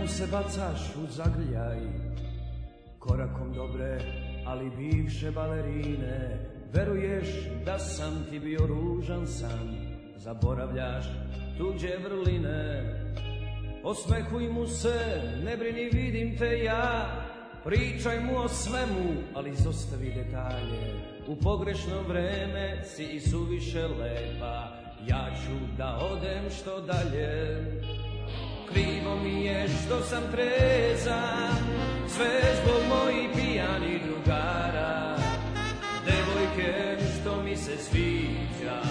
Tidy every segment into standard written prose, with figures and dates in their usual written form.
Odjednom se bacaš u zagrljaj, korakom dobre, ali bivše balerine. Veruješ da sam ti bio ružan san, zaboravljaš tuđe vrline. Osmehuj mu se, ne brini, vidim te ja. Pričaj mu o svemu, ali izostavi detalje. U pogrešno vreme si i suviše lepa, ja ću da odem što dalje. Krivo mi je što sam trezan, sve zbog mojih pijanih drugara. Devojke što mi se sviđa,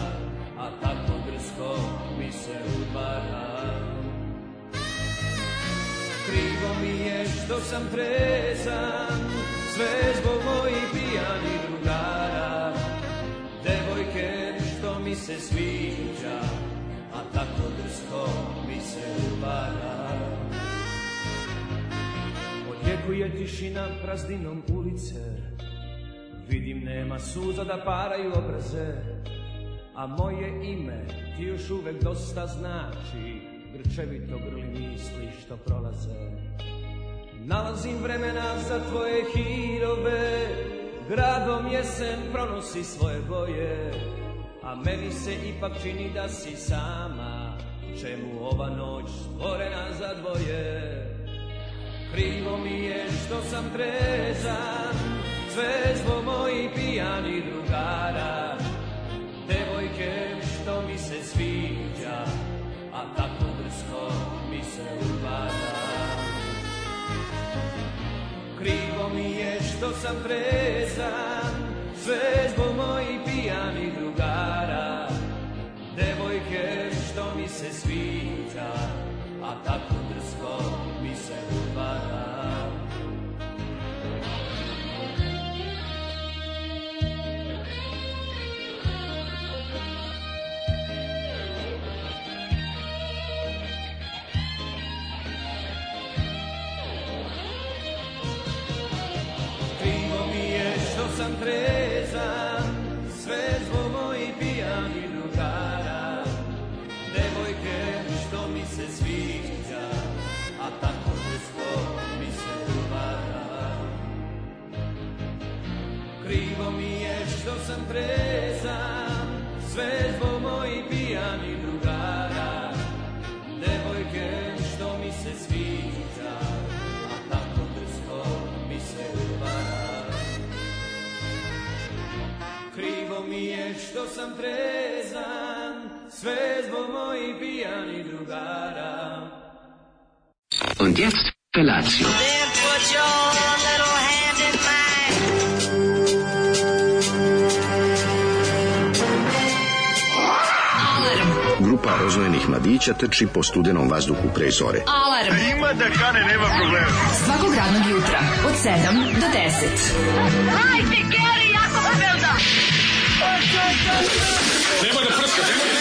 a tako drsko mi se udvara. Krivo mi je što sam trezan, sve zbog mojih pijanih drugara. Devojke što mi se sviđa, a tako drsko mi se udvara. Odjekuje tišina prazdinom ulice, vidim nema suza da paraju obraze, a moje ime ti još uvek dosta znači, grčevito grli misli što prolaze. Nalazim vremena za tvoje hirove, gradom jesen pronosi svoje boje, a meni se ipak čini da si sama, čemu ova noć stvorena za dvoje. Krivo mi je što sam trezan, sve zbog mojih pijanih drugara. Devojke što mi se sviđa, a tako drsko mi se udvara. Krivo mi je što sam trezan, sve zbog mojih pijanih drugara. Devojke što mi se sviđa, a tako drsko mi se udvara. Sam trezan, sve zbog mojih pijanih drugara. Devojke što mi se sviđa, a tako drsko mi se udvara. Krivo mi je što sam trezan, sve zbog mojih pijanih drugara. Devojke što mi se sviđa, a tako drsko mi se udvara. Krivo mi je što sam trezan, sve zbog mojih pijanih drugara. Und jetzt Felatio. Then put your little hand in mine. Grupa rozvojenih mladića trči po studenom vazduhu pre zore. Alarm! Ima da kane, nema problema. Svakog radnog jutra, od 7 do 10. Hajde, Geri, jako se velda! Nema da prska, nema da...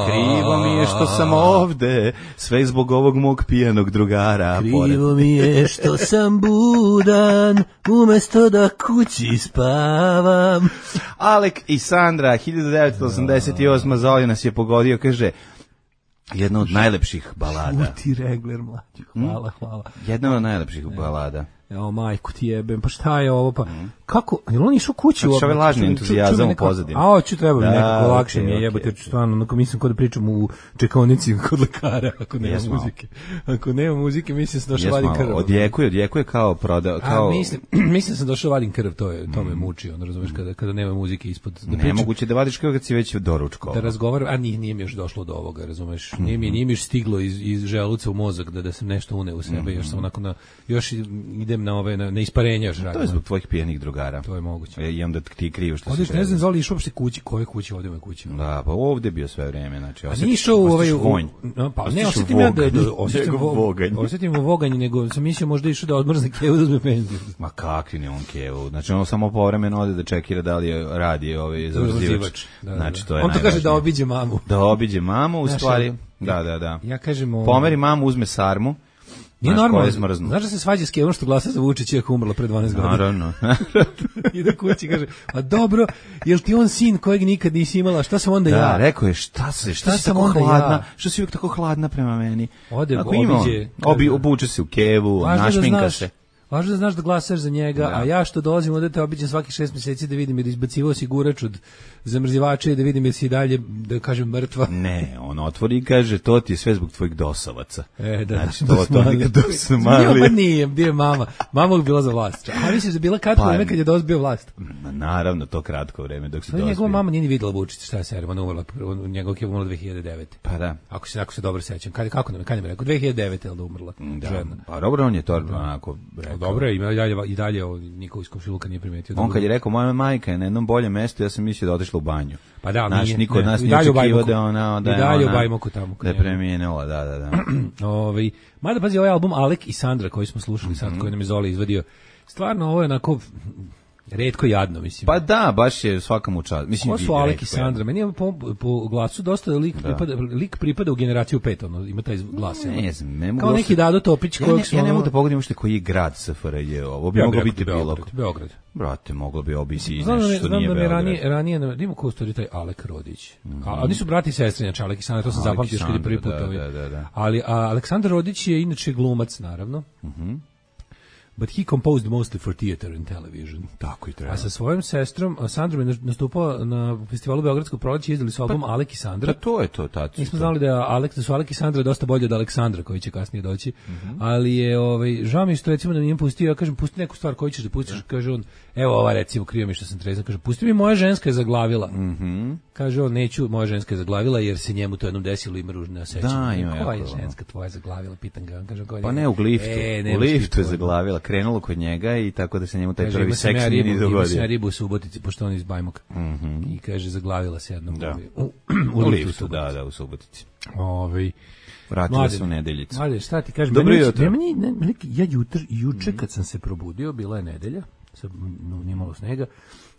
Krivo mi je što sam ovde, sve zbog ovog mog pijanog drugara. Krivo mi je što sam budan, umesto da kući spavam. Alek i Sandra, 1988. Zoli nas je pogodio, kaže, jedna od najlepših balada. Šuti regler, mlađi, hvala. Jedna od najlepših balada. Evo, majku ti jebem, pa šta je ovo, pa kako, je li on išao kući? Znači, ovaj lažni entuzijazam u pozadini. A, ću treba mi nekako lakše mi je jebati, jer ću stvarno, onako mislim kod da pričam u čekaonici kod lekara, ako nema muzike. Ako nema muzike, mislim sam došao vadim krv. Odjekuje kao proda, kao... Mislim sam došao vadim krv, to me muči, ono, razumeš, kada nema muzike ispod. Nemoguće da vadiš krv kad si već doručkao. Da razgovaram, a nije mi još došlo do ovoga, razumeš, nije mi još stiglo iz želuca u mozak da sam nešto uneo u sebe, još sam onako još idem na ove na isparenja još radim. To je zbog tvojih pijenih drugara. To je moguće. I onda ti krivo što se. Ne znam Zoli išao uopšte kući, koje kući ovde me kući. Da, pa ovde bio sve vreme, znači. A nije išao u ovaj vonj. Pa ne, osetim voganje, nego sam mislio možda išao da odmrzne kevu da uzme penziju. Ma kakvi ne on kevu. Znači on samo povremeno ode da čekira da li radi ovaj zavrzivač. Znači to je. On to kaže da obiđe mamu. Da obiđe mamu u stvari. Da. Ja kažem pomeri mamu, uzme sarmu. Nije Znaš, normalno. ko je zmrznuo? Znaš da se svađa s Kevom što glasa za Vučića iako umrla pre 12 godina? Naravno. Ide kući i kaže, a dobro, jel ti on sin kojeg nikad nisi imala, šta sam onda ja? Da, rekao je, šta si sam tako onda hladna? ja? Što si uvijek tako hladna prema meni? Ode, Ako ima, obiđe. obuče se u kevu, našminka se. Važno da znaš da glasaš za njega, Da. a ja što dolazim ovde te obiđem svakih 6 mjeseci da vidim jer izbacivao osigurač od zamrzivača i da vidim jer si i dalje, da kažem, mrtva. Ne, on otvori i kaže, to ti je sve zbog tvojih dosavaca. Znači, da to nikad su mali. Nije, gdje je mama? Mama je bila za vlast. A misliš da je bila kratko vreme kad je dozbio vlast? Naravno, to kratko vreme dok se To je njegova mama nije ni videla Vučića, šta je serija, ona umrla, njegov je umrla 2009. Pa da. Ako se dobro sećam. Kako nam je rekao? 2009 je da umrla žena. Pa dobro, on je to onako rekao. Dobro, i dalje niko iz komšiluka nije primetio. On kad je rekao, moja majka je na jednom boljem mestu, ja sam mislio da otišla u banju. Pa da, naš, nije. Niko od nas I nije dalje u očekivao Bajmoku. da je ona... I dalje u Bajmoku tamo. Da je premijenula, da. Mada pazi, ovaj album Alek i Sandra koji smo slušali sad, koji nam je Zoli izvadio, stvarno ovo je onako retko jadno, mislim. Pa da, baš je svakamu čast. Mislim, ovo su Alek i Sandra. Meni je po glasu dosta da lik pripada u generaciju 5, ono, ima taj glas. Ne znam, ne mogu... Kao neki Dado Topić kojeg su... Ja ne mogu da pogodim ušte koji je grad SFRJ, ovo bi moglo biti Bilog. Beograd. Brate, moglo bi obisi Znam nešto nije da mi Beograd. ranije ima ko stvari taj Alek Rodić. A oni su brati i sestre, znači Alek i Sandra, to sam zapamtio još kad je prvi put. Da. Ali Aleksandar Rodić je inače glumac, naravno. But he composed mostly for theater and television. Tako i treba. A sa svojom sestrom, Sandrom je nastupao na festivalu Beogradskog proleća i izdali su album Alek i Sandra. Da, to je to, tačno. Nismo znali da su Alek i Sandra dosta bolje od Aleksandra, koji će kasnije doći. Ali je, žao mi što recimo da mi je pustio, ja kažem, pusti neku stvar koju ćeš da pustiš, kaže on, evo ova recimo, krivo mi što sam trezan, kaže, pusti mi Moja ženska je zaglavila. Kaže on, neću, Moja ženska je zaglavila, jer se njemu to jednom desilo, ima ružne osjećanja. Da, ima koja je jako, ženska tvoja zaglavila, pitan ga. Kaže, pa ne, u liftu. U liftu je zaglavila, krenulo kod njega i tako da se njemu taj prvi seks nije ni dogodio. Ima se ja ribu u Subotici, pošto on iz Bajmoka. I kaže, zaglavila se jednom u liftu, da, u Subotici. Vratila se u Nedeljicu. Mladen, šta ti kažem? Dobro jutro. Ja juče kad sam se probudio, bila je nedelja, nije malo snega,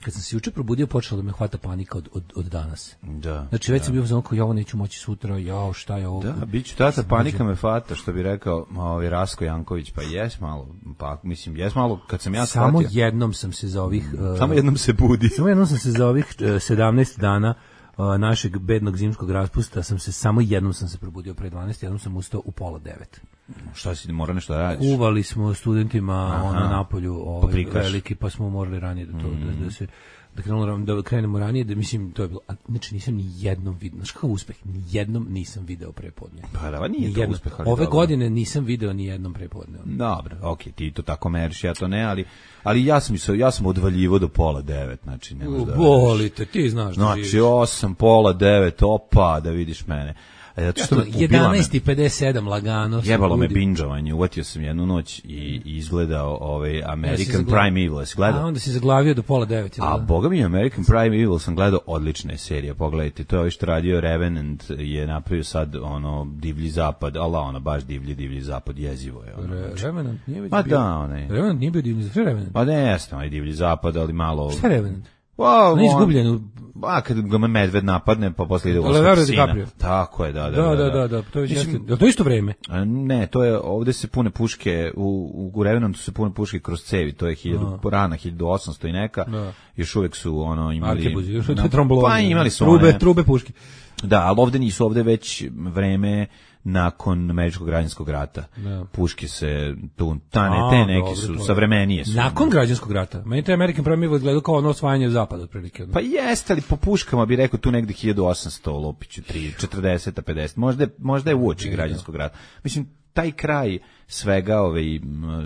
kad sam se juče probudio, počela da me hvata panika od danas. Da. Znači, već sam bio za ja ovo neću moći sutra, šta je ovo? Da, bit ću tata, panika me fata, što bi rekao Rasko Janković, pa jes malo, kad sam ja shvatio. Samo jednom sam se za ovih... Samo jednom se budi. Samo jednom sam se za ovih 17 dana našeg bednog zimskog raspusta samo jednom sam se probudio pre 12, jednom sam ustao u 8:30. Šta si, mora nešto da radiš? Uvali smo studentima napolju veliki, pa smo morali ranije da krenemo ranije, da mislim, to je bilo, znači nisam ni jednom vidio, znaš kakav uspeh, ni jednom nisam video prepodne. Pa da, nije to uspeh. Ove godine nisam video ni jednom prepodne. Dobro, okej, ti to tako meriš, ja to ne, ali ja sam odvaljivo do 8:30, znači ne možda. Bolite, ti znaš da živiš. Znači 8, 8:30, opa, da vidiš mene. Zato što 11:57 lagano. Jebalo me binđovanje, uvatio sam jednu noć i izgledao American Prime Evil. A onda si zaglavio do 8:30. A boga mi, American Prime Evil sam gledao odlične serije, pogledajte, to je što radio Revenant, je napravio sad Divlji zapad, baš divlji zapad, jezivo je. Revenant nije već bio. Revenant nije bio divlji zapad, Revenant? Pa ne, jesam, divlji zapad, ali malo... Šta je Revenant? On je izgubljen. Kad ga medved napadne, pa posle ide u sina. Tako je, da. To je isto vreme. Ne, to je, ovde se pune puške, u Revenantu se pune puške kroz cevi, to je rana 1800 i neka, još uvek su imali... Arkebuzi, još trombolovanje. Pa imali su trube puške. Da, ali ovde nisu, ovde već vreme nakon američkog građanskog rata. Puške se te neke su savremenije su. Nakon građanskog rata. Meni to American Prime Evil gledao kao osvajanje zapada otprilike. Pa jeste, ali po puškama bi rekao tu negde 1800 Lopiću 40 50. Možda je uoči građanskog rata. Mislim, taj kraj svega,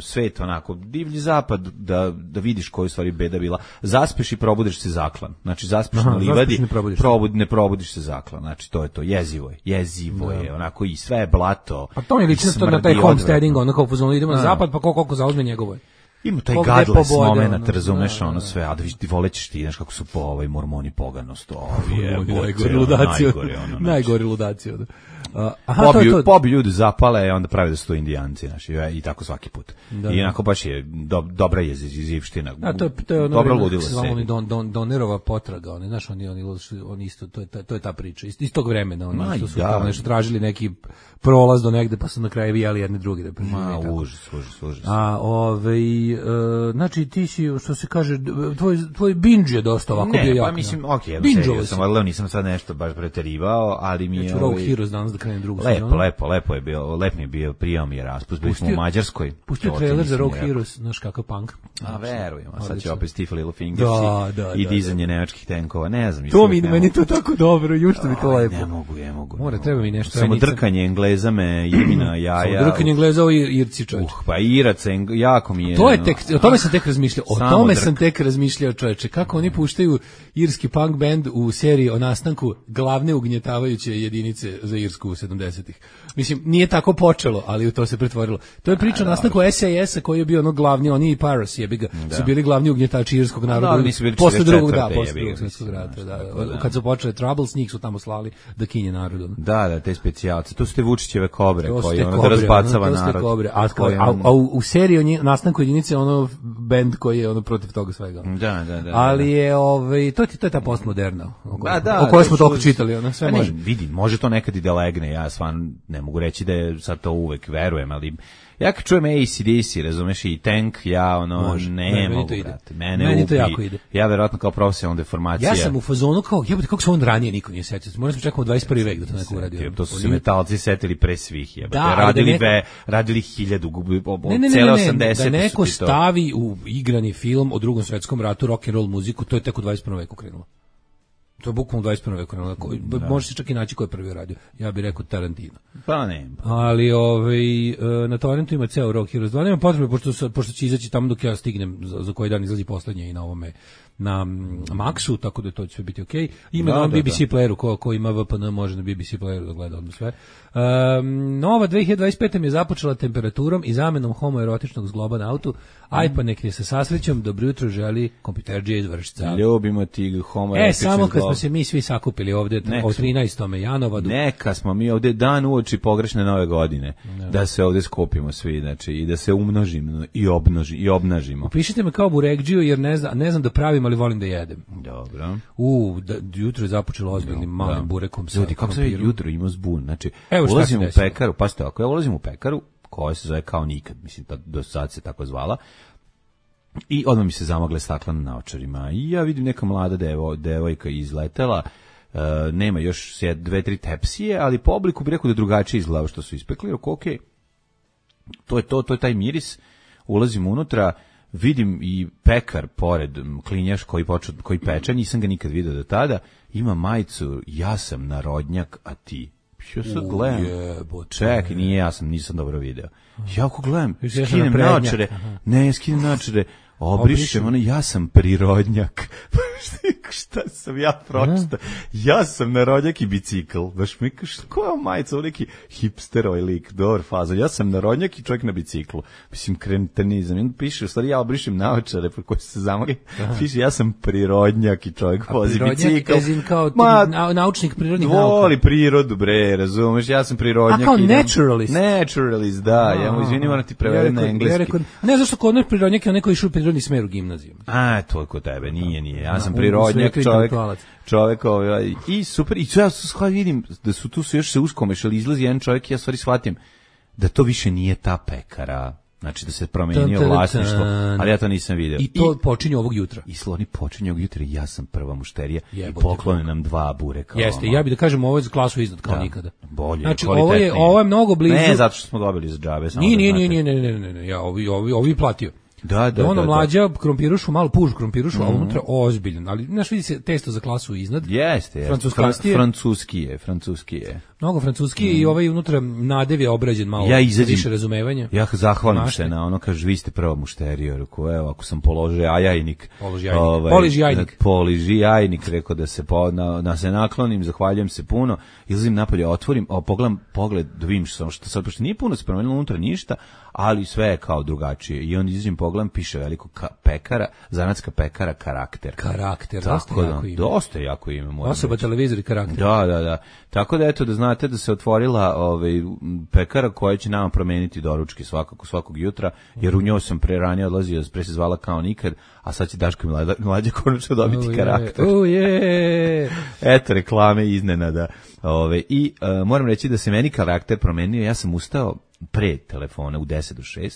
svet onako, divlji zapad, da vidiš koju stvari beda bila. Zaspeš i probudiš se zaklan. Znači, zaspeš na livadi, ne probudiš se zaklan. Znači, to je to. Jezivo je, onako, i sve je blato. A to mi liči na taj homesteading, onako, idemo na zapad, pa koliko zauzme njegovo je. Ima taj Ko gde godless poboda, moment, ono, razumeš, da, ono da. sve, a da ti volećeš ti, znaš kako su mormoni poganost, Najgori ludaci. Najgori ludaci. Pobi ljudi zapale, onda prave da su to Indijanci, znaš, i tako svaki put. I onako baš je dobra je zivština. To je ono dobro vreme, ludilo kako se zvalo, Donerova potraga, znaš, oni isto, to je ta priča, iz tog vremena, oni što su kao nešto tražili neki prolaz do negde, pa su na kraju vijali jedni drugi da prežive. Užas. Znači ti si, što se kaže, tvoj binge je dosta ovako bio jak. Pa mislim, binge-ovo sam, ali nisam sad nešto baš preterivao, ali mi je... Ja ću Rogue Heroes danas da krenem drugu sezonu. Lepo je bio, lep mi je bio, prijao mi je raspust, bili smo u Mađarskoj. Pustio trailer za Rogue Heroes, znaš kakav punk. A verujem, a sad će opet Stiff Little Fingers i dizanje nemačkih tenkova, ne znam. To meni to tako dobro, jušto mi to lepo. Ne mogu. Mora, treba mi nešto. Samo drkanje Engleza me, Irmina, jaja. Samo drkanje Engleza, ovo Irci, čovječe. Pa Irac, jako mi je. O tome sam tek razmišljao, čovječe. Kako oni puštaju irski punk band u seriji o nastanku glavne ugnjetavajuće jedinice za Irsku u 70-ih. Mislim, nije tako počelo, ali u to se pretvorilo. To je priča o nastanku SAS-a koji je bio ono glavni, oni i Pirates su bili glavni ugnjetači irskog naroda. Posle drugog svjetskog rata. Kad su počeli Troubles, njih su tamo slali da kinje narodu. Da, te specijalce. To su te Vučićeve kobre koji ono da razbacava narod. A u seriji o nastanku jedinice ono band koji je ono protiv toga svega. Da. Ali je to je ta postmoderna o kojoj smo toliko čitali, ona sve može. Vidi, može to nekad i da legne, ja stvarno ne mogu reći da je sad to uvek verujem, ali ja kad čujem AC/DC, razumeš, i Tank, ja ne mogu, brate. Meni to jako ide. Ja verovatno kao profesionalna deformacija. Ja sam u fazonu kao, jebote, kako se on ranije niko nije setio. Možda smo čekamo 21. vek da to neko uradi. To su se metalci setili pre svih, jebote. Radili 1000, cele 80. Da neko stavi u igrani film o Drugom svetskom ratu rock and roll muziku, to je tek u 21. veku krenulo. To je bukvalno 21. veku. Može se čak i naći ko je prvi radio. Ja bih rekao Tarantino. Pa ne. Ali na torrentu ima ceo Rock Heroes 2. Nema potrebe, pošto će izaći tamo dok ja stignem, za koji dan izlazi poslednje i na ovome, na Maxu, tako da to će sve biti okej. Ima na BBC playeru, ko ima VPN može na BBC playeru da gleda odmah sve. Nova 2025. mi je započela temperaturom i zamenom homoerotičnog zgloba na autu. Aj pa nek je sa sasrećom, dobro jutro želi kompjuterđija iz Vršca. Ljubimo ti homoerotični zglob. Samo kad smo se mi svi sakupili ovde o 13. janovadu. Neka smo mi ovde dan uoči pogrešne nove godine. Da se ovde skupimo svi, znači, i da se umnožimo i obnažimo. Upišite me kao burekđiju jer ne znam da pravim, ali volim da jedem. Dobro. Jutro je započelo ozbiljnim malim burekom. Ljudi, kako se jutro ima zbun? Znači, ulazim u pekaru, pa ste ako ja ulazim u pekaru, koja se zove kao nikad, mislim, do sad se tako zvala, i odmah mi se zamagle stakla na naočarima. I ja vidim neka mlada devojka izletela, nema još 2-3 tepsije, ali po obliku bi rekao da drugačije izgleda što su ispekli. Okej, to je taj miris. Ulazim unutra, vidim i pekar pored, klinjaš koji peče, nisam ga nikad vidio do tada, ima majicu, ja sam narodnjak, a ti. Ja sad gledam, čekaj, nisam dobro video. Ja ako gledam, skinem naočare, obrišem, ja sam prirodnjak. Šta sam ja pročitao? Ja sam narodnjak i bicikl. Baš mi kažeš, koja majica, neki hipster ovaj lik, dobar fazon. Ja sam narodnjak i čovjek na biciklu. Mislim, kretenizam. I onda piše, u stvari ja obrišem naočare pre koje se zamogli. Piše, ja sam prirodnjak i čovjek vozi bicikl. Kao naučnik prirodnih nauka. Voli prirodu, bre, razumeš, ja sam prirodnjak. A kao naturalist. Naturalist, da. Ja mu izvini, moram ti prevedem na engleski. Ne, zašto kod nas prirodnjak je neko išao u prirodni smer u gimnaziju. To je kod tebe, nije. Ja sam prirodnjak, čovjek i super, i ja sad vidim da su tu još se uskomešali, izlazi jedan čovjek i ja stvari shvatim da to više nije ta pekara, znači da se promenio vlasništvo, ali ja to nisam vidio. I to počinje ovog jutra. I sloni počinje ovog jutra i ja sam prva mušterija i poklone nam 2 bureka. Jeste, ja bih da kažem ovo je za klasu iznad kao nikada. Bolje, znači, ovo je mnogo blizu. Ne, zato što smo dobili za džabe. Ne, ja ovi platio. Da, mlađa krompirušu, malo pužu krompirušu, a unutra ozbiljan, ali znaš, vidi se testo za klasu iznad. Jeste. Francuski je. Mnogo francuski i ovaj unutra nadev je obrađen malo, Ja izađem, više razumevanja. Ja zahvalim Mašte. se na ono, kaže, vi ste prva mušterija, rekao, evo, ako sam položio ajajnik, poliži jajnik, rekao da se da se naklonim, zahvaljujem se puno, izlazim napolje, otvorim, pogledam pogled, da vidim što sad, pošto nije puno se promenilo unutra ništa, ali sve je kao drugačije. I onda izlazim, pogledam, piše veliko pekara, zanatska pekara Karakter. Karakter, dosta jako ime. Osoba, televizor i Karakter. Da. Tako da, eto, da znate da se otvorila pekara koja će nama promeniti doručke svakog jutra, jer u njoj sam pre ranije odlazio, pre se zvala Kao nikad, a sad će Daško i Mlađa konačno dobiti Karakter. Eto, reklame iznenada. I moram reći da se meni Karakter promenio, ja sam ustao pre telefona u 10 do 6.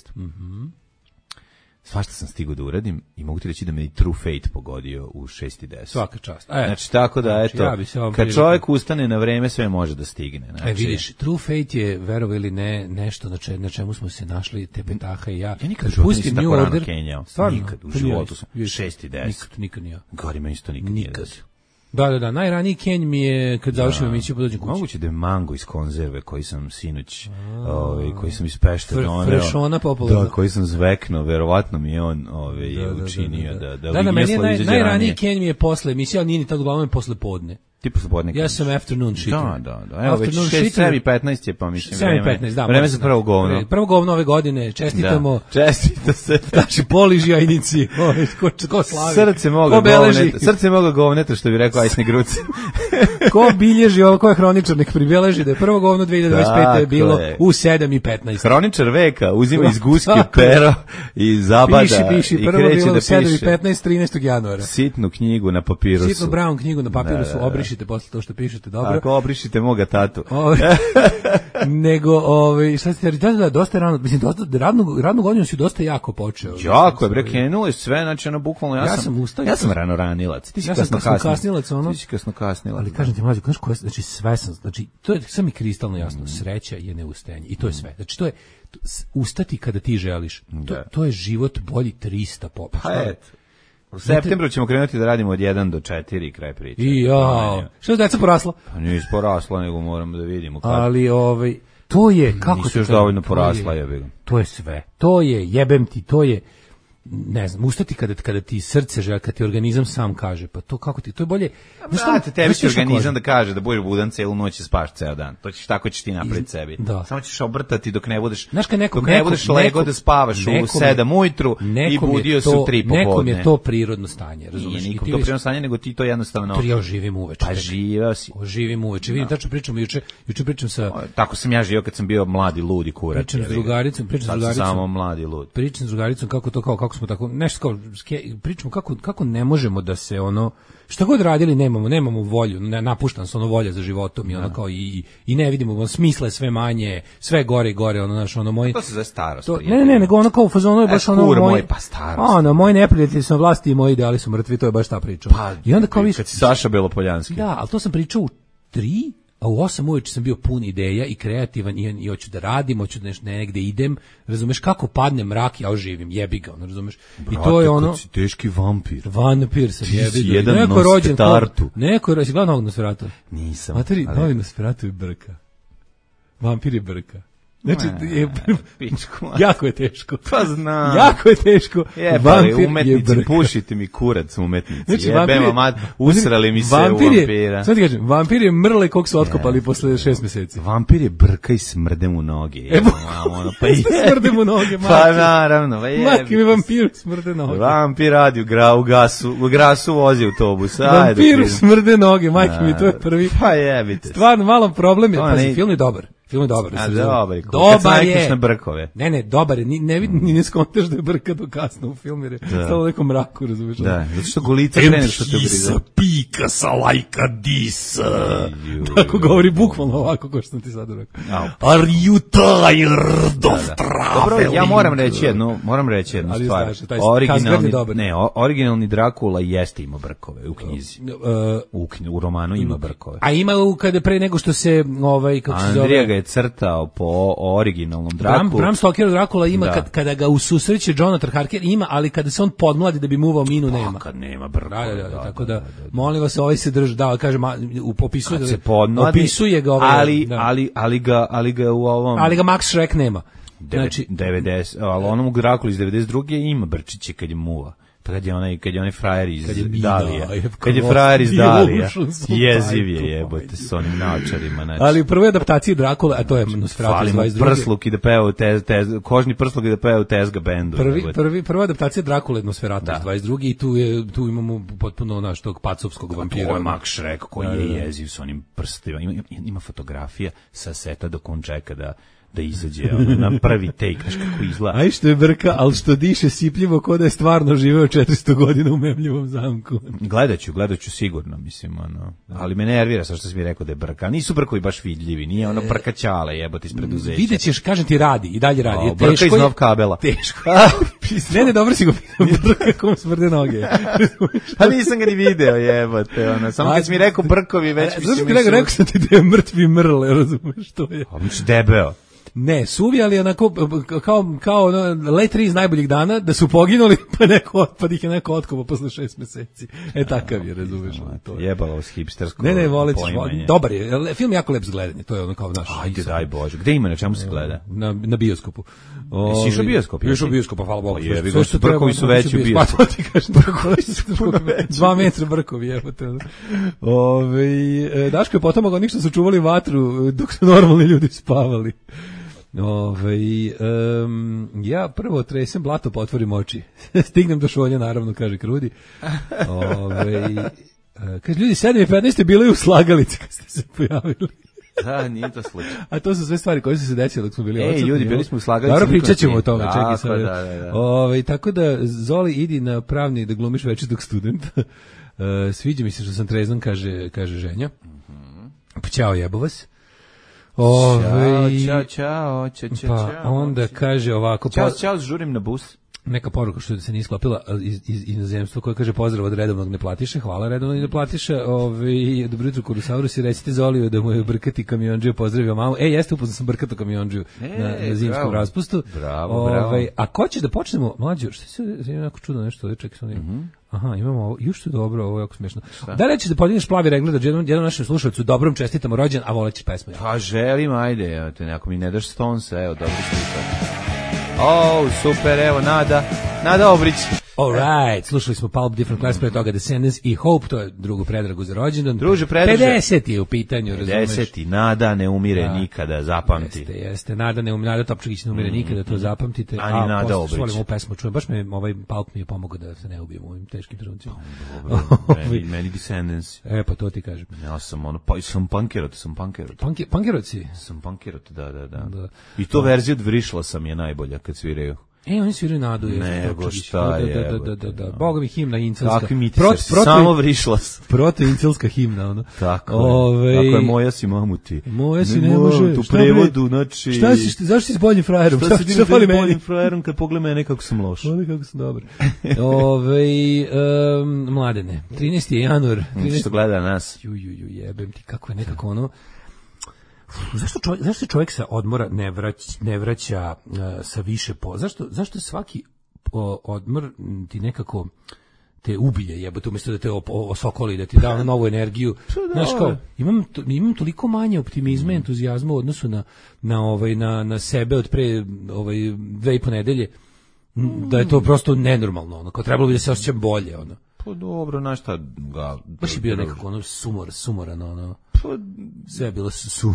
Svašta sam stigao da uradim i mogu ti reći da me i True Fate pogodio u 6:10. Svaka čast. Znači, tako da, eto, kad čovjek ustane na vreme, sve može da stigne. Znači, vidiš, True Fate je, verovo ili ne, nešto na čemu smo se našli, te Petaha i ja. Ja nikad u životu nisam tako rano kenjao. Nikad u životu sam. 6:10. Nikad nije. Gori me isto nikad nije. Da, najraniji kenj mi je kad završim emisiju podođem kući. Moguće da je mango iz konzerve koji sam sinoć, koji sam iz Pešte doneo. Frešona popularna. Da, koji sam zveknuo, verovatno mi je on učinio da meni najraniji kenj mi je posle emisije, ali nije ni tako uglavnom posle podne. Ti posle podne. Ja sam afternoon shitting. Da. Evo već 7:15 je, pa mislim vreme. 7:15, da. Vreme za prvo govno. Prvo govno ove godine, čestitamo. Da, čestita se. Znači, poliži jajnici, ko slavi. Srce moga govneta, što bi rekao Ajsni Gruc. Ko bilježi ovo, ko je hroničar, nek pribeleži da je prvo govno 2025. je bilo u 7:15. Hroničar veka uzima iz guske pero i zabada piši, i prvo kreće bilo da u 7:15 13. januara. Sitnu knjigu na papirusu. Sitnu brown knjigu na papirusu, obrišite posle to što pišete, dobro. Ako obrišite moga tatu. Nego, šta ste reći, da, dosta rano, mislim, radnu godinu si dosta jako počeo. Jako je, bre, krenulo je sve, znači, bukvalno, ja sam rano ranilac. Ti si kasnilac, ono. Ti si kasno kasnilac. Ali kažem ti, mlađe, znaš koja, znači, sve sam, znači, to je sve mi kristalno jasno, sreća je neustajanje. I to je sve. Znači, to je ustati kada ti želiš. To je život bolji 300 popa. Pa eto. U septembru ćemo krenuti da radimo od 1 do 4 kraj priče. Što je deca porasla? Pa nije porasla, nego moramo da vidimo kako. Ali to je kako nisu još dovoljno porasla, jebim. To je sve. To je, jebem ti, to je, ne znam, ustati kada ti srce želi, kada ti organizam sam kaže, pa to kako ti, to je bolje. Znate, tebi će organizam da kaže da budeš budan celu noć i spaš ceo dan. To ćeš, tako ćeš ti napraviti sebi. Da. Samo ćeš obrtati dok ne budeš, dok ne budeš lego da spavaš u 7 ujutru i budio se u 3 popodne. Nekom je to prirodno stanje, razumiješ? Nije nikom to prirodno stanje, nego ti to jednostavno... Ja živim uveče. Pa živeo si. Živim uveče. Vidim, tačno pričamo juče pričam sa... Tako sam ja živio kad sam bio mladi ludi kurac. Pričam s drugaricom. Samo mladi lud. Pričam s drugaricom kako smo tako, nešto kao, pričamo kako ne možemo da se šta god radili nemamo volju, napuštam se volja za životom i kao i ne vidimo smisla, sve manje, sve gore i gore, moj. To se zove starost. Ne, nego kao u fazonu je baš moj pa starost. Moji neprijatelji su na vlasti i moji ideali su mrtvi, to je baš ta priča. I onda kao kad si Saša Belopoljanski. Da, ali to sam pričao u 3, a u 8 uveče sam bio pun ideja i kreativan i hoću da radim, hoću da negde idem, razumeš, kako padne mrak, ja oživim, jebi ga, razumeš. Brate, i to je ono... Si teški vampir. Vampir sam, jebi ga. Ti si jedan Nosferatu. Neko je rođen, gledao novog Nosferatu. Nisam. Materi, novi Nosferatu je brka. Vampir je brka. Znači, jako je teško. Pa znam. Jako je teško. Vampir umetnici, pušite mi kurac umetnici. Znači, usrali mi se u vampira. Sad ti kažem, vampir je mrle kog su otkopali posle 6 meseci. Vampir je brka i smrde mu noge. Pa smrde mu noge, maki. Pa naravno. Maki mi vampir smrde noge. Vampir radi u grasu vozi autobus. Vampir smrde noge, majke mi, to je prvi. Pa jebite. Stvarno, malo problem je. Pazi, film je dobar. Film je dobar. Dobar je. Na brkove. Ne, dobar je. Ne skontaš da je brka do kasno u filmu, jer je stalo u nekom mraku, razumiješ? Da, zato što golica krene što te briza. Pika sa lajka disa. Tako govori bukvalno ovako, ko što sam ti sad rekao. Are you tired of traveling? Dobro, ja moram reći jednu stvar. Originalni Drakula jeste ima brkove u knjizi. U romanu ima brkove. A ima kada pre nego što se, kako se Andrija ga je crtao po originalnom Drakulu. Bram Stoker Drakula ima Da. kada ga ususreće Jonathan Harker ima, ali kada se on podmladi da bi muvao minu nema. Kad nema brko. Tako da, molim vas, ovaj se drži, da, kaže, opisuje Kad se podmladi, opisuje ga ovaj, ali ga u ovom... Ali ga Max Schreck nema. Znači 90, ali onom u Drakuli iz 92. ima brčiće kad je muva. Pa kad je onaj frajer iz Dalija. Kad je frajer iz Dalija. Jeziv je, jebote, s onim naočarima. Znači. Ali u prvoj adaptaciji Drakula, a to je Nosferatu 22. Prsluk i da peva kožni prsluk i da peva u Tezga bendu. Prva adaptacija Drakula je Nosferatu 22. I tu imamo potpuno naš tog pacovskog vampira. Ovo je Max Schreck koji je jeziv s onim prstima. Ima fotografija sa seta dok on čeka da izađe na prvi take, znaš kako izgleda. Aj što je brka, ali što diše sipljivo ko da je stvarno živeo 400 godina u memljivom zamku. Gledat ću sigurno, mislim, ali me nervira sa što si mi rekao da je brka. Nisu brkovi baš vidljivi, nije ono brkaćale jebote iz preduzeća. Vidjet ćeš, kažem ti, radi, i dalje radi. Brka iz Nov kabela. Teško. Ne, dobro si go pitao, kako mu smrde noge. Pa nisam ga ni video, jebote, samo kad si mi rekao brkovi, već mislim... Rekao sam ti da je mrtvi mrle, razumeš, to je. Debeo. Ne, suvi, ali onako kao ono, letri iz najboljih dana, da su poginuli, pa ih je neko otkopao posle 6 meseci. Takav je, razumeš. Jebalo s hipstersko. Ne, volit, dobar je, film jako lep zgledanje, to je ono kao naš. Ajde, daj Bože, gde ima, na čemu se gleda? Na bioskopu. Jesi išao bioskop? Išao bioskop, hvala Bogu. Brkovi su veći u bioskopu. Pa to ti kažem, brkovi su 2 metra brkovi, evo te. Daško je potomak onih što su čuvali vatru dok su normalni ljudi spavali. Ja prvo tresem blato, pa otvorim oči. Stignem do šolja, naravno, kaže Krudi. Kaže, ljudi, 7:15 bili u slagalici kad ste se pojavili. Da, nije to slučaj. A to su sve stvari koje su se desile dok smo bili odsutni. Ljudi, bili smo u slagalici. Dobro, pričat ćemo o tome, čekaj sad. Da. Tako da, Zoli, idi na pravni da glumiš večitog studenta. Sviđa mi se što sam trezan, kaže ženja. Pa ćao, jebo vas. Ćao. Pa onda kaže ovako... Ćao, žurim na bus. Neka poruka što se nije sklopila iz inozemstva koja kaže pozdrav od redovnog neplatiše, hvala redovnog neplatiša, dobro jutro Kurosaurus i recite Zoliju da mu je brkati kamionđiju pozdravio mamu. Jeste, upoznao sam brkato kamionđiju na zimskom raspustu. Bravo. A ko će da počnemo, mlađo, što se jako čudno nešto, čekaj sam aha, imamo ovo, još što je dobro, ovo je jako smiješno. Da li ćeš da podigneš plavi regler da jednom našem slušalcu dobrom čestitamo rođen, a volećeš pesmu? Pa želim, ajde, ako mi ne daš Stonesa, evo, dobro slušaj. Super, evo, Nada Obrić. Alright, slušali smo Pulp, Different Class, pre toga Descendants i Hope, to je drugu predragu za rođendan. Druže, predraže. 50 je u pitanju, razumeš? 50, Nada ne umire nikada, zapamti. Jeste, Nada Topčagić ne umire nikada, to zapamtite. Ani Nada Obrić. Volim ovu pesmu, čujem, baš Pulp mi je pomogao da se ne ubijem u ovim teškim trenucima. Meni Descendants. Pa to ti kažem. Ja sam sam punkerot. Punkerot si? Sam punkerot, da. I to verzija od Vrišla sam je najbolja kad sviraju. Oni sviraju Nadu. Nego šta je. Da. Boga mi himna incelska. Kakvi mi ti samo Vrišlas. Proto-incelska himna, ono. Tako je moja si mamuti. Moja si ne može. Tu prevodu, znači... Zašto si s boljim frajerom? Šta si s boljim frajerom kad pogleda mene kako sam loš? Ovdje kako sam dobar. Mladene, 13. januar. Što gleda nas? Jebem ti, kako je nekako ono... Zašto se čovjek sa odmora ne vraća sa više zašto svaki odmor ti nekako te ubije, jebote, umjesto da te osokoli, da ti da novu energiju. Znaš kao, imam toliko manje optimizma i entuzijazma u odnosu na sebe od pre 2,5 nedelje, da je to prosto nenormalno, ono, kao trebalo bi da se osjećam bolje, ono. Pa dobro, znaš šta ga... Baš je bio nekako ono sumoran, ono... Sve je bilo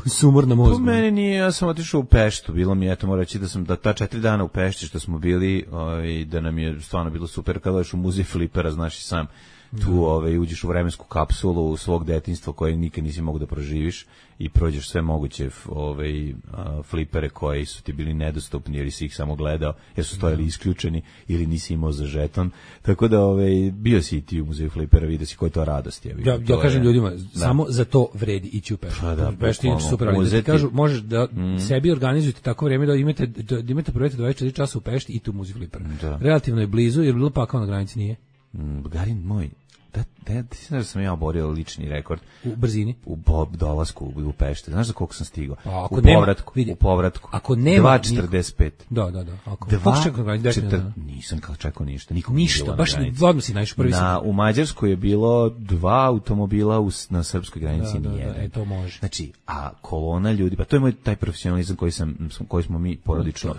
sumor na mozgu. Po meni nije, ja sam otišao u Peštu, bilo mi, eto, moram reći da sam ta 4 dana u Pešti što smo bili, da nam je stvarno bilo super, kada ješ u muzej Flipera, znaš i sam, tu uđeš u vremensku kapsulu svog detinjstva koje nikad nisi mogu da proživiš i prođeš sve moguće flipere koji su ti bili nedostupni jer si ih samo gledao, jer su stojali isključeni ili nisi imao za žeton, tako da bio si i ti u muzeju Flipera, vidio si koja je to radost. Ja kažem ljudima, samo za to vredi ići u Peštu. Pešti je super, ali da ti kažu, možeš da sebi organizujete tako vreme da imate projekte 24 časa u Pešti i tu u muzeju Flipera. Relativno je blizu, jer bilo pakao na granici nije. Garin moj, ti znaš da sam ja oborio lični rekord U brzini? u dolasku u Pešter. Znaš za koliko sam stigao? U povratku. Ako nema 2:45. Da. Ako nisam čekao ništa. Ništa, baš odmah si naišao prvi. U Mađarskoj je bilo 2 automobila na srpskoj granici, nijedan. To može. Znači, a kolona ljudi, pa to je moj taj profesionalizam koji smo mi porodično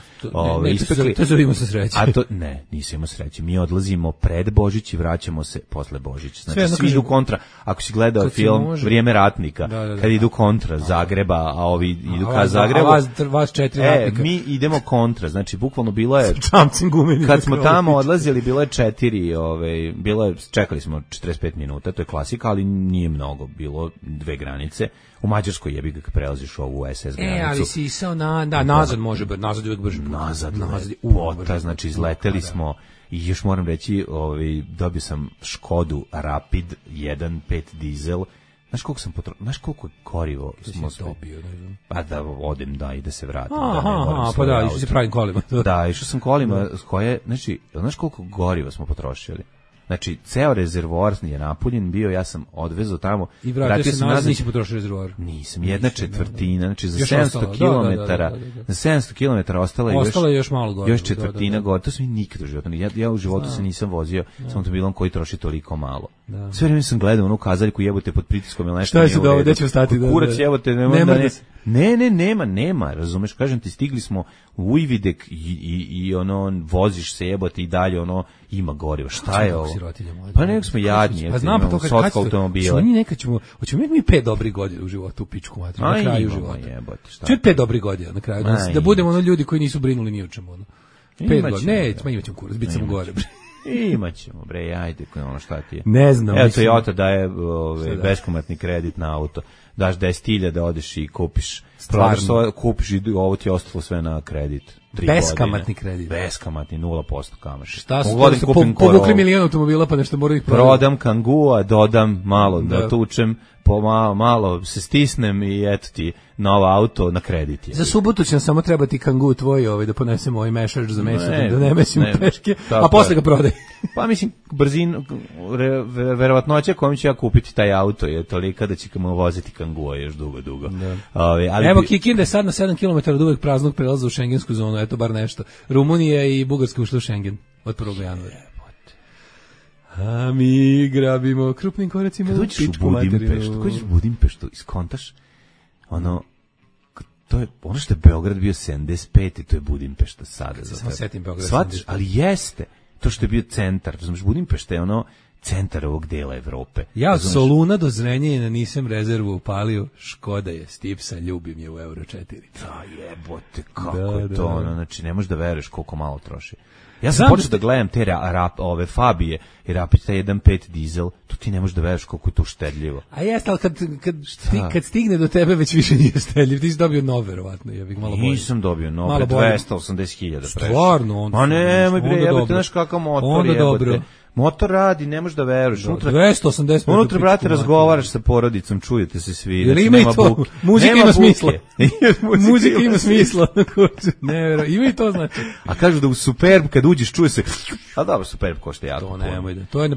ispekli. To zove imao sam sreće. A to, ne, nisam imao sreće. Mi odlazimo pred Božić i vraćamo se posle Božića. Znači, svi idu kontra. Ako si gledao film Vrijeme ratnika, kad idu kontra Zagreba, a ovi idu ka Zagrebu. A vas 4 ratnika. Mi idemo kontra. Znači, bukvalno bilo je... Kad smo tamo odlazili, bilo je 4, čekali smo 45 minuta, to je klasika, ali nije mnogo. Bilo 2 granice. U Mađarskoj jebi ga kad prelaziš ovu SS granicu. Ali si išao nazad može, nazad uvek brže. Nazad, znači izleteli smo i još moram reći, dobio sam Škodu Rapid 1.5 dizel. Znaš koliko korivo smo dobio, ne znam. Pa da odem, i da se vratim. Pa da, išao si pravim kolima. Da, išao sam kolima koje, znači, znaš koliko goriva smo potrošili? Znači, ceo rezervoar je napunjen bio, ja sam odvezao tamo. I vratio se nazad, nisi potrošio rezervoar. Nisam, 1/4, znači za 700 kilometara, za 700 kilometara ostala je još malo gore. Još četvrtina gore, to sam nikad u životu, ja u životu se nisam vozio s automobilom koji troši toliko malo. Sve vrijeme sam gledao onu kazaljku, jebote pod pritiskom ili nešto. Šta je se da gde ću stati? Kurac jebote, nema, razumeš, kažem ti, stigli smo u Ujvidek i voziš se jebote i dalje, ima goriva, šta je ovo? Pa nek smo jadnji, pa znam, imamo sotsko automobila. Hoćemo mi 5 dobrih godina u životu, u pičku materiju, na kraju života. Čuj 5 dobrih godina na kraju, da budemo ljudi koji nisu brinuli ni o čemu. 5 godina, imaćemo kurac, bit ćemo gore. Imaćemo, ajde, šta ti je? Ne znam. Evo, Toyota daje beskomatni kredit na auto. Daš 10.000 da odeš i kupiš. Kupiš i ovo ti je ostalo sve na kredit. Beskamatni kredit. Beskamatni, 0% kamate. Šta su povukli milijon automobila pa nešto moraju ih prodati. Prodam Kangua, dodam malo da tučem, malo se stisnem i eto ti novo auto na kredit. Za subotu će nam samo trebati Kangu tvoj da ponesemo ovaj mešač za meso, da ne mesimo peške, a posle ga prodaj. Pa mislim, verovatnoća kojom ću ja kupiti taj auto je tolika da će mu voziti Kangua još dugo. Evo Kikinda je sad na 7 km od uvek praznog prelaza u šengensku zonu, eto bar nešto. Rumunija i Bugarska ušla u Šengen od 1. januara. A mi grabimo krupnim koracima u pičku materinu. Kad uđeš u Budimpeštu, iskontaš, to je ono što je Beograd bio 75 i to je Budimpešta sada. Samo setim Beograd 75. Ali jeste, to što je bio centar, znaš, Budimpešta je centar ovog dela Evrope. Ja od Soluna do Zrenjanina nisam rezervu upalio, Škoda je Stipsa, ljubim je u Euro 4. Da jebote, kako je to, znači ne možeš da veruješ koliko malo troši. Ja sam počeo da gledam te ove Fabije i Rapid 1.5 dizel, to ti ne možeš da veruješ koliko je to štedljivo. A jeste, ali kad stigne do tebe već više nije štedljiv, ti si dobio nov, verovatno. Nisam dobio nov, 280.000. Stvarno? Ma nemoj bre, jebate, znaš kakav motor jebate. Motor radi, ne možeš da veruješ. 280. Unutra, brate, razgovaraš sa porodicom, čujete se svi. Jer ima i to, muzika ima smisla. Muzika ima smisla. Ne, ima i to znači. A kažu da u Superb, kad uđeš, čuje se, a dobro, Superb košta jako. To nemoj da, to je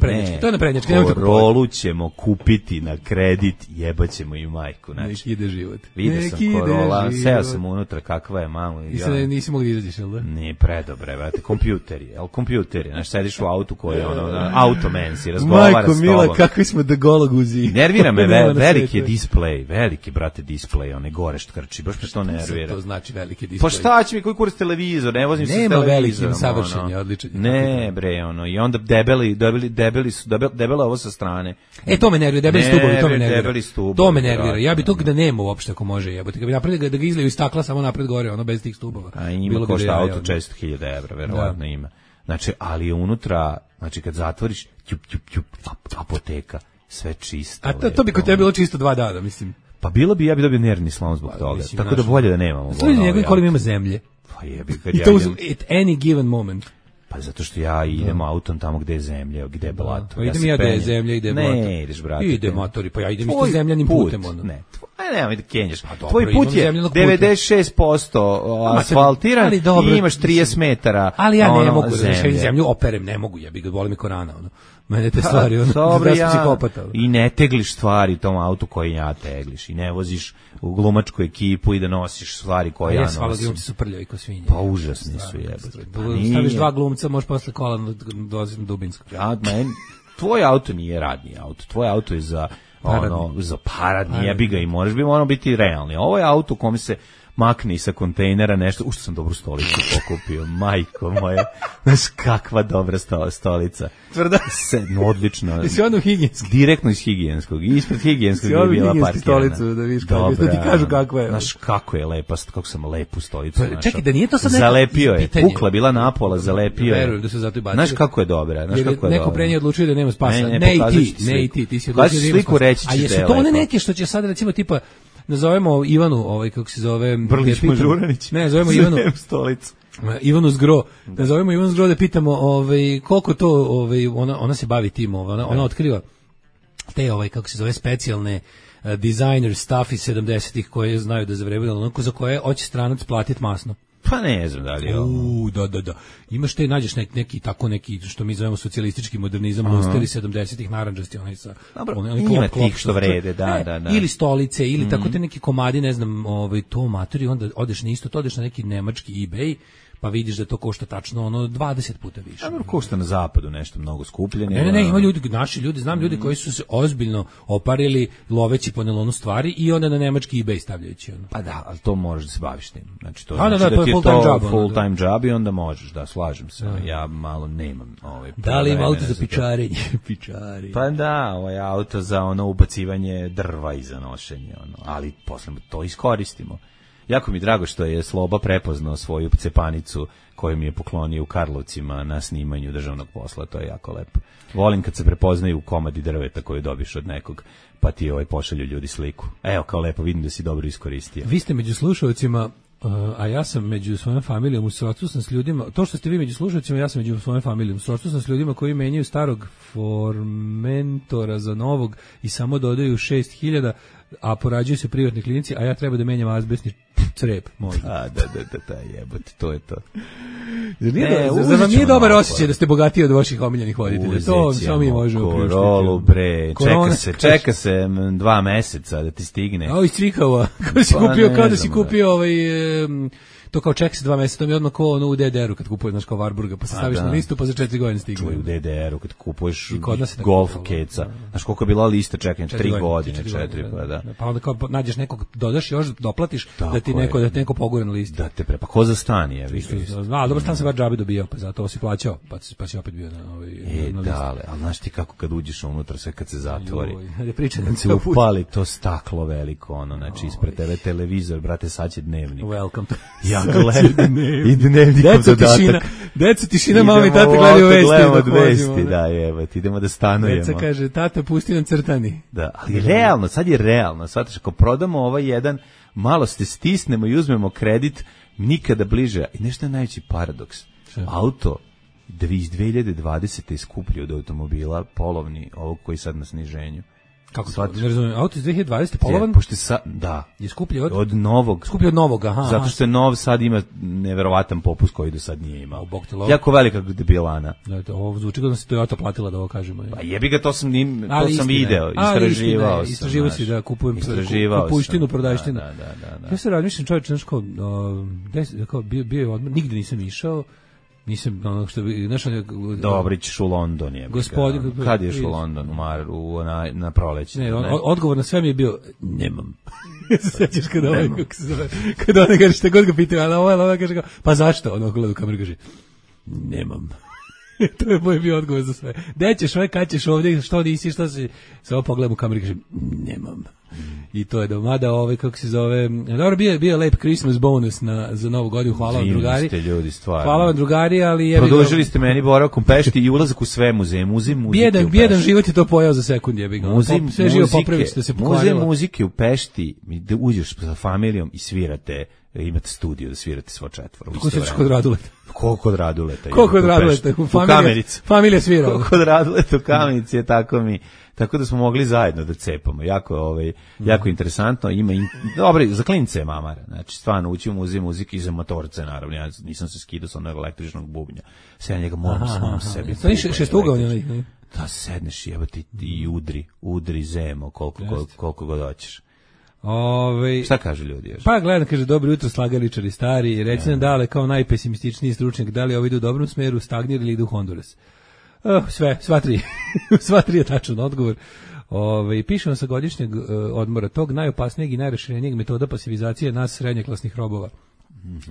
naprednjački. Korolu ćemo kupiti na kredit, jebaćemo i majku. Nek ide život. Vidio sam Corolla, seo sam unutra, kakva je malo. Nisi mogli izađeš, jel da? Nije predobre, brate, kompjuteri, znaš, sediš u autu koji je automen si, razgovara s tobom. Majko mila, kakvi smo da gologuzi. Nervira me, veliki je display, veliki, brate, display, one gore štrči, baš me to nervira. To znači veliki display. Pa šta će mi, koji kurac televizor, ne vozim se s televizorom. Nema veliki, savršen je, odličan. Ne, bre, i onda debela ovo sa strane. To me nervira, debeli stubovi, to me nervira. Debeli stubovi. To me nervira, ja bi to da nema uopšte ako može jebote. Kad bi napravili da ga izliju iz stakla samo napred gore, bez tih stubova. A ima košta auto 400.000 evra, verovatno ima. Znači, ali je unutra, znači kad zatvoriš, apoteka, sve čisto. A to bi kod tebe bilo čisto 2 dana, mislim. Pa bilo bi, ja bi dobio nervni slom zbog toga. Tako da bolje da nemamo. Služi njegovim kolima ima zemlje. Pa jebi, I to at any given moment. Pa zato što ja idem autom tamo gde je zemlja, gde je blato. Pa idem ja gde je zemlja, ide blato. Ne, ideš, brate. Ide motori, pa ja idem isto zemljanim putem. Ne, nemoj da kenješ. Tvoj put je 96% asfaltiran i imaš 30 metara. Ali ja ne mogu da zemlju operem, ne mogu, ja bih ga volim i ko rana. Mene te stvari, Dobro, da si psihopata. I ne tegliš stvari u tom autu koji ja tegliš. I ne voziš u glumačku ekipu i da nosiš stvari koje ja nosim. Hvala, glumci su prljavi ko svinje. Pa užasni su jebati. Staviš 2 glumca, možeš posle kola doziti na Dubinsko. Tvoj auto nije radni auto. Tvoj auto je za paradni, jebi ga i moramo biti realni. Ovo je auto u kome se makne i sa kontejnera nešto, što sam dobru stolicu pokupio, majko moja, znaš kakva dobra stolica. Tvrda? Odlično. Jesi ono higijenski? Direktno iz higijenskog, ispred higijenskog je bila parkirana. Stolicu, da viš kako je, da ti kažu kakva je. Znaš kako je lepa, kako sam lepu stolicu našao. Čekaj, da nije to sad neko zalepio je, pukla bila napola, zalepio je. Verujem da se zato i bacio. Znaš kako je dobra, znaš kako je dobra. Neko pre nje odlučio da nema spasa. Ne i ti, ti si odlučio da nema spasa. A jesu to one neke što će sad recimo tipa nazovemo Ivanu, kako se zove, Brlić Mažuranić. Ne, zovemo Ivanu stolicu. Ivanu Zgro. Da zovemo Ivanu Zgro da pitamo koliko to ona se bavi tim, ona otkriva te kako se zove specijalne designer stuff iz 70-ih koje znaju da zavrebaju, onako za koje hoće stranac platiti masno. Pa ne znam da li je ovo. Da. Imaš te, nađeš neki, što mi zovemo socijalistički modernizam, monsteri 70-ih, narandžasti, onaj sa... Dobro, ima tih što vrede, da. Ili stolice, ili tako te neki komadi, ne znam, to matori, onda odeš na isto, to odeš na neki nemački eBay, pa vidiš da to košta tačno 20 puta više. Dobro, košta na zapadu nešto mnogo skuplje. Ne, ima ljudi, naši ljudi, znam ljudi koji su se ozbiljno oparili loveći po nelonu stvari i onda na nemački eBay stavljajući. Pa da, ali to možeš da se baviš tim. Znači, to znači da ti je to full time job i onda možeš, da, slažem se. Ja malo nemam da li ima auto za pičarenje? Pa da, ovaj auto za ubacivanje drva i za nošenje, ali posle to iskoristimo. Jako mi drago što je Sloba prepoznao svoju cepanicu koju mi je poklonio u Karlovcima na snimanju državnog posla, to je jako lepo. Volim kad se prepoznaju komadi drveta koju dobiš od nekog, pa ti pošalju ljudi sliku. Evo, kao lepo, vidim da si dobro iskoristio. Vi ste među slušalcima, a ja sam među svojom familijom, u srodstvu sam s ljudima, to što ste vi među slušalcima, ja sam među svojom familijom, u srodstvu sam s ljudima koji menjaju starog Formentora za novog i samo dodaju 6.000, a porađuju se privatni klinici, a ja treba da menjam azbestni crep, možda. Da, jebote, to je to. Zar vam nije dobar osjećaj da ste bogatiji od vaših omiljenih voditelja? To samo mi možemo priuštiti. Korolu, bre, čeka se 2 meseca da ti stigne. A iz Cvikava, kao da si kupio to kao ček se 2 meseca, to mi je odmah kao u DDR-u kad kupuješ, znaš, kao Warburga, pa se staviš na listu, pa za 4 godine stigne. Čuj, u DDR-u kad kupuješ Golf keca, znaš koliko je bila lista čekanja, 3 godine, 4, pa da. Pa onda kao nađeš nekog, dodaš još, doplatiš, da ti neko pogore na listi. Da te pa ko za stan je, viš. A dobro, stan se bar džabe dobijao, pa zato si plaćao, pa si opet bio na listi. Da, ali znaš ti kako kad uđeš unutra, sve kad se zatvori. Kad se upali to staklo veliko, znači ispred tebe televizor, brate, sad će dnevnik. Welcome to i dnevnikom dodatak. Deca tišina, mama i tata gledaju vesti. Da, evo, idemo da stanujemo. Deca kaže, tata, pusti nam crtani. Da, ali realno, sad je realno. Sad, ako prodamo ovaj jedan, malo se stisnemo i uzmemo kredit, nikada bliže. I nešto je najveći paradoks. Auto iz 2020. je skuplji od automobila, polovni, ovog koji sad na sniženju. Kako to? Ne razumijem, auto iz 2020. polovan? Da. Je skuplji od novog. Skuplji od novog, aha. Zato što je nov sad ima neverovatan popust koji do sad nije imao. Jako velika debilana. Da, ovo zvuči kao da se Toyota platila da ovo kažemo. Pa jebi ga, to sam video, istraživao si da kupujem kupuštinu, prodajštinu. Da. Ja se razmišljam, čovječe, znaš kao, bio je odmah, nigde nisam išao. Nisam ono što bi Dobro, ćeš u London je. Gospodin, kad ješ u London na proleće? Ne, odgovor na sve mi je bio nemam. Sećaš kad ona kaže šta god ga pitaju, ali ona kaže pa zašto? Ona gleda u kameru kaže nemam. To je moj bio odgovor za sve. Gde ćeš, kad ćeš ovdje, što nisi, što si? Samo pogledam u kameru i kažem nemam. I to je domada, kako se zove. Dobro, bio lep Christmas bonus za Novu godinu, hvala vam drugari. Ljudi, stvarno. Hvala vam drugari, ali produžili ste meni boravkom Pešti i ulazak u sve muzeje, muzej muzike. Bjedan život je to pojao za sekund, jebi ga. Sve živo popravić da se pokvarilo. Muzej muzike u Pešti, da uđeš sa familijom i svirate, imate studio da svirate svo četvoro. Kako se kod Raduleta? Kod Raduleta? Kod Raduleta? U Kamenici. Familija svira. Kod Raduleta u Kamenici je tako da smo mogli zajedno da cepamo. Jako interesantno. Dobro, za klince je mamara. Znači, stvarno ući u muzej muzike i za motorce, naravno. Ja nisam se skidao sa onog električnog bubnja. Sve ja njega moram samom sebi. To je šestougaonje. Da sedneš jebati i udri zemo koliko god hoćeš. Šta kažu ljudi još? Pa gledam, kaže, dobro jutro slagaličari stari, reci nam Dale kao najpesimističniji stručnjak, da li ovo ide u dobrom smeru, stagnira ili ide u Honduras? Sva tri je tačan odgovor. Pišemo sa godišnjeg odmora tog najopasnijeg i najraširenijeg metoda pasivizacije nas srednjeklasnih robova.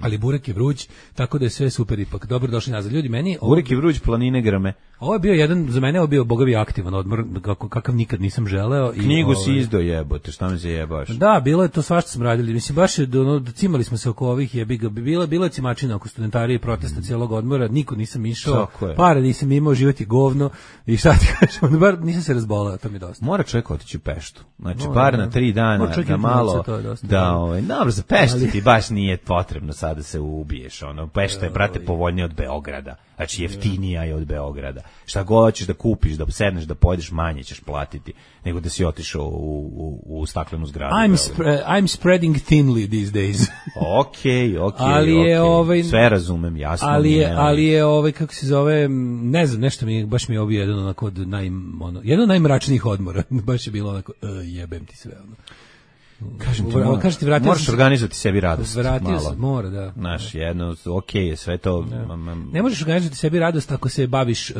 Ali burek je vruć, tako da je sve super ipak. Dobro došli nazad. Ljudi, meni... Burek je vruć, planine grme. Ovo je bio jedan, za mene ovo bio bogavi aktivan odmor, kakav nikad nisam želeo. Knjigu si izdao jebote, šta mi se jebaš? Da, bilo je to svašta smo radili. Mislim, baš je, cimali smo se oko ovih jebiga. Bila je cimačina oko studentarije, protesta cijelog odmora, niko nisam išao, pare nisam imao, život je govno i šta ti kažem, bar nisam se razbolao, to mi je dosta. Mora čovjek otići u Peštu. Znači, bar na 3 dana, da malo, dobro, za Peštu ti baš nije potrebno sada se ubiješ, Pešta je, brate, povoljnije od Beograda, znači jeftinija je od Beograda, šta god hoćeš da kupiš, da sedneš, da pojedeš, manje ćeš platiti, nego da si otišao u staklenu zgradu. I'm spreading thinly these days. Okay. Sve razumem, jasno. Ali je, kako se zove, ne znam, nešto baš mi je obio jedan onako jedan od najmračnijih odmora, baš je bilo onako, jebem ti sve, Kažem ti, moraš organizovati sebi radost. Vratio sam, mora, da. Znaš, jedno, je sve to. Ne možeš organizovati sebi radost ako se baviš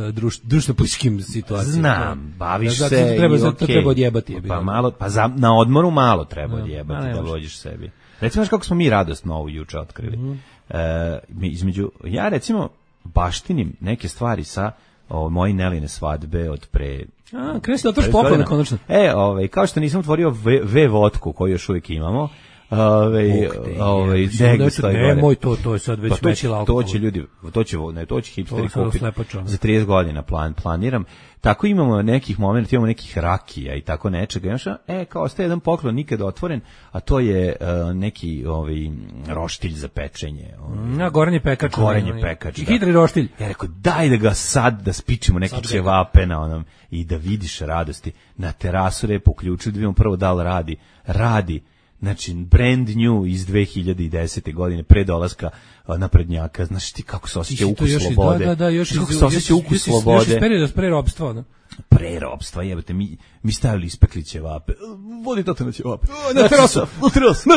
društveno-političkim situacijama. Znam, baviš se to treba odjebati. Na odmoru malo treba odjebati da vođiš sebi. Recimo, kako smo mi radost novu juče otkrili. Ja recimo baštinim neke stvari sa moje Neline svadbe od pre... Kreni se da otvoriš poklone, konačno. Kao što nisam otvorio V-vodku koju još uvijek imamo, nemoj to je sad već veći alkohol. To će hipsteri kupiti za 30 godina planiram. Tako imamo nekih momenta, imamo nekih rakija i tako nečega. Kao ostaje jedan poklon nikad otvoren, a to je neki roštilj za pečenje. Gorenje pekač. I hitri roštilj. Ja rekao, daj da ga sad, da spičimo neke ćevape na onom i da vidiš radosti. Na terasu repo uključuju, da vidimo prvo da li radi. Znači, brand new iz 2010. godine, pre dolaska naprednjaka. Znaš ti kako se osjeća ukus slobode? Kako se osjeća ukus slobode? Još pre robstva, ne? Pre robstva, jebate, mi stavili ispekli ćevape. Vodi to na ćevape. Na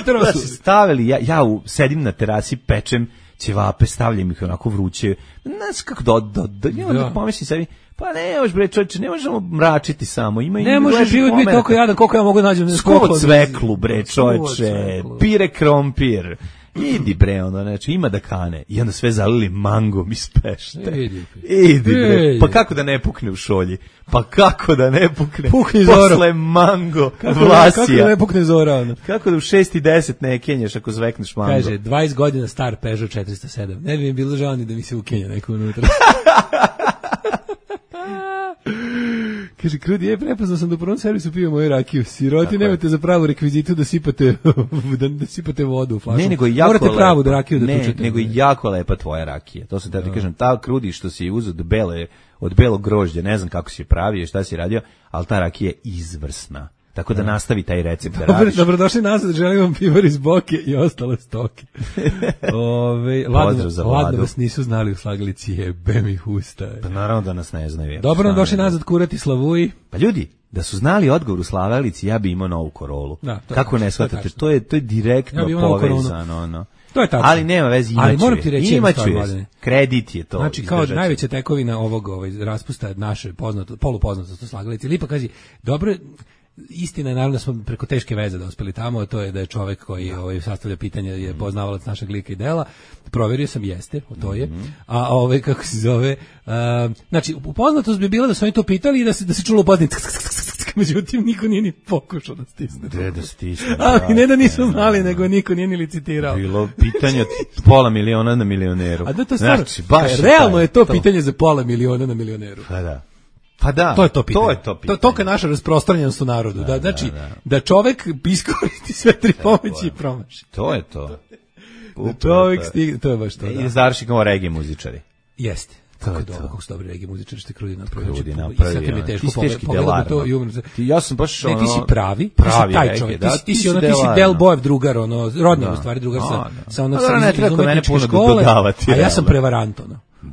terasu. Stavili, ja sedim na terasi, pečem ćevape, stavljam ih onako vruće. Znaš kako da pomislim sebi, pa ne možeš bre čovječe, ne možemo mračiti samo. Ne može život biti toliko jadan koliko ja mogu nađem. Skoro cveklu bre čovječe, pire krompir. Idi bre, znači ima da kane. I onda sve zalili mangom iz Pešte. Idi bre. Pa kako da ne pukne u šolji? Pa kako da ne pukne? Pukni Zoro. Posle mango, vlasija. Kako da ne pukne Zora? Kako da u 6:10 ne kenješ ako zvekneš mango? Kaže, 20 godina star Peugeot 407. Ne bi mi bilo žao ni da mi se ukenja neko unutra. Kaže, Krudi, prepoznao sam da u prvom servisu pio moju rakiju. Siroti, nemate za pravu rekvizitu da sipate vodu u flašu. Ne, nego je jako morate pravu da rakiju da tučete. Nego je jako lepa tvoja rakija. To sam ti kažem, ta Krudi što si uzeo od belog grožđa, ne znam kako si je pravio, šta si radio, ali ta rakija je izvrsna. Tako da nastavi taj recept da radiš. Dobrodošli nazad, želim vam pivar iz Boke i ostale stoke. Ladno vas nisu znali u slagalici, jebem ih usta. Pa naravno da nas ne znaju. Dobro nam došli nazad kurati Slavuji. Pa ljudi, da su znali odgovor u slagalici, ja bi imao novu Korolu. Kako ne shvatate, to je direktno povezano. To je tačno. Ali nema veze, imaću je. Kredit je to. Znači, kao najveća tekovina ovog raspusta naše polupoznatost slagalici. Lipa kaže, dobro, istina je naravno da smo preko teške veze dospeli tamo, to je da je čovjek koji sastavlja pitanje je poznavalac našeg lika i dela. Proverio sam, jeste, to je. A kako se zove, znači, upoznatost bi bila da su oni to pitali i da se čulo pozdini. Međutim, niko nije ni pokušao da stisne. Da stisne. Ali ne da nisu znali, nego niko nije ni licitirao. Bilo pitanje od $500,000 na milioneru. A da to stvarno, realno je to pitanje za $500,000 na milioneru. Pa da, to je to pitanje. To je naša rasprostranjenost u narodu. Da čovek iskoristi sve tri pomoći i promaši. To je to. Čovek stigne, to je baš to. I završi kao reggae muzičari. Jeste. Kako su dobri reggae muzičari, što je Krudi napravio. I sad mi je teško pogledati to i umrem se. Ja sam baš ti si pravi taj čovjek. Ti si Del Bojev drugar, rodni u stvari drugar sa onog srednje škole, a ja sam prevarant.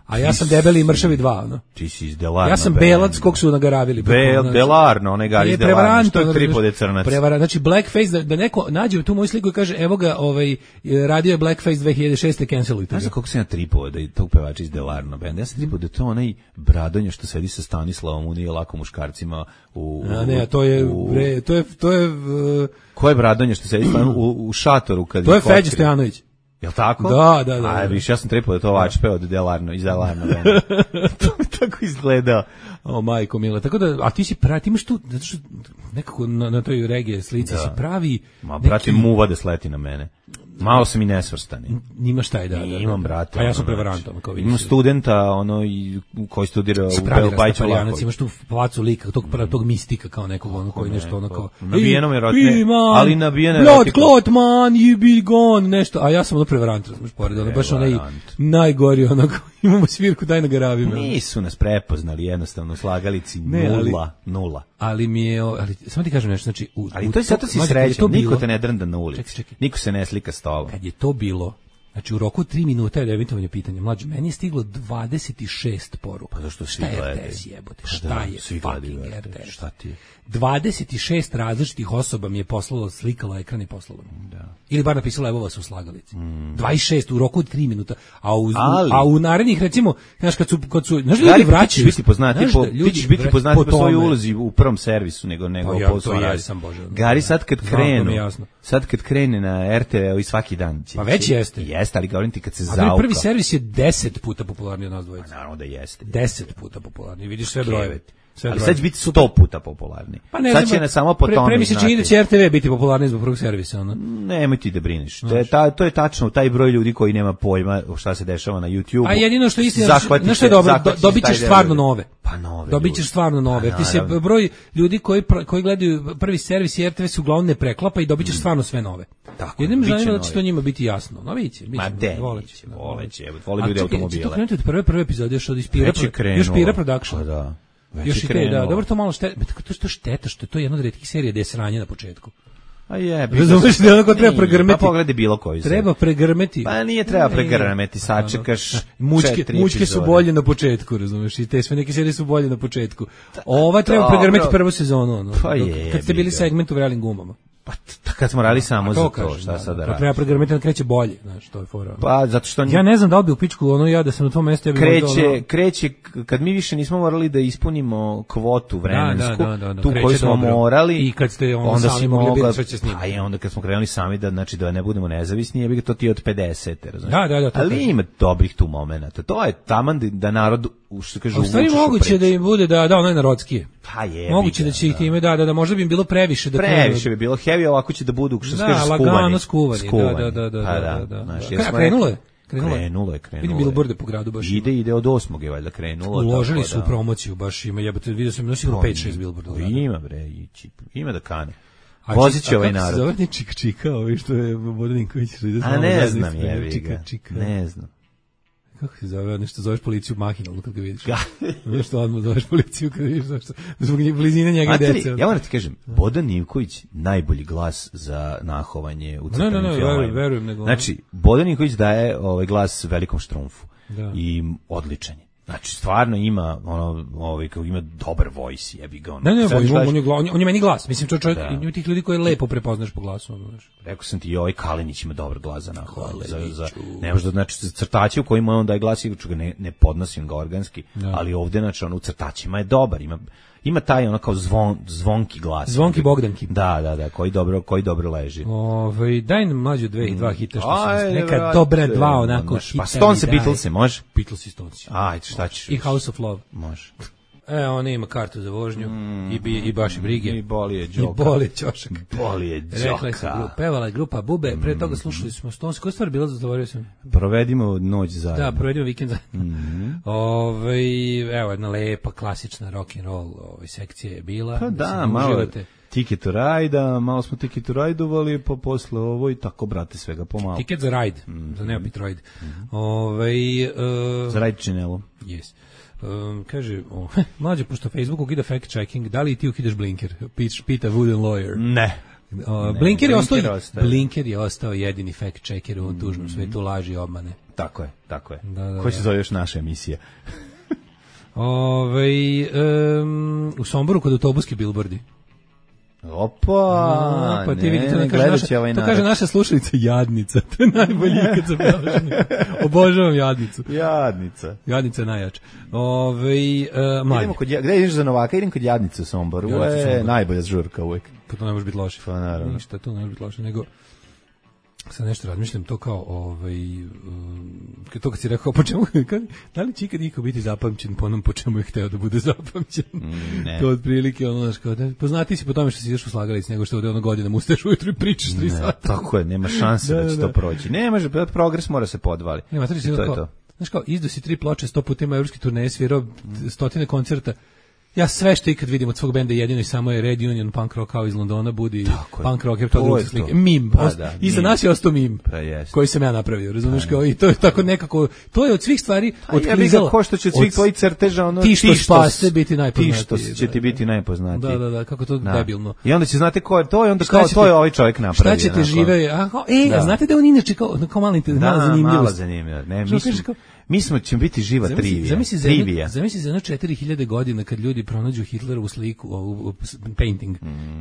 A ja sam debeli i mršavi 2, ono. Ti si iz Delarno. Ja sam belac kog su nagravili. Delarno, onaj Gari iz Delarno. Što je tripode crnac? Znači, blackface, da neko nađe tu moju sliku i kaže, evo ga, radio je blackface 2006. cancelujte ga. Znaš koliko sam ja tripode da je tog pevača iz Delarno benda? Ja sam tripode da to onaj Bradonja što sedi sa Stanislavom, nije lako muškarcima to je ko je Bradonja što sedi u šatoru kad to je Feđa Stojanović. Jel tako? Da. A viš, ja sam tripao da to vačpe od Delarno, iz Delarno benda. To mi tako izgleda. O, majko mila. Tako da, a ti imaš tu, zato što nekako na toj regije slici si pravi... Ma, brate, muva da sleti na mene. Malo sam i nesvrstani. Nimaš taj, da. Imam, brate. A ja sam prevarant. Imam studenta, koji studira u Bajiću Laković. Imaš tu placu lika, tog mistika kao nekog, koji nešto ono kao... Nabijenom erotne, ali nabijene erotike. Blood clot, man, you be gone, nešto. A ja sam prevarant, razumiješ, pored. Baš onaj najgori, imamo svirku, daj na garavi. Nisu nas prepoznali, jednostavno, slagalici, nula. Ali mi je, samo ti kažem nešto, znači... Ali to je zato si srećan, niko te ne drnda na ulici, niko se ne slika s tobom. Kad je to bilo, znači u roku 3 minuta je emitovanje pitanja, mlađe, meni je stiglo 26 poruka. Pa zašto šta je RTS jebote? Šta je fucking RTS? Šta ti je? 26 različitih osoba mi je poslalo, slikalo ekran i poslalo. Da. Ili bar napisalo evo vas u slagalici. 26 u roku od 3 minuta. A u narednih, recimo, znaš, kad su znaš, ljudi vraćaju. Ti ćeš biti poznati po svojoj ulozi u prvom servisu nego po svojoj. Gari sad kad krene na RTV i svaki dan. Pa već jeste. Jeste, ali govorim ti kad se zauka. Ali prvi servis je 10 puta popularniji od nas dvojica. Naravno da jeste. 10 puta popularniji. Vidiš sve brojeve. Ali sad će biti 100 puta popularni. Pa ne sad će ne samo po tome. Pre mi se čini da će RTV biti popularniji zbog prvog servisa. Ono. Nemoj ti da brineš. To je tačno, taj broj ljudi koji nema pojma šta se dešava na YouTube. A jedino što je istina, znaš što je dobro, dobit ćeš stvarno nove. Pa nove. Dobit ćeš stvarno nove. Jer ti se broj ljudi koji gledaju prvi servis i RTV se uglavnom ne preklapa i dobit ćeš stvarno sve nove. Jedino me zanima da će to njima biti jasno. No biće. Ma de, voleće. Vole ljudi automobile. To krenuti od prve epizode još od Ispira Production. Da. Još i te, da, dobro, to malo šteta, što je to jedna od retkih serija gde je sranje na početku. A je, razumeš da onako treba pregrmeti. Pa pogledaj bilo koju. Treba pregrmeti. Pa nije treba pregrmeti, sačekaš. Mučke su bolje na početku, razumeš? I te sve neke serije su bolje na početku. Ova treba pregrmeti prvu sezonu, ono. Pa je. Kad ste bili segment u vrelim gumama. Pa kad smo radili samo za to, šta sad da radiš? Treba pregrmeti da kreće bolje, znaš, to je fora. Pa zato što ja ne znam da li bi u pičku, ono ja da sam na tom mjestu, ja bih kreće kad mi više nismo morali da ispunimo kvotu vremensku, tu koju smo morali, i kad ste onda sami mogli biti sve će snimati. A i onda kad smo krenuli sami da znači da ne budemo nezavisni, je bi to ti od 50, razumiješ? Da. Ali ima dobrih tu momenata. To je taman da narod što kaže u stvari moguće da im bude da ono je narodskije. Pa je. Moguće da će ih time da možda bi im bilo previše da previše bi bilo heavy, ovako će da budu što se kaže skuvani. Da. Krenulo je. Vidim bilborde po gradu baš. Ide od 8. je valjda krenulo. Uložili su u promociju baš ima, jebote, vidio sam sigurno 5-6 bilborda. Ima bre, ima da kane. Voziće ovaj narod. Zove ni čika, što je Bodaninković. A ne znam, jebi ga. Ne znam. Kako se zove, nešto zoveš policiju mahinalno kad ga vidiš. Nešto odmah zoveš policiju kad vidiš, zbog blizine njega i dece. Ja moram ti kažem, Bodan Ninković najbolji glas za nahovanje u crtanim filmovima. Verujem. Znači, Bodan Ninković daje glas Velikom Štrumfu i odličan je. Znači, stvarno ima ima dobar voice, jebi ga. On je meni glas. Mislim, čovjek ima tih ljudi koje lepo prepoznaš po glasu. Rekao sam ti, ovaj Kalinić ima dobar glas za nahovanje. Ne možda, znači, crtači u kojima on daje glas, ne podnosim ga organski, ali ovde, znači, u crtačima je dobar, ima taj kao zvonki glas. Zvonki Bogdanki. Da, koji dobro leži. Daj nam mlađe dva hita što sam neka dobra dva onako hita. Pa Stones i Beatles, može? Beatles i Stones. Ajde, šta ćeš? I House of Love. Može. Ona ima kartu za vožnju i baš i brige. I boli je ćošak. Boli je džoka. Pevala je grupa Bube, pre toga slušali smo Stones. Koja stvar bila, zadovoljio sam? Provedimo noć zajedno. Da, provedimo vikend zajedno. Evo, jedna lepa, klasična rock'n'roll sekcija je bila. Pa da, malo Ticket to Ride, malo smo Ticket to Ride-ovali, pa posle ovo i tako, brate, svega pomalo. Ticket za Ride, za Neopit Ride. Za Ride činelo. Yes. Kaže, mlađe, pošto Facebook ukida fact checking, da li ti ukidaš blinker? Pita Wooden Lawyer. Ne. Blinker je ostao jedini fact checker u ovom tužnom svetu laži i obmane. Tako je. Da. Ko se zove još naša emisija? U Somboru kod autobuski bilbordi. Opa, pa ti vidite, to kaže naša slušalica Jadnica. To je najbolji ikad za beleženje. Obožavam Jadnicu. Jadnica je najjača. Gde ideš za Novaka? Idem kod Jadnice u Somboru. Ovo je najbolja žurka uvek. Pa to ne može biti loše. Pa naravno. Ništa, to ne može biti loše, nego sad nešto razmišljam to kao to kad si rekao po čemu, da li će ikad niko biti zapamćen po onom po čemu je hteo da bude zapamćen? Ne. To otprilike ono znaš kao poznati si po tome što si ideš u slagalici nego što ovde ono godinama ustaješ ujutru i pričaš 3 sata. Tako je, nema šanse da će to proći. Ne može, progres mora se podvali. Nema, to je to. Znaš kao, izdo si 3 ploče, 100 puta ima evropske turneje, svirao stotine koncerta. Ja sve što ikad vidim od svog benda jedino i samo je Red Union Punk Rock kao iz Londona budi punk rocker to je slike. Mim. Iza nas je ostao mim. Koji sam ja napravio, razumeš kao i to je tako nekako to je od svih stvari otklizalo. Ko što će od svih tvojih crteža ono ti što spase biti najpoznatiji. Ti što će ti biti najpoznatiji. Da, kako to debilno. I onda će znate ko je to i onda kao to je ovaj čovjek napravio. Šta ćete žive? Znate da on inače kao malo zanimljivo. Ne, mi ćemo biti živa trivija. Zamisli za 4000 godina kad ljudi pronađu Hitlerovu sliku, painting.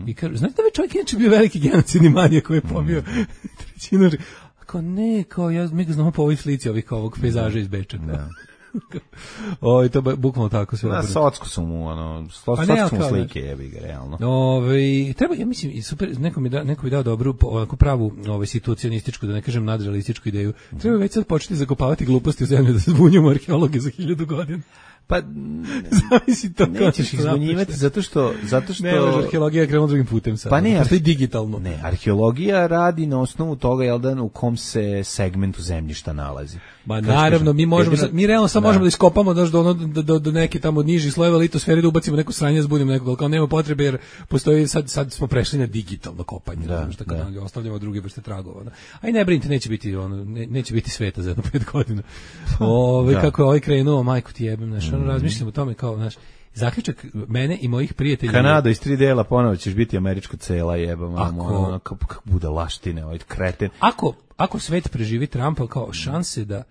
I kažu, znate da bi čovjek inače bio veliki genocidni manijak koji je pobio trećinu. Kao ne, mi ga znamo po ovoj slici ovog pejzaža iz Beča. Da. To je bukvalno tako sve. Na socku su mu, socku mu slike jebi ga, realno. Treba, ja mislim, super, neko bi dao dobru, ovako pravu situациonističku, da ne kažem nadrealističku ideju. Treba već sad početi zakopavati gluposti u zemlju da se zbunjamo arheologe za 1000 godina. Pa zavisi to nećeš ih zbunjivati zato što ne, arheologija krenula drugim putem sad. Pa ne, to je digitalno. Ne, arheologija radi na osnovu toga u kom se segmentu zemljišta nalazi. Ma naravno, mi realno samo možemo da iskopamo do neke tamo niži slojeva litosfere, da ubacimo neko sranje, zbudimo nekog, kao nema potrebe jer postoji sad smo prešli na digitalno kopanje, znači kad ostavljamo druge vrste tragova. Aj ne brinite, neće biti sveta za 5 godina. Kako je ovaj krenuo, majku ti jebem, znaš, razmišljam o tome kao, znaš, zaključak mene i mojih prijatelja. Kanada iz 3 dela, ponovo ćeš biti američka cela, jebam, kako budalaštine, ovaj kreten. Ako svet preživi Trumpa, kao šanse da,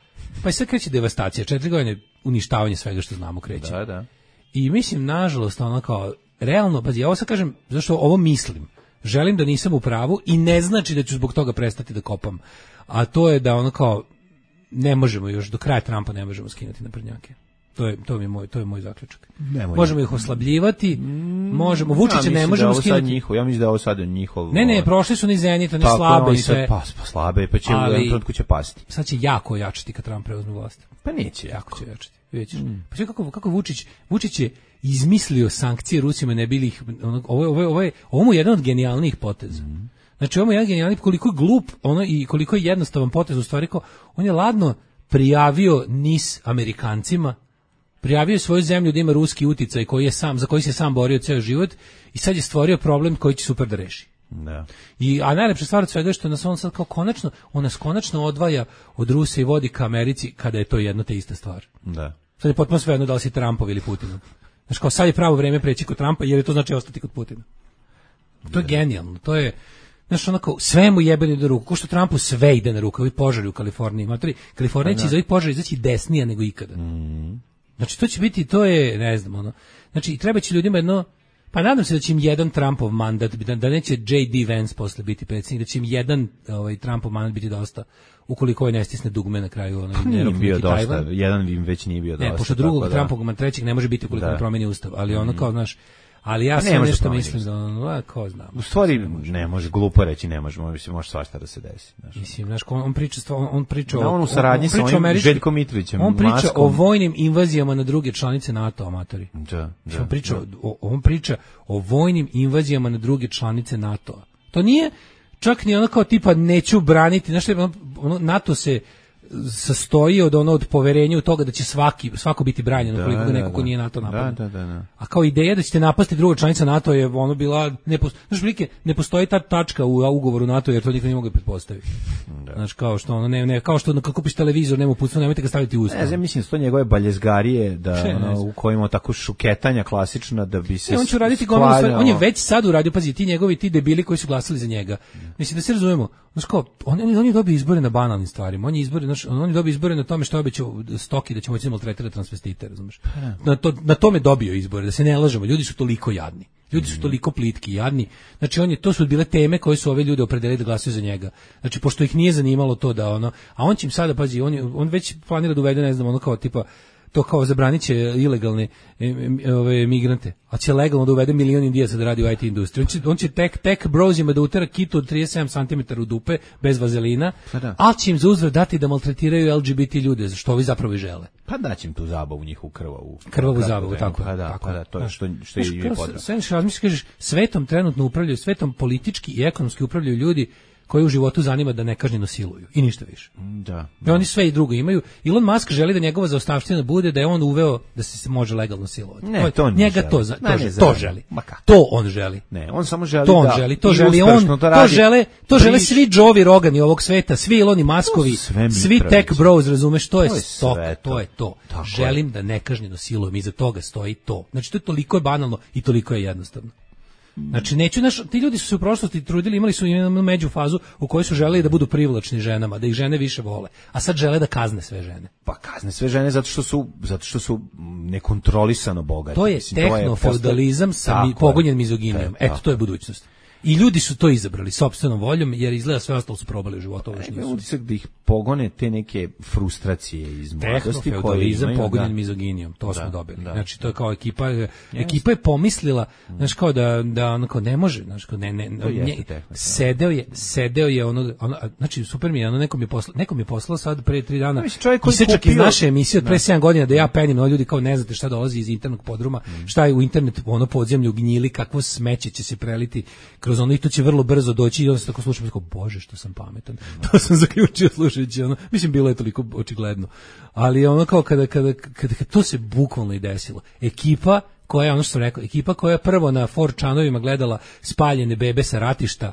pa i sad kreće devastacija, 4 godine uništavanje svega što znamo kreće. Da. I mislim, nažalost, kao, realno, ja ovo sad kažem, zašto ovo mislim, želim da nisam u pravu i ne znači da ću zbog toga prestati da kopam, a to je da kao, ne možemo još, do kraja Trumpa ne možemo skinuti naprednjake. To je moj zaključak. Možemo ih oslabljivati, možemo, Vučića ne možemo skinuti. Ja mislim da je ovo sad njihov. Ne, prošli su ni Zenit, oni slabe i sve. Slabe, pa će u jednom trenutku će pasti. Sad će jako jačati kad Trump preuzme vlast. Pa neće jako će jačati. Vidjet ćeš. Pa sve kako Vučić je izmislio sankcije Rusima, ne bili ih, ovo mu je jedan od genijalnijih poteza. Znači ovo je jedan genijalni, koliko je glup i koliko je jednostavan potez, u stvari on je ladno prijavio NIS Amerikancima, prijavio svoju zemlju da ima ruski uticaj za koji se sam borio ceo život i sad je stvorio problem koji će super da reši. Da. A najlepša stvar od svega je što nas on sad kao konačno odvaja od Rusa i vodi ka Americi kada je to jedno te ista stvar. Da. Sad je potpuno svejedno da li si Trumpov ili Putinov. Znači kao sad je pravo vreme preći kod Trumpa jer je to znači ostati kod Putina. To je genijalno, to je znaš, onako, sve mu jebeni do ruku, ko što Trumpu sve ide na ruku, ovi požari u Kaliforniji. Kalifornija će iz ovih požara izaći desnija nego ikada. Znači, to će biti, to je, ne znam, znači, treba će ljudima jedno, pa nadam se da će im jedan Trumpov mandat, da neće J.D. Vance posle biti predsjednik, da će im jedan Trumpov mandat biti dosta, ukoliko ne stisne dugme na kraju. Nije bio dosta, jedan im već nije bio dosta. Ne, pošto drugog Trumpovog trećeg ne može biti ukoliko ne promeni ustav, ali kao, znaš, ali ja sam nešto mislim da ko znam. U stvari ne može, glupo reći ne može, može svašta da se desi. Mislim, znaš, on priča u saradnji sa ovim Željkom Mitrovićem. On priča o vojnim invazijama na druge članice NATO, amatori. On priča o vojnim invazijama na druge članice NATO. To nije čak ni ono kao tipa neću braniti, znaš, NATO se sastoji od poverenja u toga da će svako biti branjen ukoliko ga neko ko nije NATO napadne. Da. A kao ideja da ćete napasti druga članica NATO je ono bila ne postoji ta tačka u ugovoru NATO jer to nikad ne mogu pretpostaviti. Znaš, kao što ono ne kao što kad kupiš televizor nema uputstva, nemojte ga staviti u usta. Ja mislim sto njegove baljezgarije u kojima tako šuketanja klasična da bi se on će raditi on je već sad uradio, pazi, ti debili koji su glasali za njega. Mislim da se razumemo. Znaš kao, on je dobio izbore na banalnim stvarima. On je dobio izbore na tome što je obećao Stoki da će moći da maltretira transvestite, razumeš? Na tome dobio izbore, da se ne lažemo. Ljudi su toliko jadni. Ljudi su toliko plitki i jadni. Znači to su bile teme koje su ove ljude opredelili da glasaju za njega. Znači pošto ih nije zanimalo to da a on će im sada, pazi, on već planira da uvede, ne znam, ono kao tipa to kao zabranit će ilegalne migrante, a će legalno da uvede milion Indijaca da radi u IT industriji. On će tek brozima da utera kitu od 37 cm u dupe, bez vazelina, ali će im za uzvrat dati da maltretiraju LGBT ljude, što ovi zapravo i žele. Pa daće im tu zabavu, njihovu krvavu zabavu, tako. Pa da, to je što je i potrebno. Sve razmisliš, kažeš, svetom trenutno upravljaju, svetom politički i ekonomski upravljaju ljudi koji u životu zanima da nekažnjeno siluju i ništa više. Da. I oni sve i drugo imaju. Elon Musk želi da njegova zaostavština bude da je on uveo da se može legalno silovati. Ne, to njega želi. To želi. To on želi. Ne, on samo želi to on želi. To žele svi Joe Rogani ovog sveta, svi Eloni Muskovi, svi tech bros, razumeš, to je stok, to je to. Tako želim da nekažnjeno silujem, iza toga stoji to. Znači to je toliko je banalno i toliko je jednostavno. Znači ti ljudi su se u prošlosti trudili, imali su jednu među fazu u kojoj su želeli da budu privlačni ženama, da ih žene više vole, a sad žele da kazne sve žene. Pa kazne sve žene zato što su nekontrolisano bogati. To je tehnofeudalizam sa pogonjen mizoginijom. Eto, to je budućnost. I ljudi su to izabrali sopstvenom voljom, jer izgleda sve ostalo su probali u životu. Utisak da ih pogone te neke frustracije iz mladosti. Tehnofeudalizam pogonjen mizoginijom, to smo dobili. Znači, to je kao ekipa je pomislila, znaš, kao da ono kao ne može, znaš, kao sedeo je ono, znači, super mi je, ono, nekom je poslao sad pre 3 dana, isečak iz naše emisije od pre 7 godina da ja penim, no ljudi kao ne znate šta dolazi iz internog podruma, šta je u internet, ono podzemlju gnjili, kakvo smeće će se preliti kroz ono i to će vrlo brzo doći i onda se tako slušam kao, bože što sam pametan. To sam zaključio slušajući ono, mislim bilo je toliko očigledno. Ali ono kao kada to se bukvalno i desilo. Ekipa koja, ono što sam rekao, ekipa koja je prvo na 4chanovima gledala spaljene bebe sa ratišta,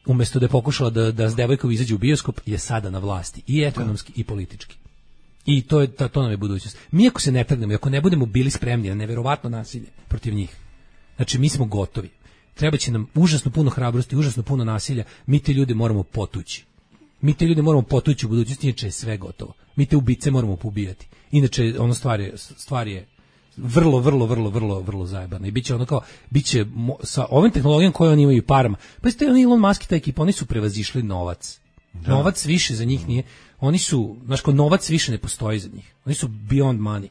umjesto da je pokušala da s devojkom izađe u bioskop, je sada na vlasti i ekonomski i politički. I to nam je budućnost. Mi ako se ne trgnemo i ako ne budemo bili spremni na neverovatno nasilje protiv njih, znači mi smo gotovi. Treba će nam užasno puno hrabrosti, užasno puno nasilja, mi te ljude moramo potući. Mi te ljude moramo potući u budućnosti, inače je sve gotovo. Mi te ubice moramo pobijati. Inače, ono stvar je vrlo zajebana. I biće ono kao, biće sa ovim tehnologijom koje oni imaju i parama. Pa ste oni Elon Musk i ta ekipa, oni su prevazišli novac. Da. Novac više za njih nije. Oni su, znaš, ko novac više ne postoji za njih. Oni su beyond money.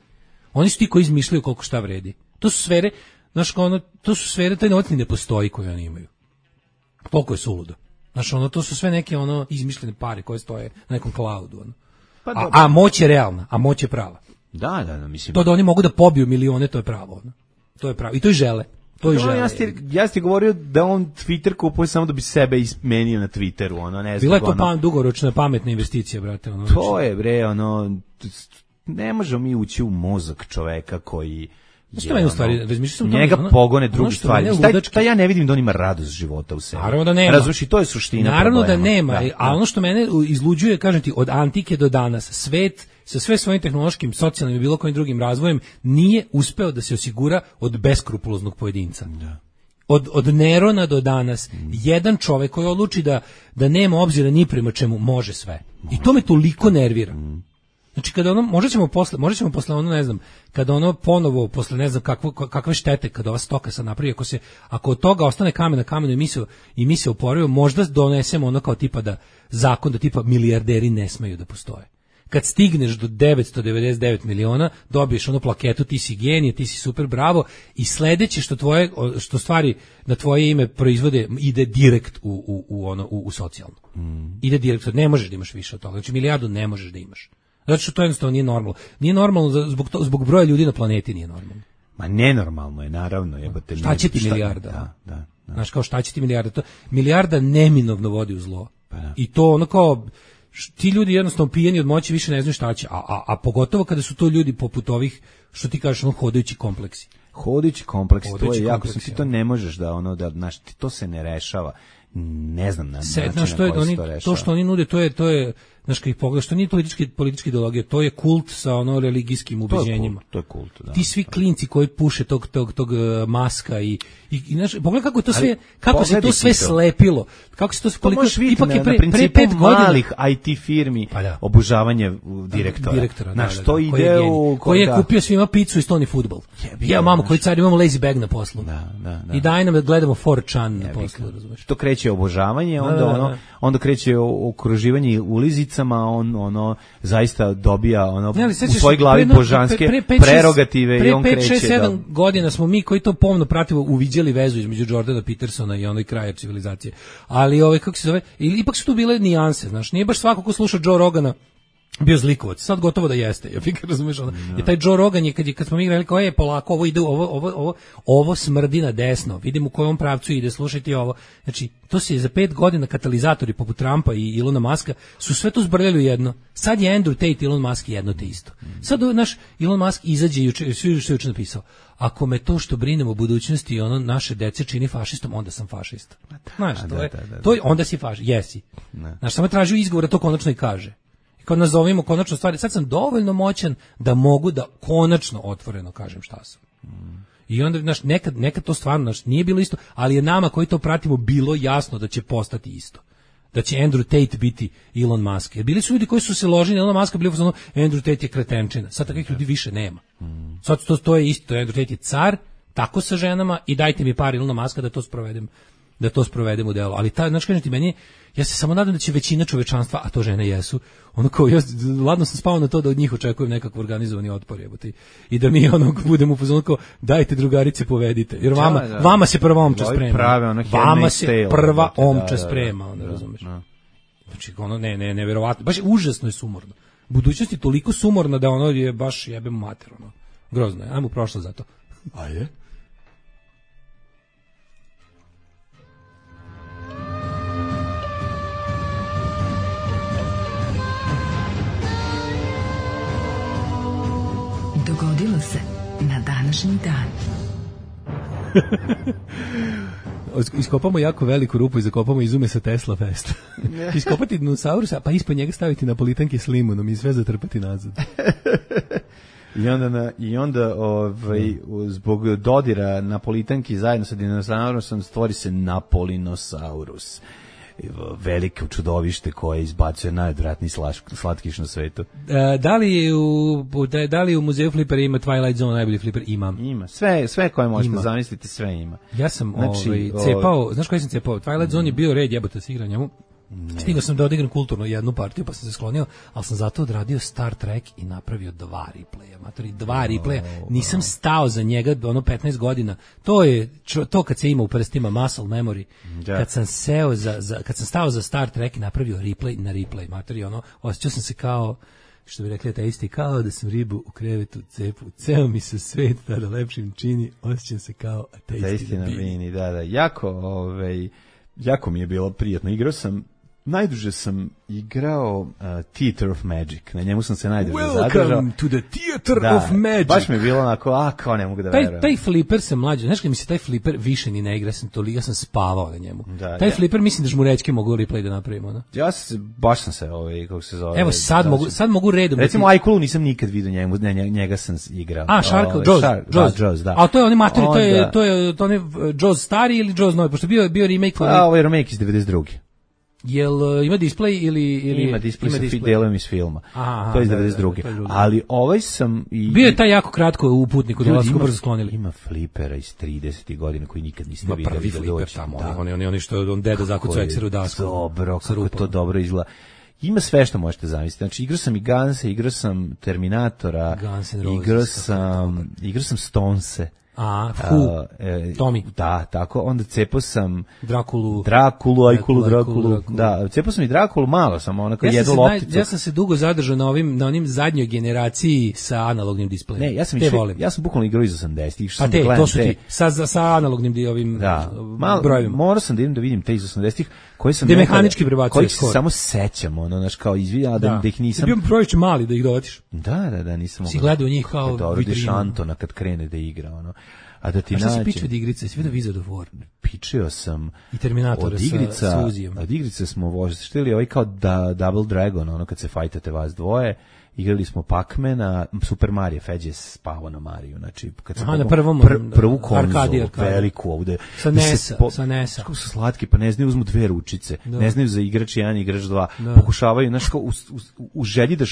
Oni su ti koji izmišljaju koliko šta vredi. To su sfere, znaš, ono, to su sfere, taj novac ni ne postoji koji oni imaju. Toliko je suludo. Znaš, ono, to su sve neke ono izmišljene pare koje stoje na nekom cloudu. Ono. Pa, a moć je realna, a moć je prava. Da, mislim. To da oni mogu da pobiju milione, to je pravo. Ono. To je pravo. I to i žele. To i žele. Ja ti govorio da on Twitter kupuje samo da bi sebe izmenio na Twitteru. Ono, ne znam. Bila je to dugoročna pametna investicija, brate. Ono, to je, bre, ono, ne možemo mi ući u mozak čoveka koji... Što meni u stvari, razmišljam njega pogone druge stvari. Taj ja ne vidim da on ima radost života u sebi. Naravno da nema. Razumiješ, i to je suština naravno problema. Da nema, a ono što mene izluđuje, kažem ti, od antike do danas, svet sa sve svojim tehnološkim, socijalnim i bilo kojim drugim razvojem nije uspeo da se osigura od beskrupuloznog pojedinca. Da. Od Nerona do danas, jedan čovek koji odluči da nema obzira ni prema čemu može sve. I to me toliko nervira. Znači kada ono možda ćemo posle ono ne znam, kada ono ponovo posle ne znam kakve štete kada ova stoka sad napravi, ako od toga ostane kamen na kamenu i mi se oporavimo, možda donesemo ono kao tipa da zakon da tipa milijarderi ne smeju da postoje. Kad stigneš do 999 miliona, dobiješ onu plaketu, ti si genije, ti si super, bravo, i sledeće što stvari na tvoje ime proizvode ide direkt u socijalno. Ide direkt, ne možeš da imaš više od toga. Znači milijardu ne možeš da imaš. Zato što to jednostavno nije normalno. Nije normalno zbog broja ljudi na planeti nije normalno. Ma nenormalno je, naravno. Jebate, šta će ti milijarda? Da. Znaš, kao šta će ti milijarda? Milijarda neminovno vodi u zlo. Pa da. I to ono kao, ti ljudi jednostavno pijeni od moći više ne znaju šta će, a pogotovo kada su to ljudi poput ovih, što ti kažeš, hodajući kompleksi. Hodajući kompleks, to Hodajući je jako, kompleks, ti to ne možeš da znaš, to se ne rešava. Ne znam na način na koji se to rešava. To što oni nude, to je znaš, kad ih pogledaš, to nije politička ideologija, to je kult sa religijskim ubeđenjima. To je kult, da. Ti svi klinci koji puše tog Maska i znaš, pogledaj kako je to sve, kako se to sve slepilo. Kako se to koliko ipak je pre 5 godina malih IT firmi obožavanje direktora. Na što ide koji je kupio svima picu i stoni fudbal. Ja mamo koji car imamo lazy bag na poslu. Da. I daj nam da gledamo 4chan na poslu, razumeš. To kreće obožavanje, onda kreće okruživanje ulizicama, on zaista dobija u svojoj glavi božanske prerogative i on kreće. Pre 5-6-7 godina smo mi koji to pomno pratimo uviđali vezu između Jordana Petersona i onoj kraja civilizacije. Ali kako se zove, ipak su tu bile nijanse, znaš, nije baš svako ko sluša Joe Rogana bio zlikovac, sad gotovo da jeste. Ja fikar, razumeš, je taj Joe Rogan je kad smo mi igrali kao polako, ovo ide, ovo smrdi na desno. Vidim u kojem pravcu ide, slušajte ovo. Znači, to se je za 5 godina katalizatori poput Trumpa i Ilona Maska su sve to zbrljali u jedno. Sad je Andrew Tate i Elon Musk jedno te isto. Sad naš Elon Musk izađe juče, što je juče napisao. Ako me to što brinem o budućnosti naše dece čini fašistom, onda sam fašista. Znaš, to je onda si fašist, jesi. Znaš, samo tražio izgovor da to konačno i kaže. Kad nazovimo konačno stvari, sad sam dovoljno moćan da mogu da konačno otvoreno kažem šta sam. I onda, znaš, nekad to stvarno, znaš, nije bilo isto, ali je nama koji to pratimo bilo jasno da će postati isto. Da će Andrew Tate biti Elon Musk. Jer bili su ljudi koji su se ložili na Elon Muska, bili u fazonu, Andrew Tate je kretenčina. Sad takvih ljudi više nema. Sad to je isto, Andrew Tate je car, tako sa ženama i dajte mi par Elona Muska da to sprovedem u delo. Ali znači, kažem ti, meni, ja se samo nadam da će većina čovečanstva, a to žene jesu, ja ladno sam spao na to da od njih očekujem nekakav organizovani otpor, i da mi budemo u fazonu kao, dajte drugarice, povedite, jer vama se prva omča sprema. Vama se prva omča sprema, razumeš? Znači, neverovatno, baš užasno je sumorno. Budućnost je toliko sumorna da je baš jebem mater, grozno je, ajmo prošlo za to. Ajde. Dogodilo se na današnji dan. Iskopamo jako veliku rupu i zakopamo izume sa Tesla Festa. Iskopati dinosaurusa, pa ispod njega staviti napolitanke s limunom i sve zatrpati nazad. I onda zbog dodira napolitanki zajedno sa dinosaurusom stvori se Napolinosaurus. Veliko čudovište koje izbacuje najodvratniji slatkiš na svetu. Da li u muzeju flipera ima Twilight Zone najbolji fliper? Ima. Sve koje možete zamisliti, sve ima. Ja sam cepao, znaš koji sam cepao? Twilight Zone je bio red, jebote se igra njemu. Stigao sam da odigram kulturno jednu partiju, pa sam se sklonio, ali sam zato odradio Star Trek i napravio 2 replaya. 2 replaya. Nisam stao za njega 15 godina. To je to kad se ima u prstima muscle memory. Kad sam kad sam stao za Star Trek i napravio replay na replay, materi, osjećao sam se kao, što bi rekli ateisti, kao da sam ribu u krevetu cepu. Ceo mi se svet tada lepšim čini, osjećam se kao ateisti na bini. Da, jako mi je bilo prijatno. Najduže sam igrao Theater of Magic. Na njemu sam se najduže zadržao. Welcome to the Theater of Magic. Baš mi je bilo onako, kao ne mogu da verujem. Taj flipper se mlađe, znaš kad mi se taj flipper više ni ne igra, ja sam spavao na njemu. Taj flipper mislim da žmurećke mogu replay da napravimo. Da? Baš sam se, kako se zove. Evo sad mogu redom. Recimo Aikulu nisam nikad vidio njega sam igrao. Jaws, da. A to je oni materi, to je Jaws stari ili Jaws novi, pošto bio remake. Ovo je remake iz 92. Jel ima display ili ima display sa delom iz filma. To je iz 92. Ali ovaj sam bio je taj jako kratko u Putniku, dolasku brzo sklonili. Ima flipera iz 30. godina koji nikad niste videli. Prvi fliper tamo, oni što deda zakucao ekseru dasku. Dobro, kako to dobro izgleda. Ima sve što možete zamisliti. Znači, igrao sam i Gunse, igrao sam Terminatora, igrao sam Stonese. Tommy. Da, tako. Onda cepao sam Drakulu. Da, cepao sam i Drakulu, malo sam, onako jednu lopticu. Ja sam se dugo zadržao na onim zadnjoj generaciji sa analognim displejem. Ne, ja sam bukvalno igrao iz 80-ih. Pa to su ti, sa analognim brojevima. Morao sam da idem da vidim te iz 80-ih, koje sam mehanički prebacuje koji se samo sećam, kao izvijao da ih nisam. Bio prović mali da ih dovatiš. Da, nisam mogao. Si gledao njih kao vitrinu. Antona kad krene da igra, A da ti nađe. A šta si pičio od igrice? Si vidio Wizard of War? Pičio sam i Terminatora sa Uzijom. Od igrice smo voštili kao Double Dragon, kad se fajtate vas dvoje. Igrali smo Pac-Mana, Super Mario, Feđe je spavao na Mariju, znači kad se na prvu konzolu, veliku ovde. Sa NES-a. Kako su slatki, pa ne znaju, uzmu dve ručice, ne znaju za igrač 1 i igrač 2, pokušavaju, u želji da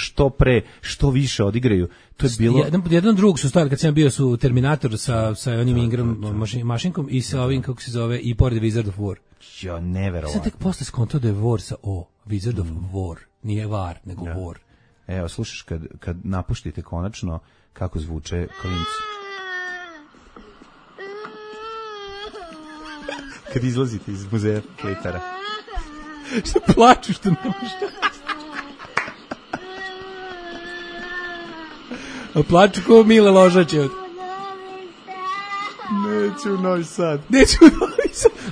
što više odigraju. To je bilo... Jedan drug su stavili, kad sam bio su Terminator sa onim Ingram mašinkom i sa ovim, kako se zove, i pored Wizard of War. Jo, neverovatno. Sam tek posle skontao da je War sa O, Wizard of War, nije War, nego War. Evo, slušaš kad napuštite konačno kako zvuče klinci. Kad izlazite iz muzeja klitara. Što plaču, što ne možeš. A plaču ko Mile Ložaće. Neću u Novi Sad.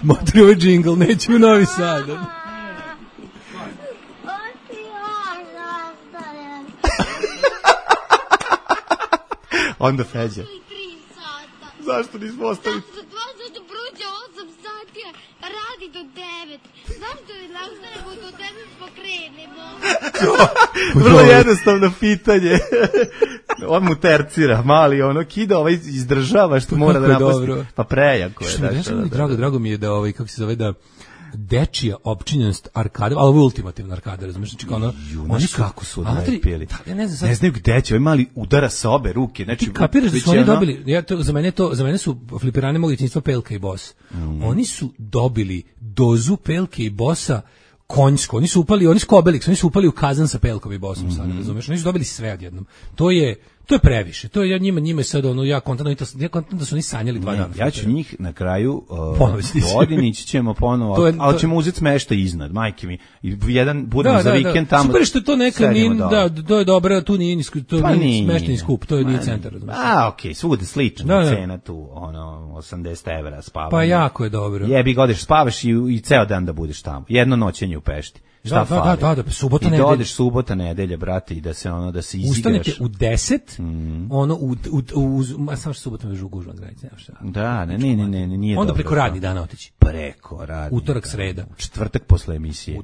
Motri ovaj džingl, neću u Novi Sad. Onda Feđa. Zašto nismo ostali? Zato prođe 8 sati, radi do 9. Zašto ne ostanemo do 9 pokrenemo? Vrlo jednostavno pitanje. On mu tercira, mali, kida, izdržava što mora da napusti. Pa prejako je. Drago mi je da, kako se zove, da dečija opčinjenost arkada, ali ovo je ultimativna arkada, razumiješ, znači kao oni kako su odlepili. Ne znaju gde će, ovaj mali udara sa obe ruke, znači ti kapiraš da su oni dobili, za mene su flipirane mog djetinjstva Pelka i Boss. Oni su dobili dozu Pelke i Bossa konjsko, oni susko Obelix, oni su upali u kazan sa Pelkom i Bossom sad, razumiješ, oni su dobili sve odjednom. To je previše. To je njima sad ja kontam da su oni sanjali 2 dana. Ja ću njih na kraju godini ćemo ponovo, ali ćemo uzeti smeštaj iznad, majke mi. I jedan budemo za vikend tamo. Super što to neka nije, to je dobro, tu nije smeštajni skup, to je nije centar, razumiješ. Okej, svude slična cena tu, 80 evra spavanje. Pa jako je dobro. Jebi ga, odeš spavaš i ceo dan da budeš tamo. Jedno noćenje u Pešti. Šta fali? Da, subota nedelja. I da odeš subota nedelja, brate, i da se izigraš. Ustanete u 10, samo što subota me gužva granice, nema šta. Da, ne, nije dobro. Onda preko radni dana otići. Preko radni. Utorak, sreda. Četvrtak posle emisije.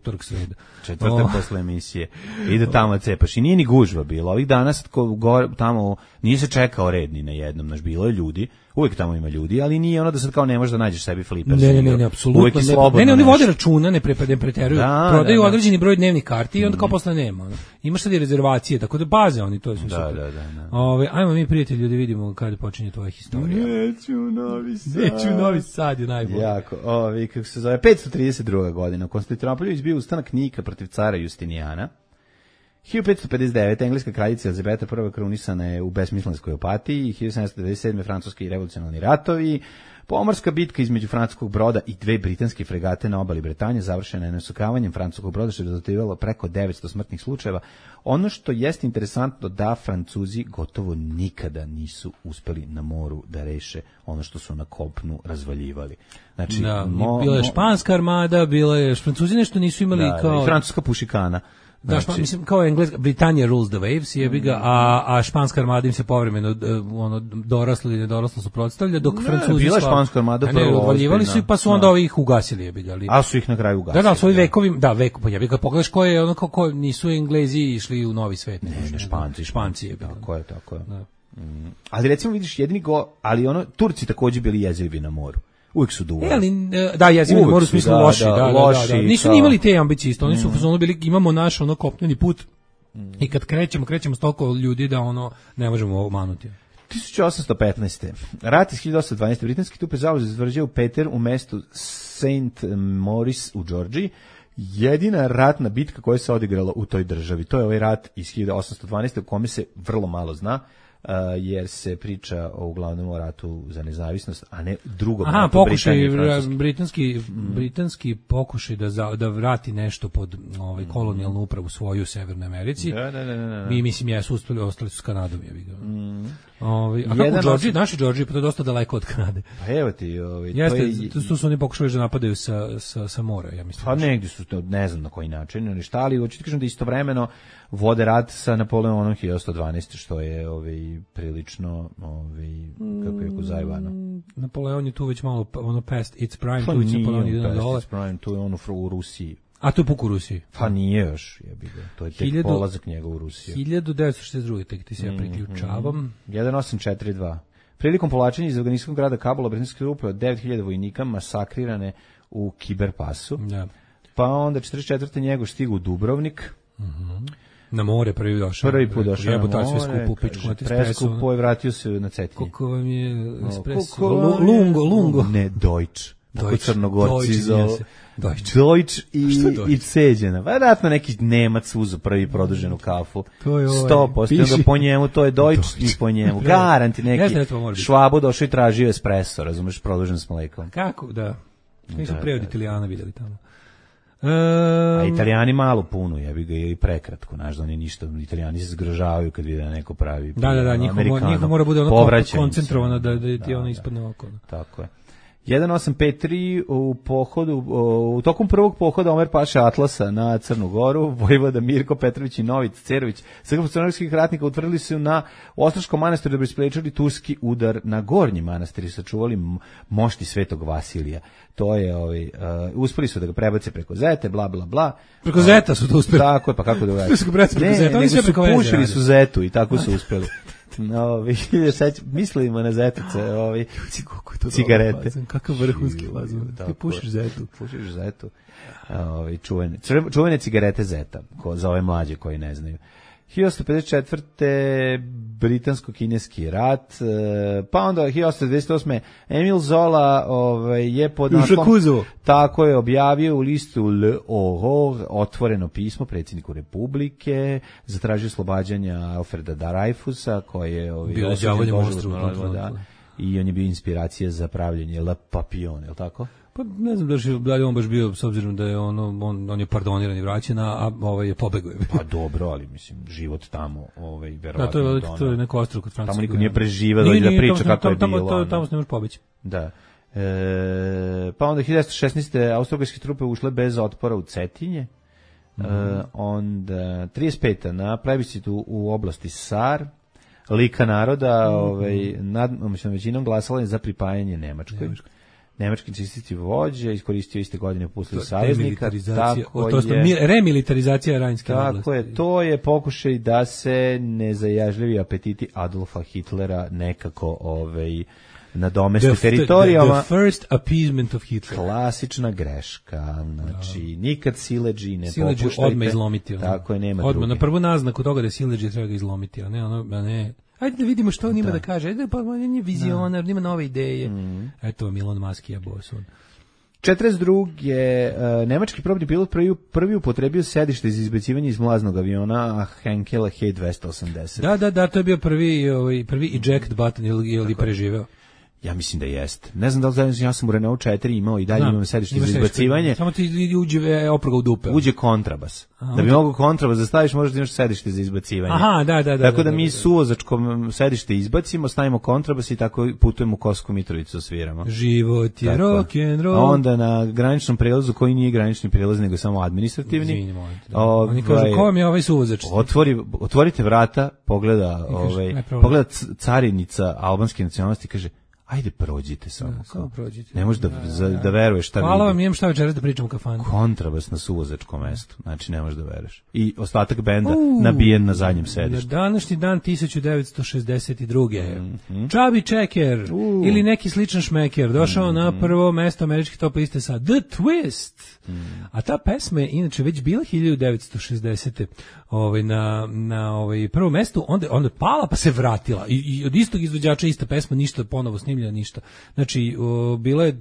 Četvrtak posle emisije. Ide tamo cepaš. I nije ni gužva bilo. Ovih dana sad tamo nije se čekao red ni na jednom, bilo je ljudi. Uvijek tamo ima ljudi, ali nije da sad kao ne možeš da nađeš sebi fliper. Ne, apsolutno ne. Ne, oni vode računa, ne preteruju. Prodaju određeni broj dnevnih karti i onda kao posle nema. Imaš sad i rezervacije, tako da baze oni, to je super. Da. Ajmo mi, prijatelji, da vidimo kada počinje tvoja historija. Neću u Novi Sad je najbolje. Jako, kako se zove, 532. godina. U Konstantinopolju izbio ustanak Nika protiv cara Justinijana. 1559. engleska kraljica Elizabeta I krunisana je u besmislenskoj opatiji, 1797. francuski revolucionarni ratovi, pomorska bitka između francuskog broda i 2 britanske fregate na obali Bretanje završena je nasukavanjem francuskog broda, što je rezultiralo preko 900 smrtnih slučajeva. Ono što jeste interesantno da Francuzi gotovo nikada nisu uspeli na moru da reše ono što su na kopnu razvaljivali. Znači, bila je španska armada, Francuzi nešto nisu imali kao... i francuska pušikana. Da, mislim, kao Engleska, Britannia rules the waves, jebi ga, a španska armada im se povremeno dorasla ili nedorasla suprotstavlja, dok Francuzi... Bila španska armada prvo odvaljivali su i pa su onda ih ugasili, jebi ga. A su ih na kraju ugasili. Da, su ovi vekovim, pa jebi ga, pogledaš ko je, kako nisu Englezi išli u novi svet. Ne, Španci, jebi ga. Tako je. Ali recimo vidiš ali Turci također bili jezivi na moru. Uvijek su duvali. Jezivi na moru u smislu loši. Nisu ni imali te ambicije isto. Oni su bili, imamo naš kopneni put i kad krećemo s toliko ljudi da ne možemo omanuti. 1815. Rat iz 1812. Britanski trupe zauzeli izvrđaju Peter u mestu St. Maurice u Georgiji. Jedina ratna bitka koja se odigrala u toj državi. To je ovaj rat iz 1812. u kome se vrlo malo zna. jer se priča uglavnom o ratu za nezavisnost, a ne drugom Aha, ratu pokušaj Britanije i britanski pokušaj da vrati nešto pod kolonijalnu upravu svoju u Severnoj Americi. Da. Mi mislim jesu uspeli, ostali su s Kanadom, je vidio. A kako Georgiji, naši Georgiji, pa to je dosta daleko od Kanade. Pa evo ti, jeste, tu su oni pokušali da napadaju sa mora, ja mislim. Pa negdje su to, ne znam na koji način, ali šta, ali hoću ti kažem da istovremeno vode rat sa Napoleonom 1112, što je prilično kako je zajebano. Napoleon je tu već malo past its prime, tu već Napoleon ide na dole. Tu je on u Rusiji. A to je puk u Rusiji? Pa nije još, jebi ga. To je tek polazak njega u Rusiju. 1962. tek ti se ja priključavam. 1842. Prilikom povlačenja iz afganistanskog grada Kabula, britanske trupe od 9000 vojnika masakrirane u Kiberpasu. Da. Pa onda 44. njegov stigu u Dubrovnik. Na more prvi došao. Prvi put došao na more. Sve skupo u pičku na preskupo je, vratio se na Cetinje. Koliko vam je espresso? Lungo. Ne, Deutsch. Tako Crnogorci zove. Deutsch i ceđena. Vjerojatno neki Nemac uzeo prvi produženu kafu. To je 100%. Po njemu to je Deutsch i po njemu. Garanti neki Švabo došao i tražio espresso, razumeš, produžen s mlekom. Kako, da. Mi smo pre od Italijana vidjeli tamo. A Italijani malo puno, jebi ga, i prekratko, znaš, da oni ništa, Italijani se zgrožavaju kad vide neko pravi. Da, njihov mora bude ono koncentrovano da ti ono ispadne oko. Tako je. 1853 u tokom prvog pohoda Omer Paša Atlasa na Crnu Goru, vojvoda Mirko Petrović i Nović Cerović, srpsko-crnogorskih ratnika utvrdili su na Ostroškom manastiru da bi sprečili turski udar na Gornji manastir i sačuvali mošti Svetog Vasilija. To je, uspeli su da ga prebace preko Zete, bla, bla, bla. Preko Zeta su to uspeli. Tako je, pa kako da ga Ne, nego su pušili su Zetu i tako su uspeli. Mislimo na Zetice, cigarete. Kakav vrhunski fazon. Ti pušiš Zetu. Pušiš Zetu. Čuvene cigarete Zeta, za ove mlađe koji ne znaju. 1854. britansko-kineski rat, pa onda 1828. Emil Zola je pod naslom, tako je objavio u listu L'Aurore otvoreno pismo predsjedniku Republike, zatražio oslobađanja Alfreda Dreyfusa, koji je bio đavolje monstru, i on je bio inspiracija za pravljenje Le Papillon, je li tako? Pa ne znam da li on baš bio, s obzirom da je on je pardoniran i vraćen, a je pobegao. Pa dobro, ali mislim, život tamo, verovatno. Da, to je neko ostrvo kod Francuske. Tamo niko nije preživao da priča kako je bilo. Tamo se ne može pobeći. Da. Pa onda 1916. austrougarske trupe ušle bez otpora u Cetinje. Onda 35. na plebiscitu u oblasti Sar, Lika naroda, većinom glasala je za pripajanje Nemačkoj. Nemački nacistički vođa iskoristio iste godine upustili saveznika. Remilitarizacija Rajnske oblasti. Tako je, to je pokušaj da se nezajažljivi apetiti Adolfa Hitlera nekako nadomesti teritorijama. The first appeasement of Hitler. Klasična greška. Znači, nikad sileđi ne popuštajte. Odmah izlomiti. Tako je, nema druge. Na prvu naznaku toga da sileđi treba ga izlomiti, a ne. Ajde da vidimo što on ima da kaže. Ajde, pa on je vizionar, ima nove ideje. Eto, Milon Maski je boson. 42. Nemački probni pilot prvi upotrebio sedište za izbacivanje iz mlaznog aviona Henkela He-280. Da, to je bio prvi eject button ili preživeo. Ja mislim da jeste. Ne znam da li ja sam u Renault 4 imao i dalje imam sedište za izbacivanje. Samo ti uđe oproga u dupe. Uđe kontrabas. Da bi mogo kontrabas da staviš, možeš da imaš sedište za izbacivanje. Aha, da. Tako da mi suvozačkom sedište izbacimo, stavimo kontrabas i tako putujemo u Kosovsku Mitrovicu, sviramo. Život je rock and roll. A onda na graničnom prelazu, koji nije granični prelaz, nego samo administrativni. Izvinimo. Oni kažu, ko vam je ovaj suvozač? Otvorite vrata, pogleda carinica albanske nacionalnosti, kaže, ajde prođite samo. Prođite. Ne možeš da veruješ šta vidi. Hvala vam, imam šta večeras da pričam u kafanu. Kontrabas na suvozačkom mestu. Znači ne možeš da veruješ. I ostatak benda nabijen na zadnjem sedištu. Na današnji dan 1962. Chubby Checker ili neki sličan šmeker došao na prvo mesto američke top liste sa The Twist. A ta pesma je inače već bila 1960. Na prvo mesto, onda pala pa se vratila. I od istog izvođača ista pesma, ništa ponovo snimljeno. snimljena ništa. Znači, bila je,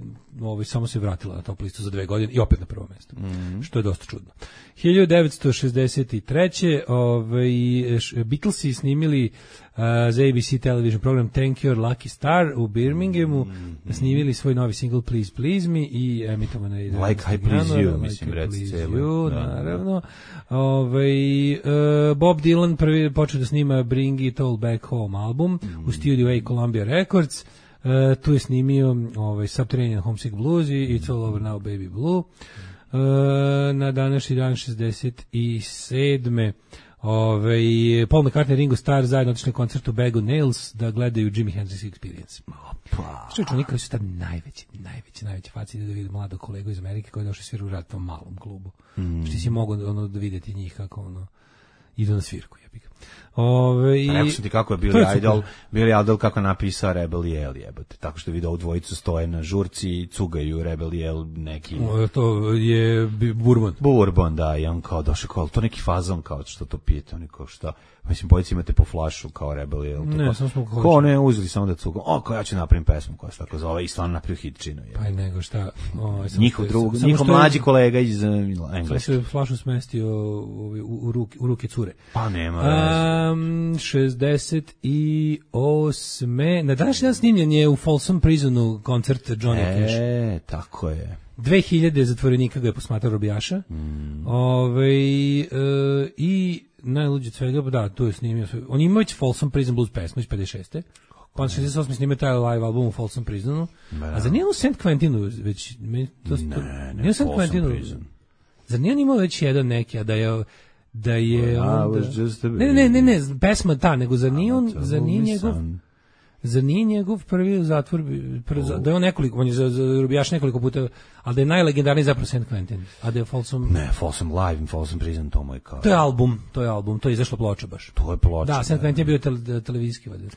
samo se vratila na top listu za 2 godine i opet na prvo mesto, što je dosta čudno. 1963. Beatlesi snimili za ABC television program Thank Your Lucky Star u Birminghamu, snimili svoj novi single Please Please Me i emitovano je Like I Please You, mislim, reci celo. Naravno. Bob Dylan prvi počeo da snima Bring It All Back Home album u Studio A Columbia Records. Tu je snimio Subterranean Homesick Blues i It's All Over Now Baby Blue. Na današnji dan 67. Paul McCartney i Ringo Starr zajedno otišli na koncert u Bag of Nails da gledaju Jimi Hendrix Experience. Što je čunika koji su tad najveći faci da vidi mladog kolegu iz Amerike koji je došao svira u rad tom malom klubu. Što si mogu da vidjeti njih kako idu na svirku. Rekao sam ti kako je Billy Idol kako napisao Rebel Yell, jebote. Tako što je vidio ovu dvojicu stoje na žurci i cugaju Rebel Yell neki... To je Bourbon. Bourbon, da, i on kao došao kao, to neki fazon kao što to pijete, oni kao šta... Mislim, bojici imate po flašu kao Rebel Yell. Ne, samo smo ko ne, uzeli samo da cugam. Kao ja ću napravim pesmu koja se tako zove i stvarno napravio hitčinu. Pa i nego šta... Njihov mlađi kolega iz Engleske. Sam se flašu smestio u ruke cure. Pa nema veze. 68. Na današnji dan snimljen je u Folsom Prisonu koncert Johnny Cash. Tako je. 2000 zatvorenika ga je posmatrao robijaša. I najluđe od svega, da, tu je snimio. On ima već Folsom Prison Blues pesmu iz 56. Pa on 68. snimio taj live album u Folsom Prisonu. A za nije u St. Quentinu već... Ne, St. Quentinu. Za nije on imao već jedan neki, a da je ne, pesma ta, nego za nije njegov prvi zatvor, da je on nekoliko, on je za robijaš nekoliko puta, ali da je najlegendarniji zapravo St. Quentin, a da je Folsom... Ne, Folsom Live in Folsom Prison, to moj kao... To je album, to je izašla ploča baš. To je ploča. Da, St. Quentin je bio televizijski valjda.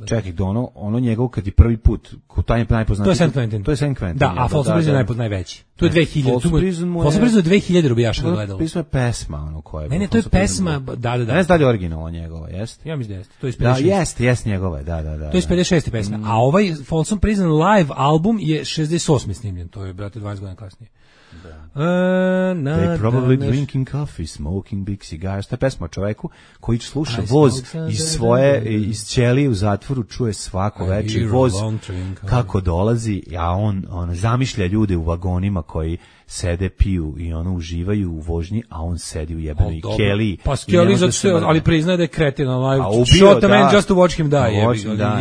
Čekaj, ono njegov kad je prvi put, ko taj najpoznatiji... To je St. Quentin. To je St. Quentin. Da, a Folsom Prison je najveći. To je 2000. Folsom Prison je 2000 robijaša gledalo. Pismo je pesma, ono koja je... Ne, to je pesma, da. Ne znam da li je originalno njegova, jeste? Ja mislim da jeste. To je iz 56. Da, jeste njegova, da. To je iz 56. pesma. A ovaj Folsom Prison live album je 68. snimljen. To je, brate, 20 godina kasnije. They probably drinking coffee, smoking big cigars. Ta pesma o čoveku koji sluša voz iz ćelije u zatvoru, čuje svako večer voz kako dolazi, a on zamišlja ljude u vagonima koji sede, piju i uživaju u vožnji, a on sedi u jebenoj keliji. Pa skeli ali priznaje da je kretin, shot a man just to watch him die.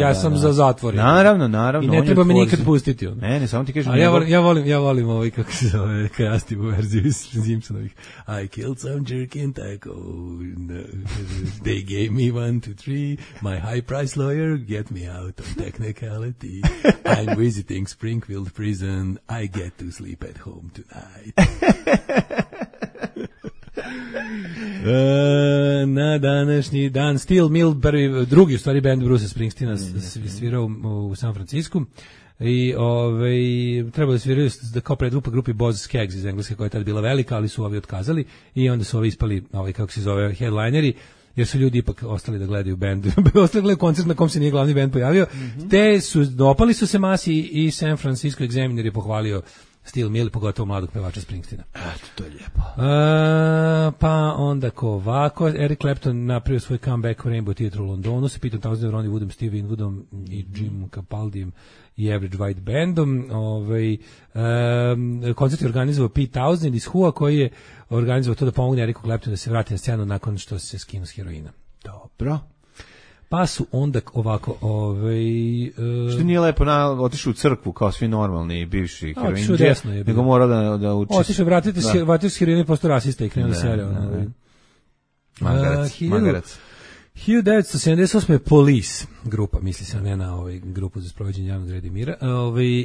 Ja sam za zatvor. Naravno. I ne treba me nikad pustiti. Ne, samo ti kažem. Ja volim kako se zove kreativnu verziju iz Simpsonovih. I killed some jerk in Taco. They gave me 1, 2, 3. My high price lawyer get me out on technicality. I'm visiting Springfield prison. I get to sleep at home tonight. Na današnji dan Steel Mill, drugi u stvari band Bruce Springsteena svirao u San Francisku i trebali sviraju kao predgrupa grupi Boz Skaggs iz Engleske koja je tad bila velika, ali su ovi otkazali i onda su ovi ispali, kako se zove, headlineri, jer su ljudi ipak ostali da gledaju band, ostali gledaju koncert na kom se nije glavni band pojavio, te dopali su se masi i San Francisco Examiner je pohvalio Steel Mill, pogotovo mladog pevača Springsteena. Eto, to je lijepo. Pa onda ovako, Eric Clapton napravio svoj comeback u Rainbow Theatre u Londonu, se pitam tamo s Ronnie Woodom, Steve Winwoodom i Jim Capaldijem i Average White Bandom. Koncert je organizovao Pete Townshend iz Who-a, koji je organizovao to da pomogne Ericu Claptonu da se vrati na scenu nakon što se skinu s heroina. Dobro. Pa su onda ovako... Što nije lepo otišao u crkvu kao svi normalni bivši heroinđe, nego mora da uči... Otišao, vratite s heroina i posto rasista i krenuo da sereo. Magarac. 1978. Police grupa, misli se ne na grupu za sprovođenje javnog reda i mira,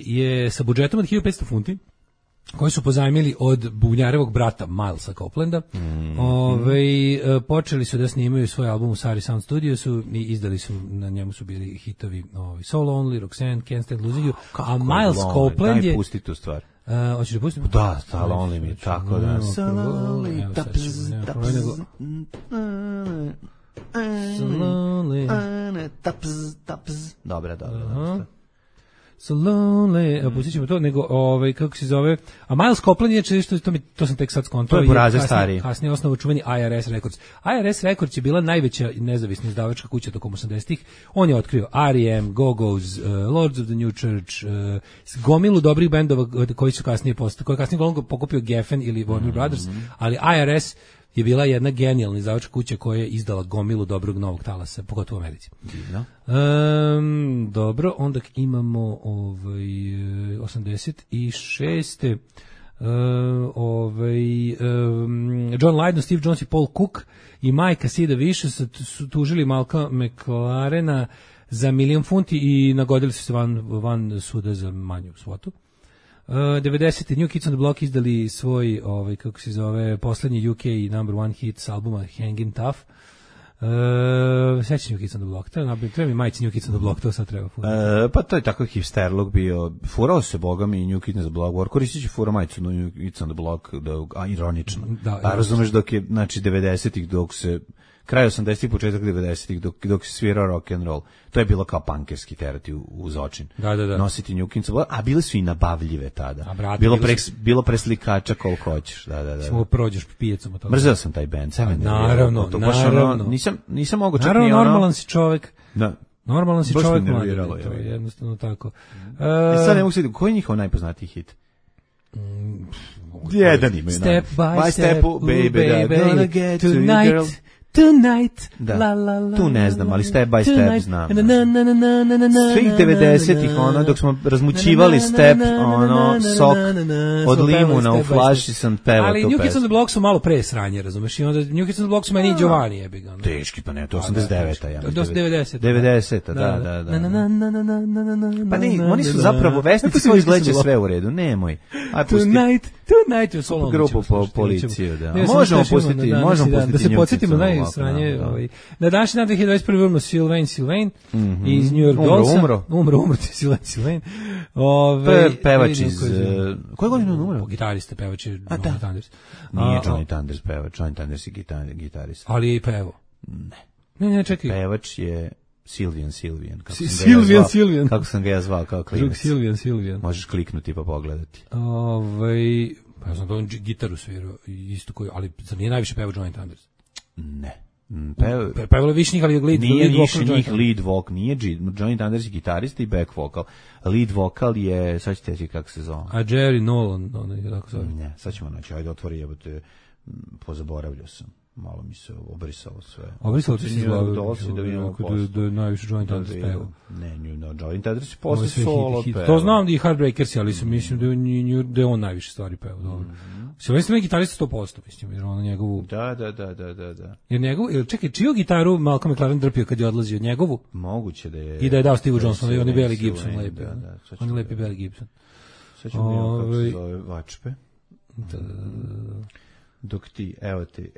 je sa budžetom od 1500 funti, koji su pozajmili od bubnjarevog brata Milesa Coplanda. Počeli su da snimaju svoj album u Sari Sound Studiosu i izdali su, na njemu su bili hitovi So Lonely, Roxanne, Can't Stand Losing You, a Miles Copeland je... Daj pusti tu stvar. Hoćeš da pustim? Da, So Lonely mi, tako da. So Lonely, Dobro. So lonely, pustit ćemo to, nego, kako se zove, a Miles Copeland je što to sam tek sad skontao. To je Burazer stari. Kasnije osnovu čuveni IRS Records. IRS Records je bila najveća nezavisna izdavačka kuća tokom 80-ih. On je otkrio R.E.M., Go-Go's, Lords of the New Church, gomilu dobrih bendova koji su kasnije koji kasnije uglavnom pokupio Geffen ili Warner Brothers, ali IRS je bila jedna genijalna izdavačka kuća koja je izdala gomilu dobrog novog talasa, pogotovo u Americi. Dobro, onda imamo 86. John Lydon, Steve Jones i Paul Cook i majka Sida Vicious su tužili Malcolm McLarena za $1.000.000 funti i nagodili su se van suda za manju svotu. 90. New Kids on the Block izdali svoj, kako se zove, poslednji UK number one hit s albuma Hangin' Tough. Sećam New Kids on the Block, treba mi majici New Kids on the Block, to sad treba. Pa to je tako hipsterlog bio, furao se bogami i New Kids on the Block, koristit će fura majicu New Kids on the Block, ironično. A razumeš dok je, znači, 90-ih dok se, kraj 80-ih, početak 90-ih, dok se svirao rock and roll, to je bilo kao punkerski terati uz očin. Da. Nositi New Kids on the Block, a bile su i nabavljive tada. Bilo preslikača koliko hoćeš, da. Samo prođeš pijecom od toga. Mrzeo sam taj band, naravno. Nisam mogao čak naravno, ni ono. Normalan si čovjek. Da. Normalan si čovjek, mladi, to je jednostavno tako. Sad ne mogu se, koji je njihov najpoznatiji hit? Jedan imaju. Step by step, baby, gonna get to you, girl. Tonight, da. La, la, la, tu ne znam, ali Step by tonight, Step znam. Svih 90-ih, dok smo razmućivali Step, sok od limuna u flaši sam pevao tu pesmu. Ali New Kids on the Block su malo pre sranje, razumeš? I onda New Kids on the Block su meni i Giovanni jebi ga. Teški, pa ne, to 89-a. Ja, to 90-a. 90-a, da. Pa ne, oni su zapravo vesnici koji izgleđaju sve u redu, nemoj. Tonight je solo. Grupu po policiju, da. Možemo pustiti da se podsjetimo najsranje. Na današnji dan 2021. umro Sylvain iz New York Dollsa. Umro Sylvain. Pevač iz... Koje godine on umro? Gitarista, pevač je Johnny Thunders. Nije Johnny Thunders pevač, Johnny Thunders je gitarista. Ali je i pevao. Ne, čekaj. Pevač je Sylvian. Sylvian. Kako sam ga ja zvao kao klinac. Drug Sylvian. Možeš kliknuti pa pogledati. Pa ja sam to gitaru svirao, isto koji, ali zar nije najviše pevao Johnny Thunders? Ne. Pevalo više njih, ali lead vocal nije Johnny Thunders je gitarista i back vocal. Lead vocal je, sad ćete reći kako se zove. A Jerry Nolan, tako zove. Ne, sad ćemo naći, ajde otvori, jebote, pozaboravljao sam. Malo mi se obrisalo sve. Obrisalo ti se da vidimo da je najviše Johnny Thunders pevao. Ne, Johnny Thunders je posle solo pevao. To znam da i Heartbreakers, ali mislim da je on najviše stvari pevao. Dobro. Sylvester je gitarista 100%, mislim, jer ono njegovu... Da. Jer njegovu, čekaj, čiju gitaru Malcolm McLaren drpio kad je odlazio? Njegovu? Moguće da je... I da je dao Steve Johnsonu, i on je Belly Gibson lepi. On je lepi Belly Gibson. Sad ćemo vidjeti kako se zove Vačpe. Dok ti, evo ti.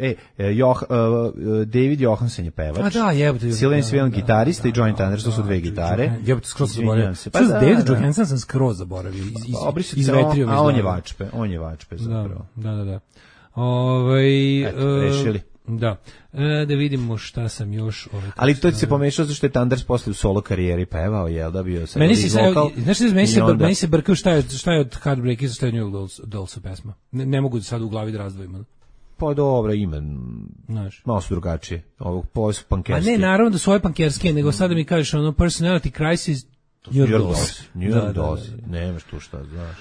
David Johansen je pevač. A da, jebote. Sylvain gitarista i Johnny Thunders, to su dve gitare. Jebote, skroz zaboravio. David Johansen sam skroz zaboravio. Izvetrio mi. A on je Vačpe zapravo. Da. Eto, rešili. Da. Da vidimo šta sam još... Ali to se pomešao zašto je Thunders posle u solo karijeri pevao, jel da bio sad vokal. Meni se brkao šta je od Heartbreakers, šta je New York Dolls pesma. Ne mogu sad u glavi da razdvojim. Pa dobro, ima. Malo su drugačije. Ovo su pankerske. A ne, naravno da su ove pankerske, nego sada mi kažeš Personality Crisis, New York Dolls. Nemaš tu šta, znaš.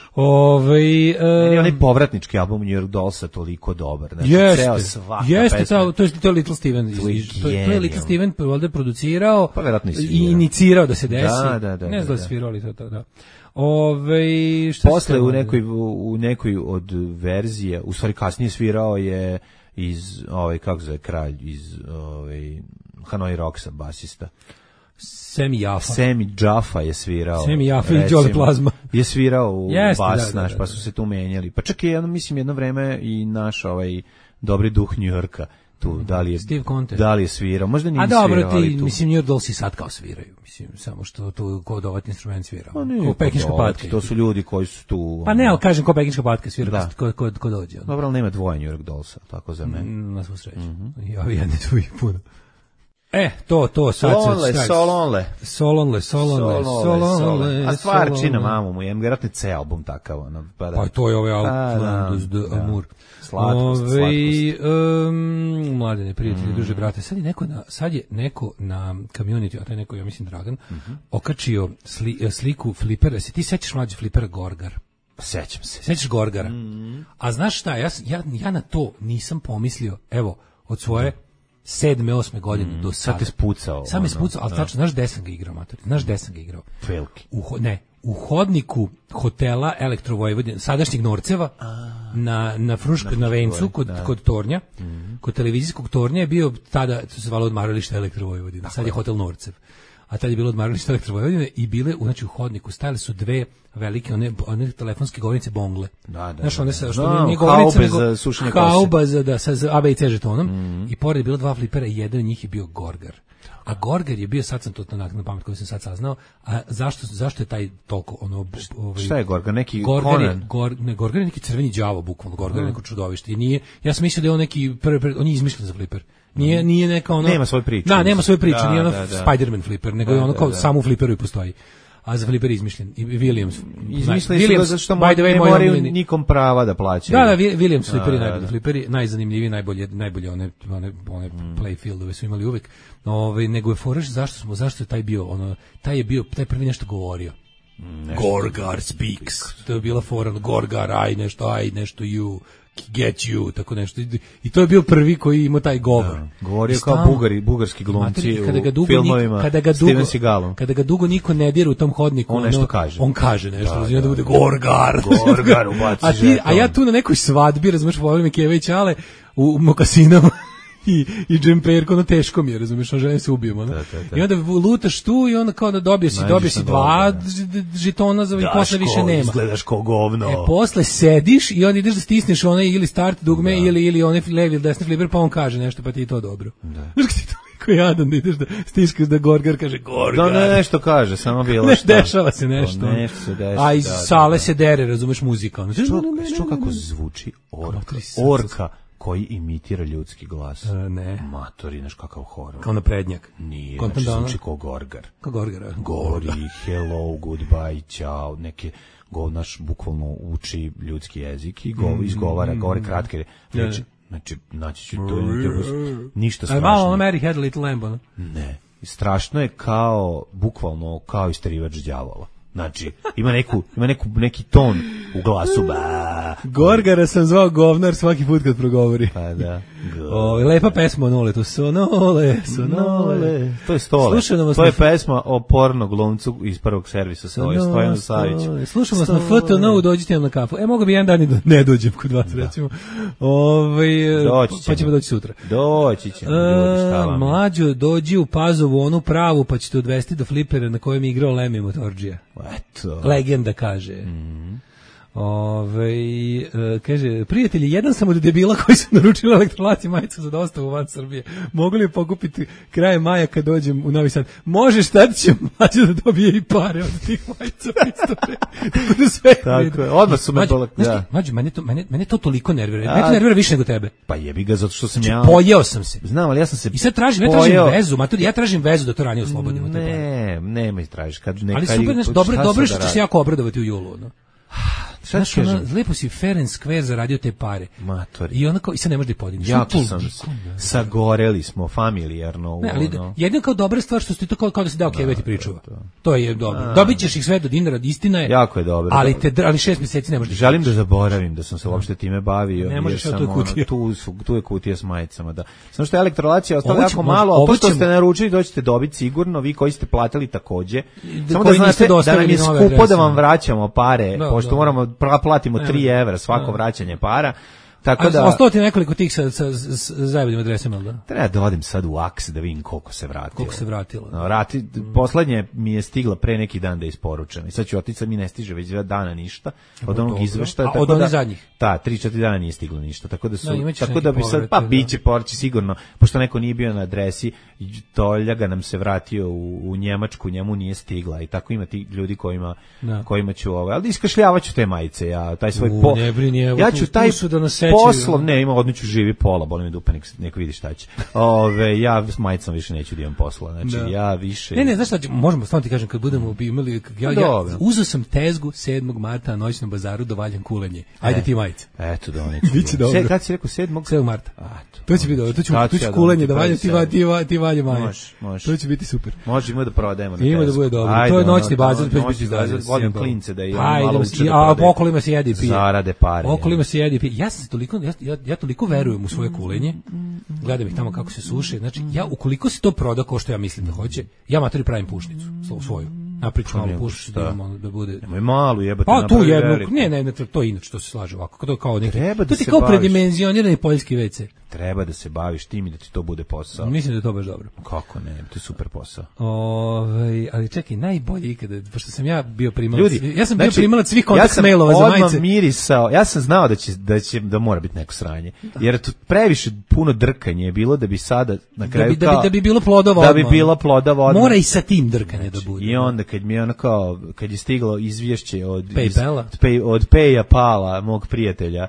Meni je onaj povratnički album New York Dollsa toliko dobar. Jeste, to je Little Steven. To je Little Steven ovdje producirao i inicirao da se desi. Ne znam da svirao, ali to da. Posle u nekoj od verzije, u stvari kasnije svirao je iz, kako zove kralj, iz Hanoi Rocksa, basista. Semi Jaffa je svirao. Semi Jaffa i Jolly Plazma. Je svirao u bas naš, pa su se tu menjali. Pa čak je, mislim, jedno vreme i naš dobri duh New Yorka tu, da li je svirao, možda nije svirao. A dobro, mislim, New York Dolls i sad kao sviraju, mislim, samo što tu kod ovaj instrument svirao. Ko pekinška patka. To su ljudi koji su tu... Pa ne, ali kažem, ko pekinška patka svira, ko dođe. Dobro, ali nema dvoje New York Dollsa, tako za mene. Na svu sreću. Ja jedni tu i puno. To sad Solonle. Solonle. A stvarčina, mamu mu, jem vjerojatno C album takav. Ono, pa to je ovaj Outlandus de Amour. Slatkost. Mladene, prijatelji, druže, brate, sad je neko na community, a to je neko, ja mislim Dragan, okačio sliku flipera. Se ti sećaš mlađe flipera Gorgar? Sećam se. Sećaš Gorgara? A znaš šta, ja na to nisam pomislio, evo, od svoje 7. 8. godine do sada. Sad te spucao. Sad me spucao, ali tačno, znaš gde sam ga igrao, mater? Znaš gde sam ga igrao? Veliki. U hodniku hotela Elektro Vojvodine, sadašnjeg Norceva, na Fruškoj, na Vencu, kod Tornja, kod televizijskog Tornja je bio tada, to se zvalo odmaralište Elektro Vojvodine, sad je hotel Norcev. A tad je bilo odmaralište Elektro Vojvodine i bile, znači u hodniku stajale su dve velike, one telefonske govornice bongle. Znaš, one sa, što nije govornica, nego hauba sa A, B i C žetonom. I pored je bilo dva flipera i jedan od njih je bio Gorgar. A Gorgar je bio, sad sam to na pamet koju sam sad saznao, a zašto je taj toliko šta je Gorgar, neki Conan? Gorgar je neki crveni đavo, bukvalno, Gorgar je neko čudovište. I nije, ja sam mislio da je on neki, on je izmišljen za fliper. Nije neka ono... Nema svoju priču. Da, nema svoju priču, nije ono Spider-Man fliper, nego je ono kao samo u fliperu i postoji. A za fliper je izmišljen. I Williams. Izmišljeni su zato što ne moraju nikom prava da plaćaju. Da, Williams fliperi najbolji fliperi, najzanimljiviji, najbolje one playfieldove su imali uvek. Nego je foraš zašto je taj bio, taj prvi nešto govorio. Gorgar speaks. To je bila fora, Gorgar, I nešto you, get you, tako nešto. I to je bio prvi koji ima taj govor. Govorio kao bugarski glumci u filmovima Steven Seagalom. Kada ga dugo niko ne dira u tom hodniku, on nešto kaže. On kaže nešto, da bude Gorgar. Gorgar ubaci. A ja tu na nekoj svadbi, razumeš, volim Keva i Ćale u mokasinama. I džemperko, teško mi je, razumiješ, želim se ubijem, I onda lutaš tu i onda kao da dobiješ si 2 žitona i posle više nema. Izgledaš ko govno. Posle sediš i onda ideš da stisneš onaj ili start dugme ili onaj levi ili desni fliper, pa on kaže nešto, pa ti je to dobro. Znaš kad ti toliko jadan da ideš da stiskaš da Gorgar kaže Gorgar. Da nešto kaže, samo bilo šta. Dešava se nešto. A iz sale se dere, razumeš, muzika. Što kako zvuči orka koji imitira ljudski glas. Ne. Matori, znaš kakav horor. Kao naprednjak. Nije, znači zvuči kao Gorgar. Kao Gorgar. Govori, hello, goodbye, ciao, neke, naš bukvalno uči ljudski jezik i govore kratke reči. Znači, naći ću to, ništa strašno. Malo Mary had a little lamb, Ne. Strašno je bukvalno kao istrivač đavola. Znači, ima neki ton u glasu. Gorgara sam zvao govnar svaki put kad progovori. Pa da. Lepa pesma o Noletu. Sonole. To je Stole. To je pesma o porno glumcu iz prvog servisa Stojanu Saviću. Slušamo nas na FTN, dođite nam na kafu. Mogu bi jedan dan i ne dođem kod vas, recimo. Pa ćemo doći sutra. Doći ćemo. Mlađo, dođi u Pazovu, onu pravu, pa ćete odvesti do flipera na kojem je igrao Lemi Motorđija. Eto. Legenda kaže. Kaže, prijatelji, jedan sam od debila koji su naručili Elektrolaci majicu za dostavu van Srbije. Mogu li pokupiti krajem maja kad dođem u Novi Sad? Može, šta će mlađe da dobije i pare od tih majica. Tako je, odmah su me bolak. Mlađe, mene to toliko nervira. Mene to nervira više nego tebe. Pa jebi ga, zato što sam ja... Pojeo sam se. Znam, ali ja sam se... I sad tražim vezu, ja tražim vezu da to ranije oslobodimo. Nema tražiš. Ali super, dobro što će se jako obradovati u julu, Znaš, lepo si fair and square zaradio te pare. Matori. I onda kao, i sad ne možeš da podigneš. Jako sam sagoreli smo familijarno. Ne, ali jedino kao dobra stvar što ste to kao da se dao Keveti pričuva. To je dobro. Dobit ćeš ih sve do dinara, istina je. Jako je dobro. Ali 6 mjeseci ne možeš. Želim da zaboravim da sam se uopšte time bavio. Ne možeš, to je kutija. Tu je kutija s majicama, da. Samo što je Elektrolacija ostala jako malo, a to što ste naručili doćete dobiti sigurno, vi koji ste platili takođe. Samo da znate da nam je skupo da vam vraćamo pare, pošto moramo platimo 3 evra svako vraćanje para. Tako da ostalo ti nekoliko tih sa zajednim adresama, da? Treba da odim sad u Aks da vidim koliko se vratilo. Koliko se vratilo. Poslednje mi je stigla pre neki dan da je isporučena. I sad ću otići, mi ne stiže već 2 dana ništa od onog izveštaja. Od onih zadnjih? Da, 3-4 dana nije stiglo ništa. Tako da bi sad, pa biće porći sigurno, pošto neko nije bio na adresi, Toljaga nam se vratio u Njemačku, njemu nije stigla. I tako ima ti ljudi kojima ću ali iskašljavaću te majice, ja taj svoj ja ću taj poslom, ne, ima odniću živi pola, boli me dupe, neko vidi šta će. Ja s majicom više neću da imam posla, znači ja više... Ne, znaš šta, možemo, stvarno ti kažem, kad budemo imali, ja uzeo sam tezgu 7. marta na noćnom bazaru da valjam kulenje. Ajde ti majice. Eto, da neću. Biće dobro. Kad si rekao 7. 7. marta. To će biti dobro, tu ću kulenje da valjam, ti valje majice. Može. To će biti super. Možemo da prodajemo. Ima da bude dobro. To je noćni bazar, to će biti dalje. Volim klince da a okolima se jedi i pije. Zarade pare. Okolima se jedi i pije. Ja toliko verujem u svoje kulenje. Gledam ih tamo kako se suše. Znači, ja ukoliko se to proda kao što ja mislim da hoće, ja materi pravim pušnicu svoju. Napriču malu pušnicu da bude. Nemoj malu jebati. Pa tu jednu. Ne, to inače to se slaže ovako. To kao neki. To ti kao predimenzionirani poljski WC. Treba da se baviš tim i da ti to bude posao. Mislim da je to baš dobro. Kako ne, to je super posao. Ali čekaj, najbolje ikada, pošto sam ja bio primalac. Ja sam bio primalac svih kontakt mailova za majice. Ja sam mirisao, ja sam znao da mora biti neko sranje. Jer to previše puno drkanje je bilo da bi sada na kraju da bi bilo plodova. Da bi bila plodova odmah. Mora i sa tim drkanje da bude. I onda kad je stiglo izvješće od PayPala, Pala, mog prijatelja,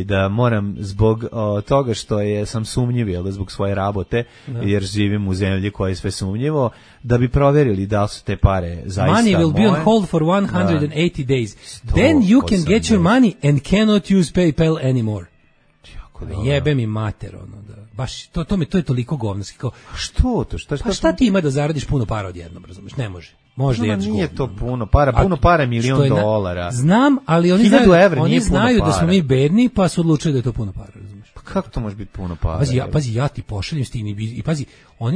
da moram zbog toga što sam sumnjiv, jel da, zbog svoje rabote, jer živim u zemlji koja je sve sumnjivo, da bi proverili da li su te pare zaista money will be on hold for 180 days. Then you can get your money and cannot use PayPal anymore. Jebe mi mater, baš to je toliko govnarski, kao šta ti ima da zaradiš puno para odjednom, razumeš? Ne može. Možda jedeš nije to puno para, puno para je $1.000.000. Znam, ali oni znaju da smo mi bedni, pa su odlučili da je to puno para, razumeš? Pa kako to može biti puno para? Pazi, ja ti pošaljem s tim i pazi,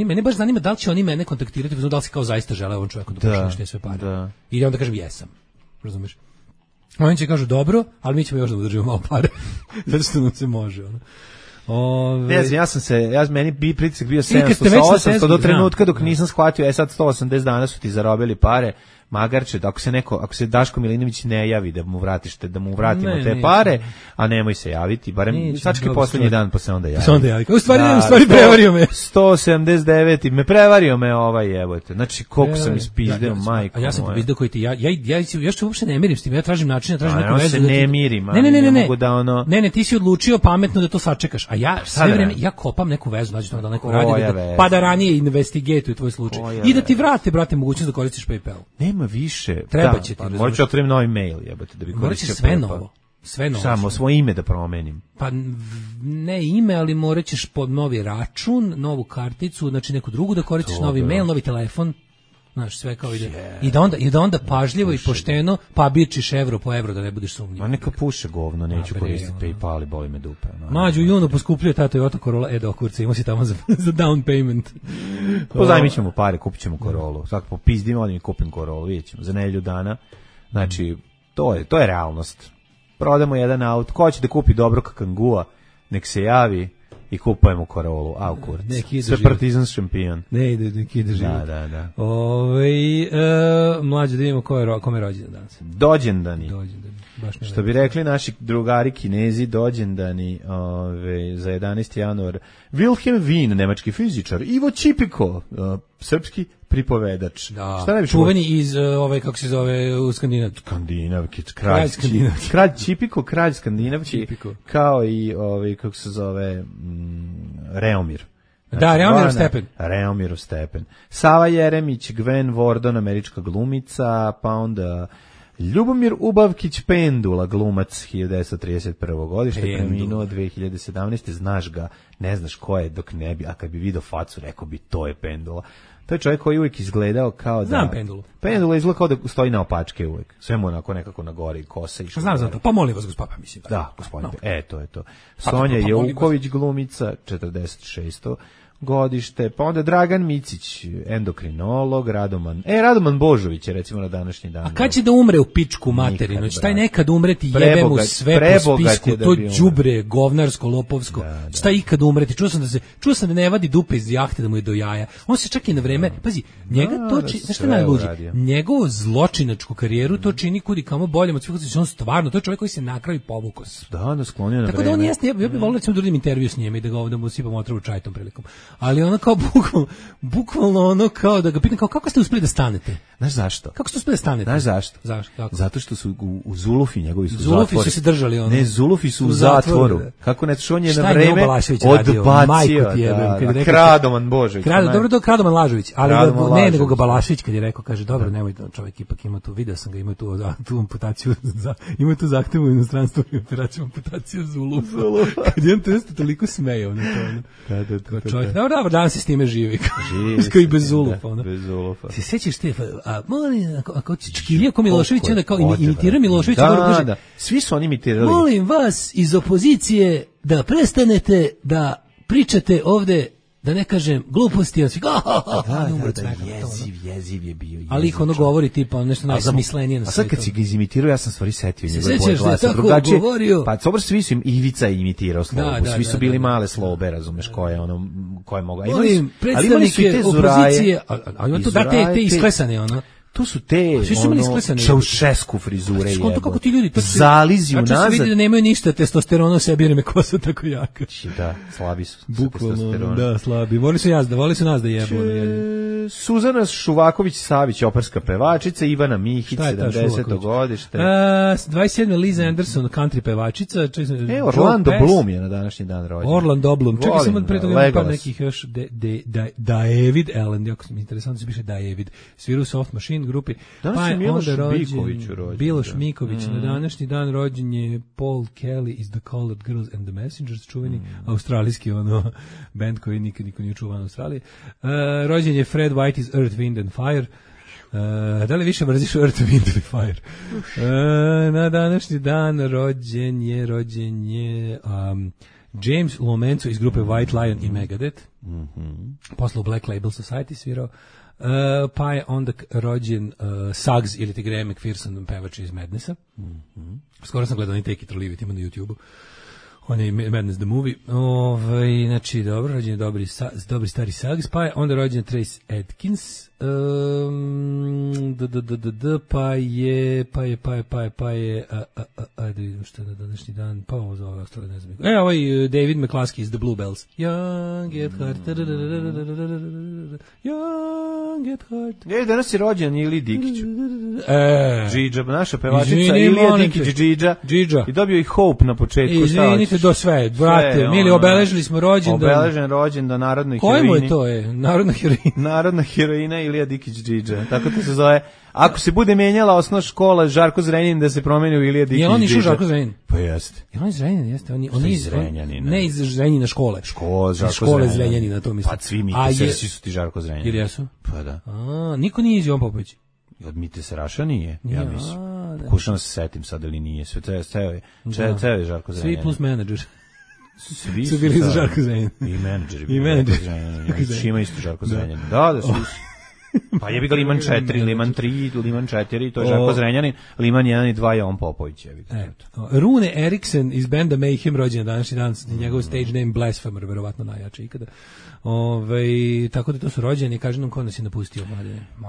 mene baš zanima da li će oni mene kontaktirati, da li se kao zaista žele ovom čovjeku da pošalješ te sve pare. Da. I onda kažem jesam, razumeš? Oni će kažu dobro, ali mi ćemo još da udržimo malo pare, zato što nam se može, Ne znam, meni bi pritisak bio 700 do trenutka dok nisam shvatio, sad 180 dana su ti zarobili pare, magarče, ako se Daško Milinović ne javi da mu vratimo te pare, a nemoj se javiti, barem sački poslednji dan pa se onda javi. U stvari prevario me. 179 i me prevario me jebote. Znači koliko sam ispizdeo, majko. A ja sam povizdao koji ti, ja što uopšte ne mirim s tim, ja tražim način, tražim neku vezu. Ja se ne mirim, Ne, ti si odlučio pametno da to sačekaš, a ja sve vreme, ja kopam neku vezu, znači da neko radi, pa da ranije investigatuje tvoj slučaj. I da ti vrate, brate, mogućnost da koristiš PayPal. Nema više. Treba će ti. Morat ću otvorim novi mail, jebate, da bi koristio sve novo. Samo svoje ime da promenim. Pa ne ime, ali morat ćeš pod novi račun, novu karticu, znači neku drugu da koristiš, novi mail, novi telefon. Znaš, sve kao ide. I da onda pažljivo i pošteno pabičiš evro po evro da ne budeš sumnjiv. Ma neka puše govno, neću koristiti PayPal i boli me dupe. Mađu, junu poskupljuje ta Toyota Corolla, do kurca, imao si tamo za down payment. Pozajmit ćemo pare, kupit ćemo Corollu. Svako popizdimo, ali mi kupim Corollu, vidjet ćemo, za nedelju dana. Znači, to je realnost. Prodamo jedan auto, ko će da kupi dobro Kangua, nek se javi i kupujemo Corollu, kurac. Sve Partizan šampion. Ne ide, neki ide život. Da. Mlađe, da vidimo kome je rođendan danas. Dođendani. Što bi rekli naši drugari Kinezi, dođendani za 11. januar. Wilhelm Wien, nemački fizičar. Ivo Čipiko, srpski pripovedač. Da, čuveni iz, kako se zove, u Skandinavki, kralj Čipiko, kralj Skandinavki, kao i, kako se zove, Reomir. Da, Reomirov stepen. Sava Jeremić, Gwen Wardon, američka glumica, pa onda Ljubomir Ubavkić Pendula, glumac 1931. godište, preminuo 2017. Znaš ga, ne znaš ko je dok ne bi, a kad bi vidio facu rekao bi to je Pendula. To je čovjek koji uvijek izgledao kao da... Znam Pendulu. Pendula izgleda kao da stoji na opačke uvijek. Sve mu onako nekako na gori, kosa išla. Znam za to. Pa molim vas, gospodine, mislim. Da, gospodine. To je to. Sonja Jeuković, glumica, 46. godište, pa onda Dragan Micić, endokrinolog, Radoman Božović je recimo na današnji dan. A kad će da umre u pičku materinu? Će taj nekad umreti, jebe mu sve po spisku, to đubre, govnarsko, lopovsko. Će taj ikad umreti? Čuo sam da ne vadi dupe iz jahte da mu je do jaja. On se čak i na vreme, pazi, njega to čini, znaš šta najluđe? Njegovu zločinačku karijeru to čini kudi kamo boljem od svih, on stvarno, to je čovjek koji se na kraju povukao. Da, sklonio na vreme. Tako da on jeste, ja bih volio da uradim intervju s njime i da ga ovdje mu sipam otrovu čaj tom prilikom. Ali ono kao bukvalno ono kao da ga pitam kao kako ste uspeli da stanete? Znaš zašto? Kako što spede stane? Znaš zašto? Zašto? Kako? Zato što su u Zulufi njegovi su Zulufi su se držali ono. Ne, Zulufi su u zatvoru. Kako ne, što on je na vreme odbacio. Kradoman Božović. Dobro, to Kradoman Lažović, ali ne, nego ga Balašević kad je rekao, kaže, dobro, nemoj, čovjek ipak ima tu, video sam ga, ima tu amputaciju, ima tu zahtevu u inostranstvu i operaciju amputacija Zulufa. Kad je on to toliko smejao na to. Da. Čovjek, dobro, danas se s time živi. Živi. Bez Zulufa. Bez Zulufa. Se sećaš te, molim, ako čkivio ko Milošević, onda kao imitira Miloševića. Da. Svi su oni imitirali. Molim vas iz opozicije da prestanete da pričate ovde, da ne kažem gluposti, jeziv je bio. Ali ih ono govori tipa nešto najsmislenije na svijetu. A sad kad si ga izimitirao, ja sam stvari setio njegove boje glasa. Se sećaš da je tako govorio? Pa dobro, svi su im, Ivica je imitirao slobu, svi su bili male slobe, razumeš, koje mogu. Molim, predstavnike opozicije, a ima to da te isklesane, ono. To su te Čaušesku frizure jebo. Kako ti ljudi zalizi unazad. Kako se vidi da nemaju ništa testosterona u sebi jer im je kosa tako jaka. Da, slabi su. Bukvalno, da, slabi. Voli su nas da jebu. Suzana Šuvaković-Savić, operska pevačica, Ivana Mihić, 70. godište. 27. Liza Anderson, country pevačica. Orlando Bloom je na današnji dan rođen. Orlando Bloom. Čekaj samo pre toga par nekih još. David Allen, jako mi interesantno se piše David. Sviru Soft Machine grupi. Danas je Miloš Miković rođen. Miloš Miković. Na današnji dan rođen je Paul Kelly iz The Colored Girls and the Messengers, čuveni australijski band koji nikad niko nije čuvan u Australiji. Rođen je Fred White iz Earth, Wind and Fire. Da li više mrziš Earth, Wind and Fire? Na današnji dan rođen je James Lomenzo iz grupe White Lion i Megadeth. Posle u Black Label Society svirao. Pa je onda rođen Suggs ili ti Graham McPherson, pevač iz Madnessa. Skoro sam gledao Take It or Leave It, ima na YouTube-u. On je Madness the Movie. Znači, dobro, rođen je dobri stari Suggs. Pa je onda rođen Trace Adkins. Pa je ajde vidim što je na današnji dan, pa ovo za ove ostale ne znam. Ovaj David McCluskey iz The Bluebells. Young at heart. Young at heart. Danas je rođen Ili Dikić. Džidža, naša pevačica Ilija Dikić Džidža. I dobio i Hope na početku. Izvinite do sve, brate, mili, obeležili smo rođendan. Obeležen rođendan narodnoj heroini. Kojemu je to narodna heroina? Narodna heroina Ilija Dikić Džidža. Tako to se zove. Ako se bude menjala osnovna škola Žarko Zrenjanin da se promeni u Ilija Dikić Džidža. Je on išao Žarko Zrenjanin? Pa jeste. Je on iz Zrenjanina, jeste? On iz Zrenjanina. Ne iz Zrenjanina škole. Škole Zrenjanina, to mislim. Pa svi Mite Seraši su ti Žarko Zrenjanin. Jer jesu? Pa da. Niko nije iz Jovan Popović. Od Mite Seraša nije, ja mislim. Pokušam se setim sad ili nije. Ceo je Žarko Zrenjanin. Svi plus menadžer. Svi su bili za Žarko Zrenjanin. I menadžeri. Šima isto Žarko Zrenjanin. Da, svi su. Pa jebi ga Liman 4, Liman 3, Liman 4, to je Žarko Zrenjanin, Liman 1 i 2 je on Popović. Rune Eriksen iz benda Mayhem, rođen današnji dan, njegov stage name Blasphemer, verovatno najjači ikada. Tako da to su rođeni, kaže nam ko nas je napustio.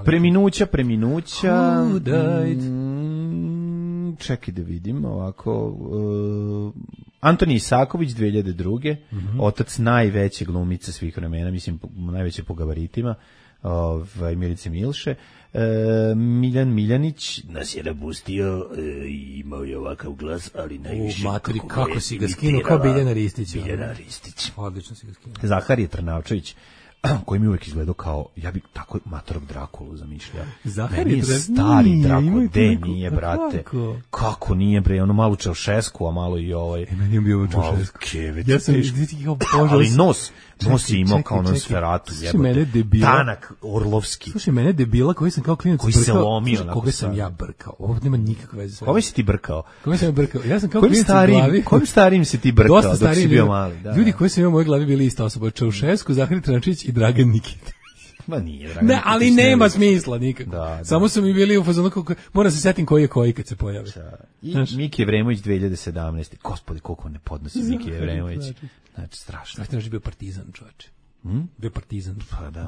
Preminuća. Who died? Čekaj da vidim, ovako... Antoni Isaković, 2002. Otac najveće glumice svih vremena, mislim, najveće po gabaritima. Milice Milše. Miljan Miljanić nas je napustio i imao je ovakav glas, ali najviše kako si ga skinuo, kao Biljana Ristić. Odlično si ga skinuo. Zahar Trnavčević, koji mi uvijek izgledao kao, ja bih tako matorog Drakulu zamišljao. Meni je stari Drakul, nije, brate. Kako nije, bre, ono malo Čaušesku, a malo i ovaj. Meni je bio Čaušesku. Ja sam ali nos je imao kao Nosferatu, jebote. Tanak Orlovski. Slušaj, mene debila koji sam kao klinac koji se lomio. Koga sam ja brkao? Ovo nema nikakve veze s vama. Koga si ti brkao? Koga sam ja brkao? Ja sam kao klinac u glavi. Kojim starim si ti brkao dok si bio mali? Ljudi koji sam imao u mojoj glavi bili ista osoba. Čaušesku, Zahar Trnavčević i Dragan Nikita. Ma nije, Dragan Nikita. Ne, ali nema smisla nikako. Samo su mi bili u fazonu kako moram se setim koji je koji kad se pojavi. I Miki Evremović 2017. Gospodi, koliko ne podnosi Miki Evremović. Znači, strašno. Znači, bio partizan, čovječe. Bio partizan,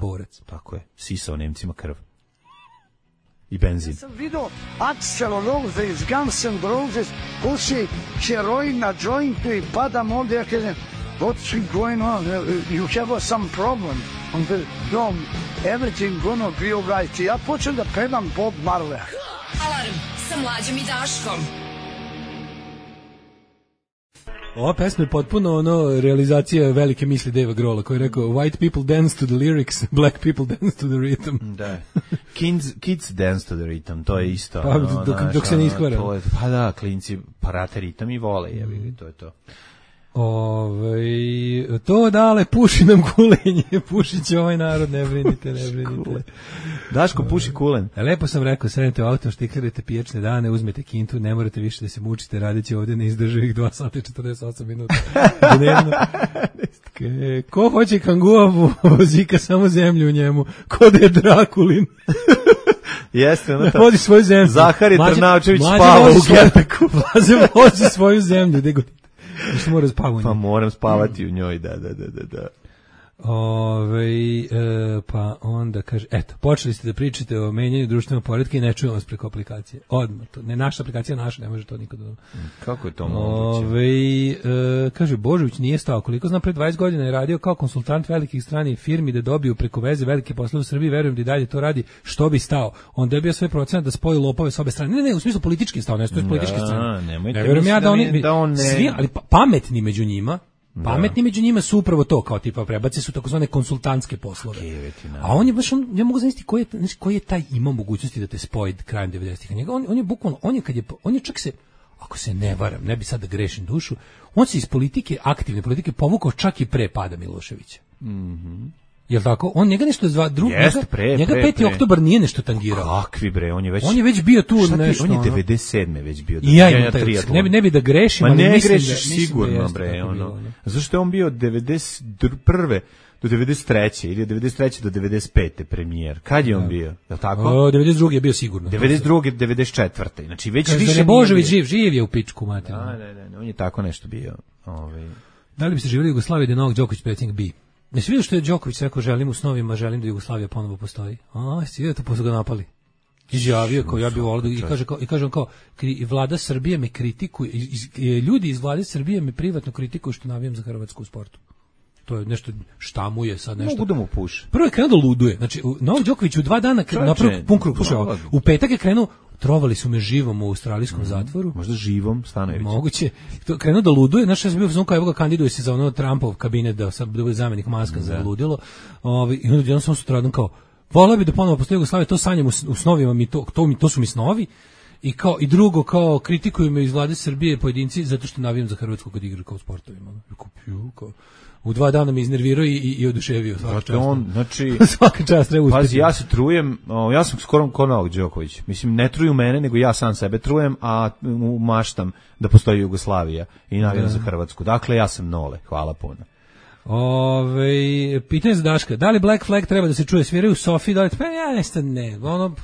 borac. Tako je, sisao Nemcima krv. I benzin. Ja sam vidio Axl Rose iz Guns N' Roses, puši heroin na jointu i padam ovdje, ja kažem, what's going on? You have some problem. No, everything gonna be alright. Ja počnem da pevam Bob Marley. Alarm sa Mlađom i Daškom. Ova pesma je potpuno realizacija velike misli Dave Grohla koji je rekao white people dance to the lyrics, black people dance to the rhythm. Da. Kids dance to the rhythm, to je isto. Pa, dok se ne iskvara. Pa da, klinci prate ritam i vole, to je to. To dale, puši nam kulenje, pušit će ovaj narod, ne brinite. Daško, puši kulen. Lepo sam rekao, sednete u auto, štiklirate pijačne dane, uzmete kintu, ne morate više da se mučite, radit će ovdje neizdrživih 2 sata i 48 minuta dnevno. Ko hoće kanguavu, vozika samo zemlju u njemu, ko da je Drakulin. Jeste, ono to. Vodi svoju zemlju. Zahari Trnavčević spava u Gepeku. Vozi svoju zemlju, gde god. Što mora spavati u njoj. Pa moram spavati u njoj, da. Pa onda kaže, eto, počeli ste da pričate o menjanju društvenog poretka i ne čujemo vas preko aplikacije. Odmah, to, ne naša aplikacija, naša, ne može to nikad. Kako je to moguće? Kaže, Božović nije stao. Koliko znam, pre 20 godina je radio kao konsultant velikih stranih firmi da dobiju preko veze velike poslove u Srbiji, verujem da i dalje to radi, što bi stao. On dobio sve procenat da spoji lopove s obe strane. Ne, u smislu politički stao, ne stoji političke strane. Ne verujem ja da on svi, ali pametni među njima. Pametni među njima su upravo to, kao tipa prebace su takozvane konsultantske poslove. A on je baš, ja mogu zamisliti koji je taj ima mogućnosti da te spoji krajem 90-ih. On je bukvalno, on je čak se, ako se ne varam, ne bi sad da grešim dušu, on se iz politike, aktivne politike povukao čak i pre pada Miloševića. Jel tako? On njega nešto njega 5. oktobar nije nešto tangirao. Kakvi bre, on je već bio tu nešto. On je 97. već bio. Ne bi da grešim, ali ne grešiš sigurno bre, ono. Zašto je on bio 91. do 93. ili 93. do 95. premijer. Kad je on bio? Jel tako? 92. je bio sigurno. 92. 94. Znači već više nije. Božović živ je u pičku materinu. Ne, on je tako nešto bio. Da li biste živjeli u Jugoslaviji da je Novak Đoković predsjednik bi? Ne si vidio što je Đoković rekao, želim u snovima, želim da Jugoslavija ponovo postoji. Si vidio to, pa su ga napali. Izjavio kao ja bih volio i kaže on kao vlada Srbije me kritikuje, ljudi iz vlade Srbije me privatno kritikuju što navijam za Hrvatsku u sportu. To je nešto štamuje sad nešto. Mogu da mu puše. Prvo je krenuo da luduje. Znači Novak Đoković u 2 dana napravio pun krug. U petak je krenuo, trovali su me živom u australijskom zatvoru. Možda živom, Stanojević. Moguće. Krenuo da luduje. Znaš, ja sam bio uzmano kao evo ga kandiduje se za ono Trumpov kabinet da bude zamjenik Maska za ludilo. I onda jedan sam sutradan kao, voleo bi da ponovo postoji Jugoslavija, to sanjam u snovima, to su mi snovi. I drugo, kao kritikuju me iz vlade Srbije pojedinci zato što navijam za Hrvatsku kad igra kao sportovima. U 2 dana me iznervirao i oduševio svaka čast. Znači, svaka čast treba uspjeti. Pazi, ja se trujem, ja sam skoro ko Novak Đoković. Mislim, ne truju mene, nego ja sam sebe trujem, a maštam da postoji Jugoslavija i navijam za Hrvatsku. Dakle, ja sam nole. Hvala puno. Pitanje za Daška. Da li Black Flag treba da se čuje? Sviraju u Sofiji? Da li... Pa ja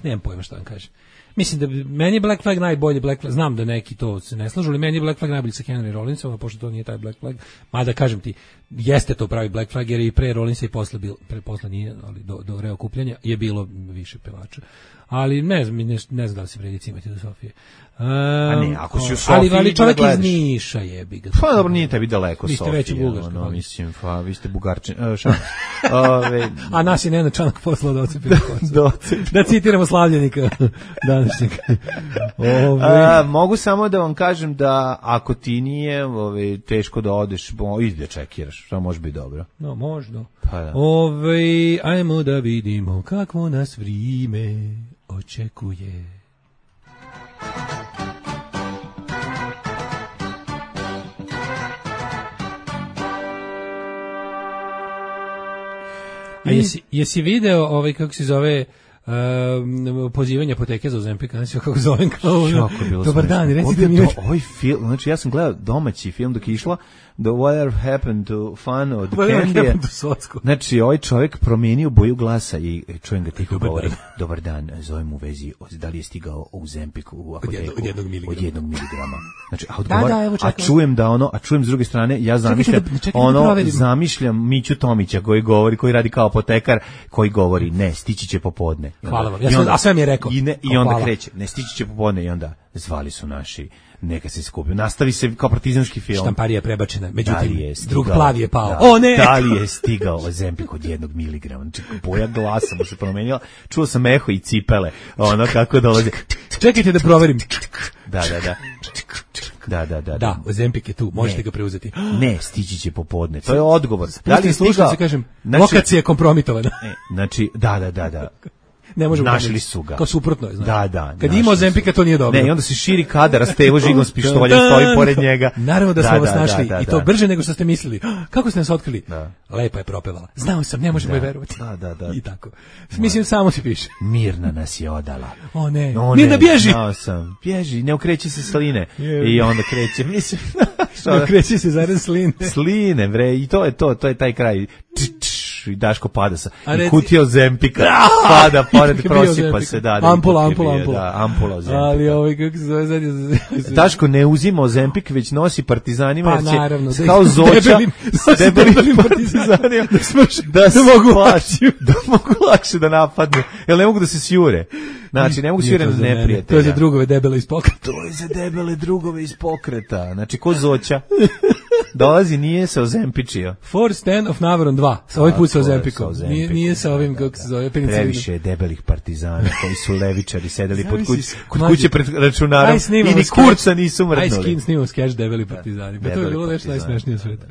nemam pojma šta vam kažem. Mislim da meni je Black Flag najbolji Black Flag, znam da neki to se ne slažu, ali meni je Black Flag najbolji sa Henry Rollinsom, a pošto to nije taj Black Flag, mada kažem ti, jeste to pravi Black Flag, jer i pre Rollinsa i posle nije, ali do reokupljanja je bilo više pevača. Ali ne znam da li se vredi cimati do Sofije. A ne, ako si u Sofiji ali čovjek iz Niša jebi ga. Pa dobro, nije tebi daleko Sofija. Vi ste već u Bugarskoj. Mislim, vi ste Bugarčin. A nas je Nenad Čanak poslao da ocepi da citiramo slavljenika današnjeg. Mogu samo da vam kažem da ako ti nije teško da odeš, idi da čekiraš, to može biti dobro. No, možda. Pa da. Ajmo da vidimo kakvo nas vrime očekuje. A jesi video kako se zove pozivanje apoteke za Ozempik, kako zovem kao dobar dan, recite mi ovaj film, znači ja sam gledao domaći film dok je išla The Whatever Happened to Fun od Candy. Znači ovaj čovjek promijenio boju glasa i čujem ga tiho govori dobar dan, zovem u vezi da li je stigao Ozempik u apoteku od 1 miligrama. Znači a čujem da a čujem s druge strane, ja zamišljam Miću Tomića koji radi kao apotekar, koji govori ne, stići će popodne. Hvala vam, a sve mi je rekao. I onda kreće, ne stići će popodne i onda zvali su naši neka se skupi. Nastavi se kao partizanski film. Štamparija je prebačena, međutim, stigao, drug plavi je pao. Da, O ne! Da li je stigao Ozempik od 1 miligrama? Znači, boja glasa mu se promenila. Čuo sam eho i cipele, ono kako dolaze. Čekajte da proverim. Da. Da, Ozempik je tu, možete ga preuzeti. Ne, stići će popodne. To je odgovor. Da li je stigao? Kažem, lokacija je kompromitovana. Znači, da. Ne možemo našli su ga. Kao suprotno je, znači. Da. Kad ima Ozempika, to nije dobro. Ne, i onda se širi kadar, a Stevo žigom s pištoljem stoji pored njega. Naravno da smo vas našli i to brže nego što ste mislili. Kako ste nas otkrili? Lepa je propevala. Znao sam, ne možemo je verovati. Da. I tako. Mislim, samo se piše. Mirna nas je odala. O ne, Mirna bježi! Znao sam, bježi, ne okreći se sline. I onda kreće, mislim... Ne okreći se zarez sline. Sline, bre, i to je taj kraj. I Daško pada sa i kutija Ozempika pada pored prosipa se ampula Ozempika. Ali kako se zove Daško ne uzima Ozempik, već nosi partizanima, pa, naravno, kao Zoća s debelim partizanima da mogu lakše da napadnu, jer ne mogu da se sjure. Znači, ne mogu sjure na neprijatelja. To je za drugove debele iz pokreta. To je za debele drugove iz pokreta. Znači, ko Zoća. Dolazi, nije se ozempičio. For Stand of Navaron 2. Sa ovaj put sa Ozempikom. Nije sa ovim, kako se zove, penicilinom. Previše je debelih partizana koji su levičari, sedeli kod kuće pred računarom i ni kurca nisu mrdnuli. Aj, snimamo sketch debeli partizani. Pa to je bilo nešto najsmešnije u svijetu.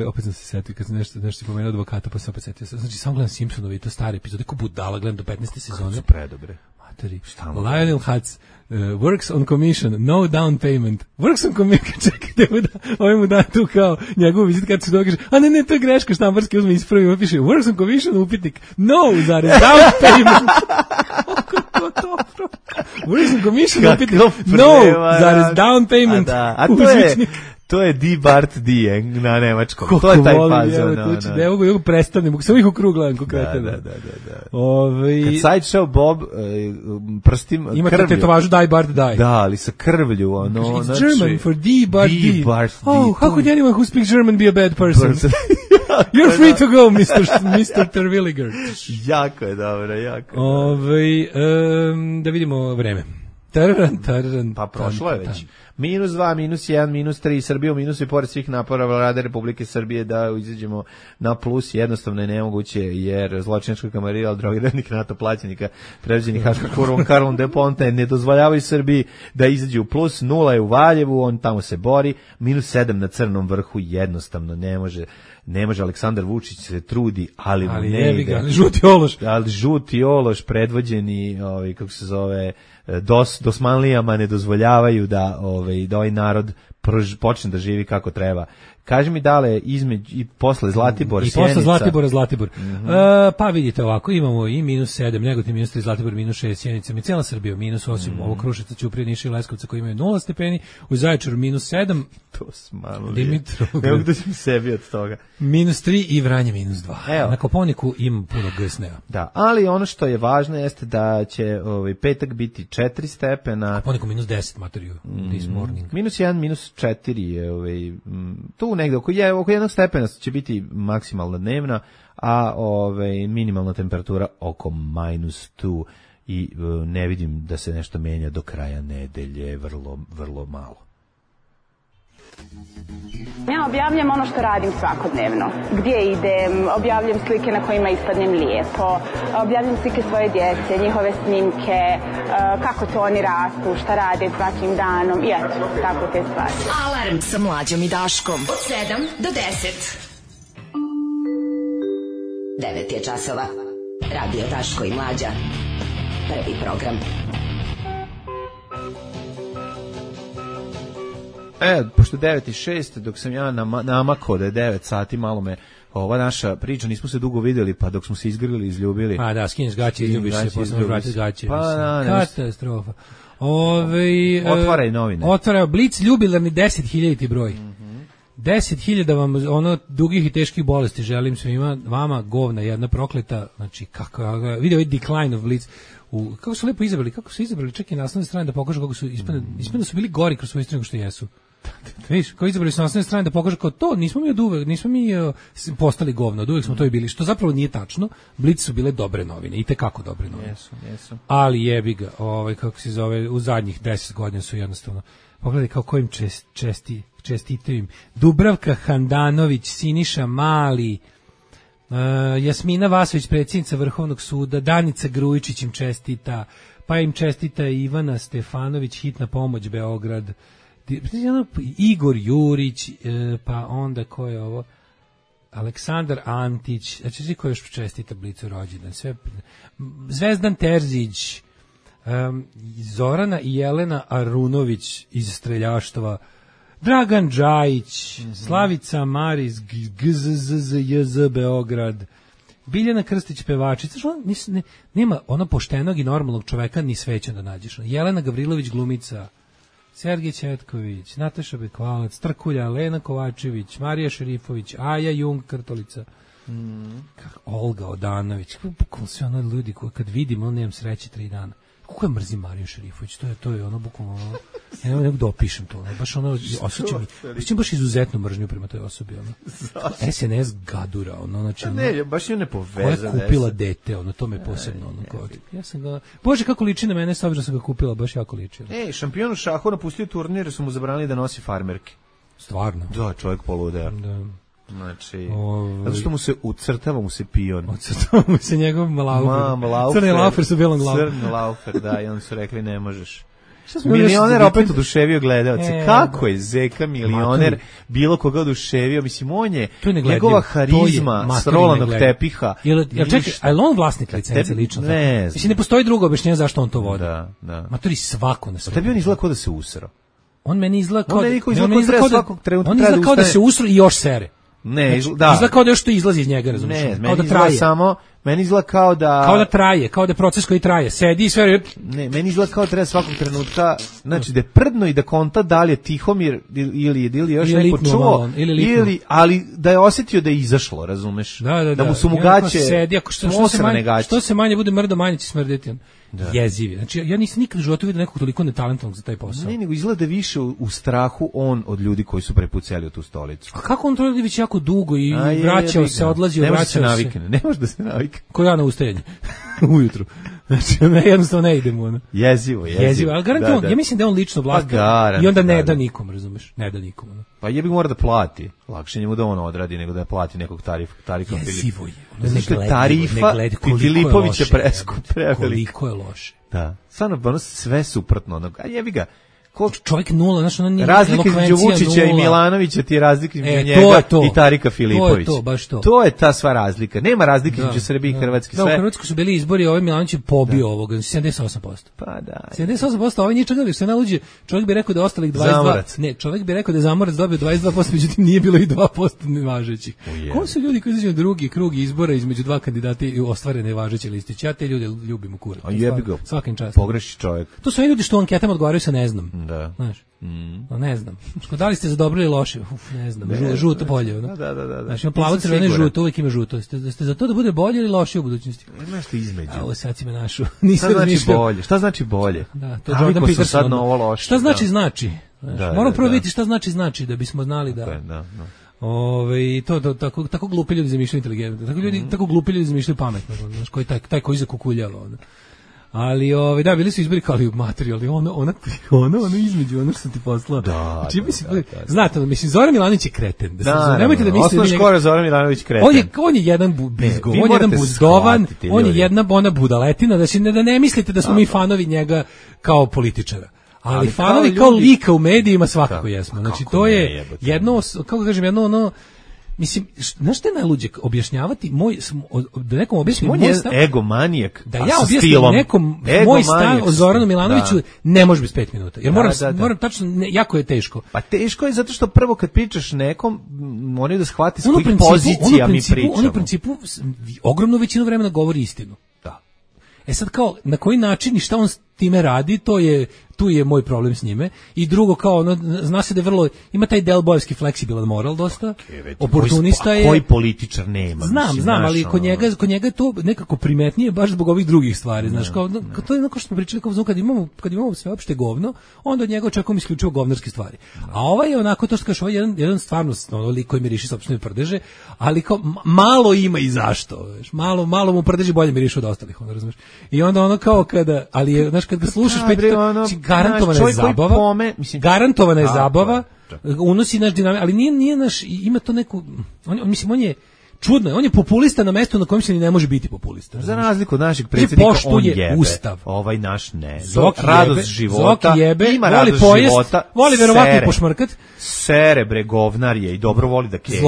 Opet sam se setio kad sam nešto pomenuo advokata, pa sam opet setio. Znači, samo gledam Simpsonovi i to stare epizode, ko budala, gledam do 15. sezone. Su predobre. Materi. Lionel Hutz. Works on commission, no down payment. Works on commission, čekajte mu da, ovaj mu da tu kao njegovu vizit kad se događa, a ne, to je greška, štambarski uzme ispravi, piše works on commission, upitnik, no, down payment. Kako to dobro? Works on commission, upitnik, no, down payment. To je D. Bart D. na nemačkom. To je taj fazon. Ne mogu prestanem, samo ih u krug gledam konkretno. Da. Kad Sideshow Bob prstim krvlju. Imate tetovažu Die Bart Die. Da, ali sa krvlju. It's German for D. Bart D. Oh, how could anyone who speaks German be a bad person? You're free to go, Mr. Terwilliger. Jako je dobro, jako. Da vidimo vreme. Pa prošlo je već. -2, -1, -3, Srbija u minusu i pored svih napora Vlade Republike Srbije da izađemo na plus, jednostavno je nemoguće, jer zločinačka kamarila drogiranih NATO plaćenika predviđenih Haškom kurvom Karlom de Ponte ne dozvoljavaju Srbiji da izađe u plus, 0 je u Valjevu, on tamo se bori, -7 na Crnom vrhu, jednostavno ne može, Aleksandar Vučić se trudi, ali mu ne ide. Ali žuti ološ predvođeni, kako se zove, dosmanlijama ne dozvoljavaju da ovaj narod počne da živi kako treba. Kaži mi dale i posle Zlatibor, i Sjenica. I posle Zlatibor. Pa vidite ovako, imamo i -7, Negotin -3, Zlatibor -6, Sjenica, mi cijela Srbija -8, ovo Kruševca, Ćuprija, Niša i Leskovca koji imaju 0 stepeni, u Zaječaru -7, to smanuli. Dimitrovgrad. Ne mogu da ćem sebi od toga. -3 i Vranje -2. Na Kopaoniku ima puno gsneva. Da, ali ono što je važno jeste da će petak biti 4 stepena. Kopaoniku -10, materiju, this morning. -1, -4 je tu negde oko 1 stepena će biti maksimalna dnevna, a minimalna temperatura oko -2 i ne vidim da se nešto menja do kraja nedelje, vrlo malo. Ja objavljam ono što radim svakodnevno. Gdje idem, objavljam slike na kojima ispadnem lijepo, objavljam slike svoje djece, njihove snimke, kako to oni rastu, šta rade svakim danom i eto, tako te stvari. Alarm sa Mlađom i Daškom od 7 do 10. 9 je časova. Radio Daško i Mlađa. Prvi program. Pošto 9:06, dok sam ja namakao da je 9 sati, malo me ova naša priča, nismo se dugo vidjeli, pa dok smo se izgrlili, izljubili. Pa da, skineš gaće, izljubiš se, posle vratiš gaće. Pa katastrofa. Otvaraj novine. Otvaraj Blic, ljubilarni 10.000 broj. 10.000 vam dugih i teških bolesti želim svima, vama govna jedna prokleta, znači kako vidio ovaj decline of Blitz. Kako su lepo izabrali, čak i na naslovnoj strani da pokažu kako su ispadne su bili gori kroz svoju istinu nego što jesu. Viš, koji izabrali su naslovne strane da pokažu kao to, nismo mi od uvek, nismo mi postali govno, od uvek smo to i bili, što zapravo nije tačno. Blic su bile dobre novine, i tekako dobre novine. Jesu. Ali jebi ga, kako se zove, u zadnjih 10 godina su jednostavno, pogledaj kao kojim čestitaju im. Dubravka Handanović, Siniša Mali, Jasmina Vasović, predsjednica Vrhovnog suda, Danica Grujičić im čestita, pa im čestita Ivana Stefanović, Hitna pomoć Beograd, Igor Jurić, pa onda ko je ovo? Aleksandar Antić, znači svi koji još čestita Blicu rođendan, sve Zvezdan Terzić, Zorana i Jelena Arunović iz Streljaštva, Dragan Džajić, Slavica Maris, GZZJZ Beograd, Biljana Krstić pevačica, nema ono poštenog i normalnog čoveka ni sveća da nađeš. Jelena Gavrilović glumica, Sergej Ćetković, Nataša Bekvalac, Trkulja, Lena Kovačević, Marija Šerifović, Aja Jung Krtolica, Olga Odanović, bukvalno sve ono ljudi koji kad vidim, ono nemam sreće 3 dana. Kako je mrzim Mariju Šerifović, to je ono bukvalno ono, ja ne mogu da opišem to, ono, baš ono, osjećam baš izuzetnu mržnju prema toj osobi, ono. SNS gadura, ono, znači, ne, baš je nepovezano. Koja je kupila dete, ono, to me posebno, ono, kao, ja sam ga, Bože, kako liči na mene, s obzirom sam ga kupila, baš jako liči. Šampion u šahu napustio turnir, jer su mu zabranili da nosi farmerke. Stvarno? Da, čovjek poludeo. Da. Znači, zato što mu se ucrtava mu se pion. Ucrtava mu se njegov laufer. Crni laufer su belom glavom. Crni laufer, da, i onda su rekli ne možeš. Milioner opet oduševio gledalce. Kako je Zeka milioner bilo koga oduševio? Mislim, on je njegova harizma s rolanog tepiha. Čekaj, a je on vlasnik licence lično? Ne. Mislim, ne postoji drugo objašnjenje zašto on to vodi. Da. Matori svako na sve. Tebi on izgleda kao da se usrao. On meni izgleda kao da se usro i još sere. Ne, znači, da. Izgleda kao da još to izlazi iz njega, razumiješ? Ne, kao da traje. Meni izgleda kao da traje, kao da je proces koji traje. Sedi i sve. Ne, meni izgleda kao da treba svakog trenutka, znači da je prdno i da konta da li je Tihomir ili još neko čuo, ali da je osjetio da je izašlo, razumeš? Da mu su mu gaće, sedi, ako što se manje bude mrdo, manje će smrdeti. Jezivi. Znači, ja nisam nikad u životu vidio nekog toliko netalentovanog za taj posao. Ne, nego izgleda više u strahu on od ljudi koji su prepucali u tu stolicu. A kako on to radi već jako dugo i vraćao se, odlazio, vraćao se. Ne može da se navikne. Ko ja na ustajanje. Ujutru. Znači, jednostavno ne idem ono. Jezivo. Ali garantujem, ja mislim da je on lično vlasnik i onda ne da nikom, razumeš? Ne da nikom. Ono. Pa jebi mora da plati. Lakše njemu da on odradi nego da plati nekog tarifa. Jezivo je. Tarifa Filipovića koliko je loše. Da. Stvarno, sve suprotno. A jebi ga. Čovjek nula, znaš, ono nije razlika između Vučića i Milanovića ti je razlika između njega i Tarika Filipovića. To je to, baš to. To je ta sva razlika. Nema razlike između Srbije i Hrvatske. Da, u Hrvatskoj su bili izbori, ovaj Milanović je pobio ovoga, 78%. Pa da. 78%, ovaj nije čekali, što je naluđe, čovjek bi rekao da ostalih 22%. Zamorac. Ne, čovjek bi rekao da je Zamorac dobio 22%, međutim nije bilo i 2% nevažećih. Ko su ljudi koji izađu na drugi krug izbora između dva kandidata i ostvare nevažeće listiće? Ja te ljude ljubim u kurac. Svakim čast. Pogreši čovjek. To su ljudi što u anketama odgovaraju sa ne znam. Da. Znaš. Ne znam. Da li ste za dobro ili loše? Ne znam. Žuto bolje. Da. Znači, plavo crveno i žuto, uvijek ima žuto. Ste za to da bude bolje ili loše u budućnosti? Ima što između. Ovo sad si me našao. Šta znači bolje? Da, to je Jordan Peterson. Šta znači? Moramo prvo vidjeti šta znači da bismo znali da... tako glupi ljudi zamišljaju inteligentno. Tako glupi ljudi zamišljaju pametno. Znaš, taj koji zakukuljalo. Ali da, bili su izbori kao li materijali, ono između, ono što sam ti poslao. Da. Znate, mislim, Zoran Milanović je kreten. Nemojte da mislite da njega... Zoran Milanović kreten. On je jedan bizgo, on je jedan buzdovan, on je jedna budaletina, da ne mislite da smo mi fanovi njega kao političara. Ali fanovi kao lika u medijima svakako jesmo. Znači, to je jedno, kako kažem, jedno ono... Mislim, znaš što je najluđe objašnjavati da nekom objasnim moj stav... egomanijak, da ja objasnim nekom moj stav o Zoranu Milanoviću ne može bez 5 minuta. Jer moram tačno, jako je teško. Pa teško je zato što prvo kad pričaš nekom, moraju da shvati s kojih pozicija mi pričamo. On u principu ogromnu većinu vremena govori istinu. Da. Sad kao, na koji način i šta on s time radi, tu je moj problem s njime. I drugo, kao ono, zna se da je vrlo, ima taj delbojevski fleksibilan moral dosta, oportunista je. Koji političar nema? Znam, ali kod njega je to nekako primetnije baš zbog ovih drugih stvari, znaš, kao to je onako što smo pričali, kao kad imamo sveopšte govno, onda od njega očekujemo isključivo govnarske stvari. A ovaj je onako, to što kažeš, ovaj je jedan stvarno lik koji miriši sopstvene prdeže, ali kao malo ima i zašto, znaš, malo mu prdeži bolje mirišu od ostalih, onda razumeš. I onda ono kao kada, ali je, znaš, kad ga slušaš pet, garantovana je zabava, garantovana je zabava, unosi naš dinamik, ali nije naš, ima to neku, on je čudno, on je populista na mestu na kojem se ni ne može biti populista. Za razliku od našeg predsjednika, on jebe. Ustav. Ovaj naš ne. Radost života, ima radost života, voli verovatno pošmrkat. Sere bre, govnar je i dobro voli da kenja.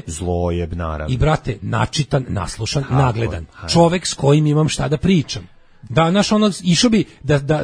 Zlojeb, naravno. I brate, načitan, naslušan, nagledan. Čovek s kojim imam šta da pričam. Da, naš ono, išao bi,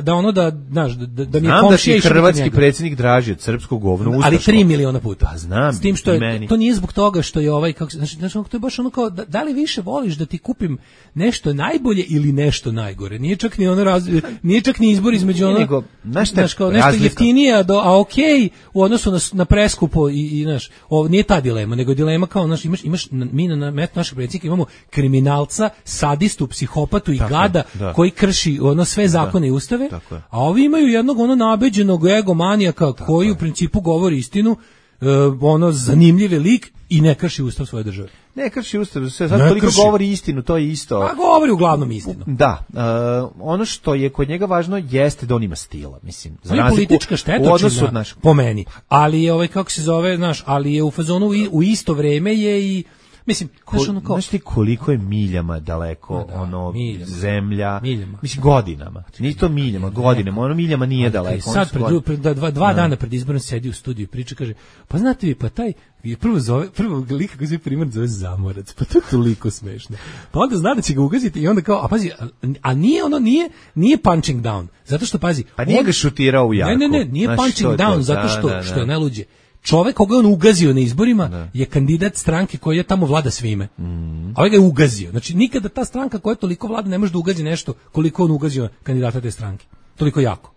da ono da, znaš, da mi je komšija išao. Znam da ti hrvatski predsjednik draži od srpskog govna ustaškog. Ali 3 miliona puta. Pa znam, s tim što je, to nije zbog toga što je ovaj, kako, znači, to je baš ono kao, da li više voliš da ti kupim nešto najbolje ili nešto najgore. Nije čak ni ono nije čak ni izbor između ono, znaš, kao nešto jeftinije, a okej, u odnosu na preskupo i znaš, nije ta dilema, nego dilema kao, znaš, imaš mi na metu našeg predsjednika imamo kriminalca, sadistu, psihopatu i gada koji krši ono sve zakone i ustave, a ovi imaju jednog ono nabeđenog egomanijaka koji u principu govori istinu, ono zanimljiv lik i ne krši ustav svoje države. Ne krši ustav, sad koliko govori istinu, to je isto. A govori uglavnom istinu. Da, ono što je kod njega važno jeste da on ima stila, mislim. On je politička štetočina, po meni. Ali je ovaj, kako se zove, znaš, ali je u fazonu u isto vreme je i mislim, znaš ti koliko je miljama daleko zemlja, mislim godinama, nije to miljama, godinama, ono miljama nije daleko. Sad dva dana pred izborom sedi u studiju i priča, kaže, pa znate vi, pa taj prvo lika koji se primjer zove Zamorac, pa to je toliko smešno. Pa onda zna da će ga ugaziti i onda kao, a pazi, a nije punching down, zato što pazi. Pa nije ga šutirao u jaku. Ne, nije punching down, zato što je najluđe. Čovek koga on ugazio na izborima je kandidat stranke koja je tamo vlada svime. A ovaj ga je ugazio. Znači nikada ta stranka koja toliko vlada ne može da ugazi nešto koliko on ugazio kandidata te stranke. Toliko jako.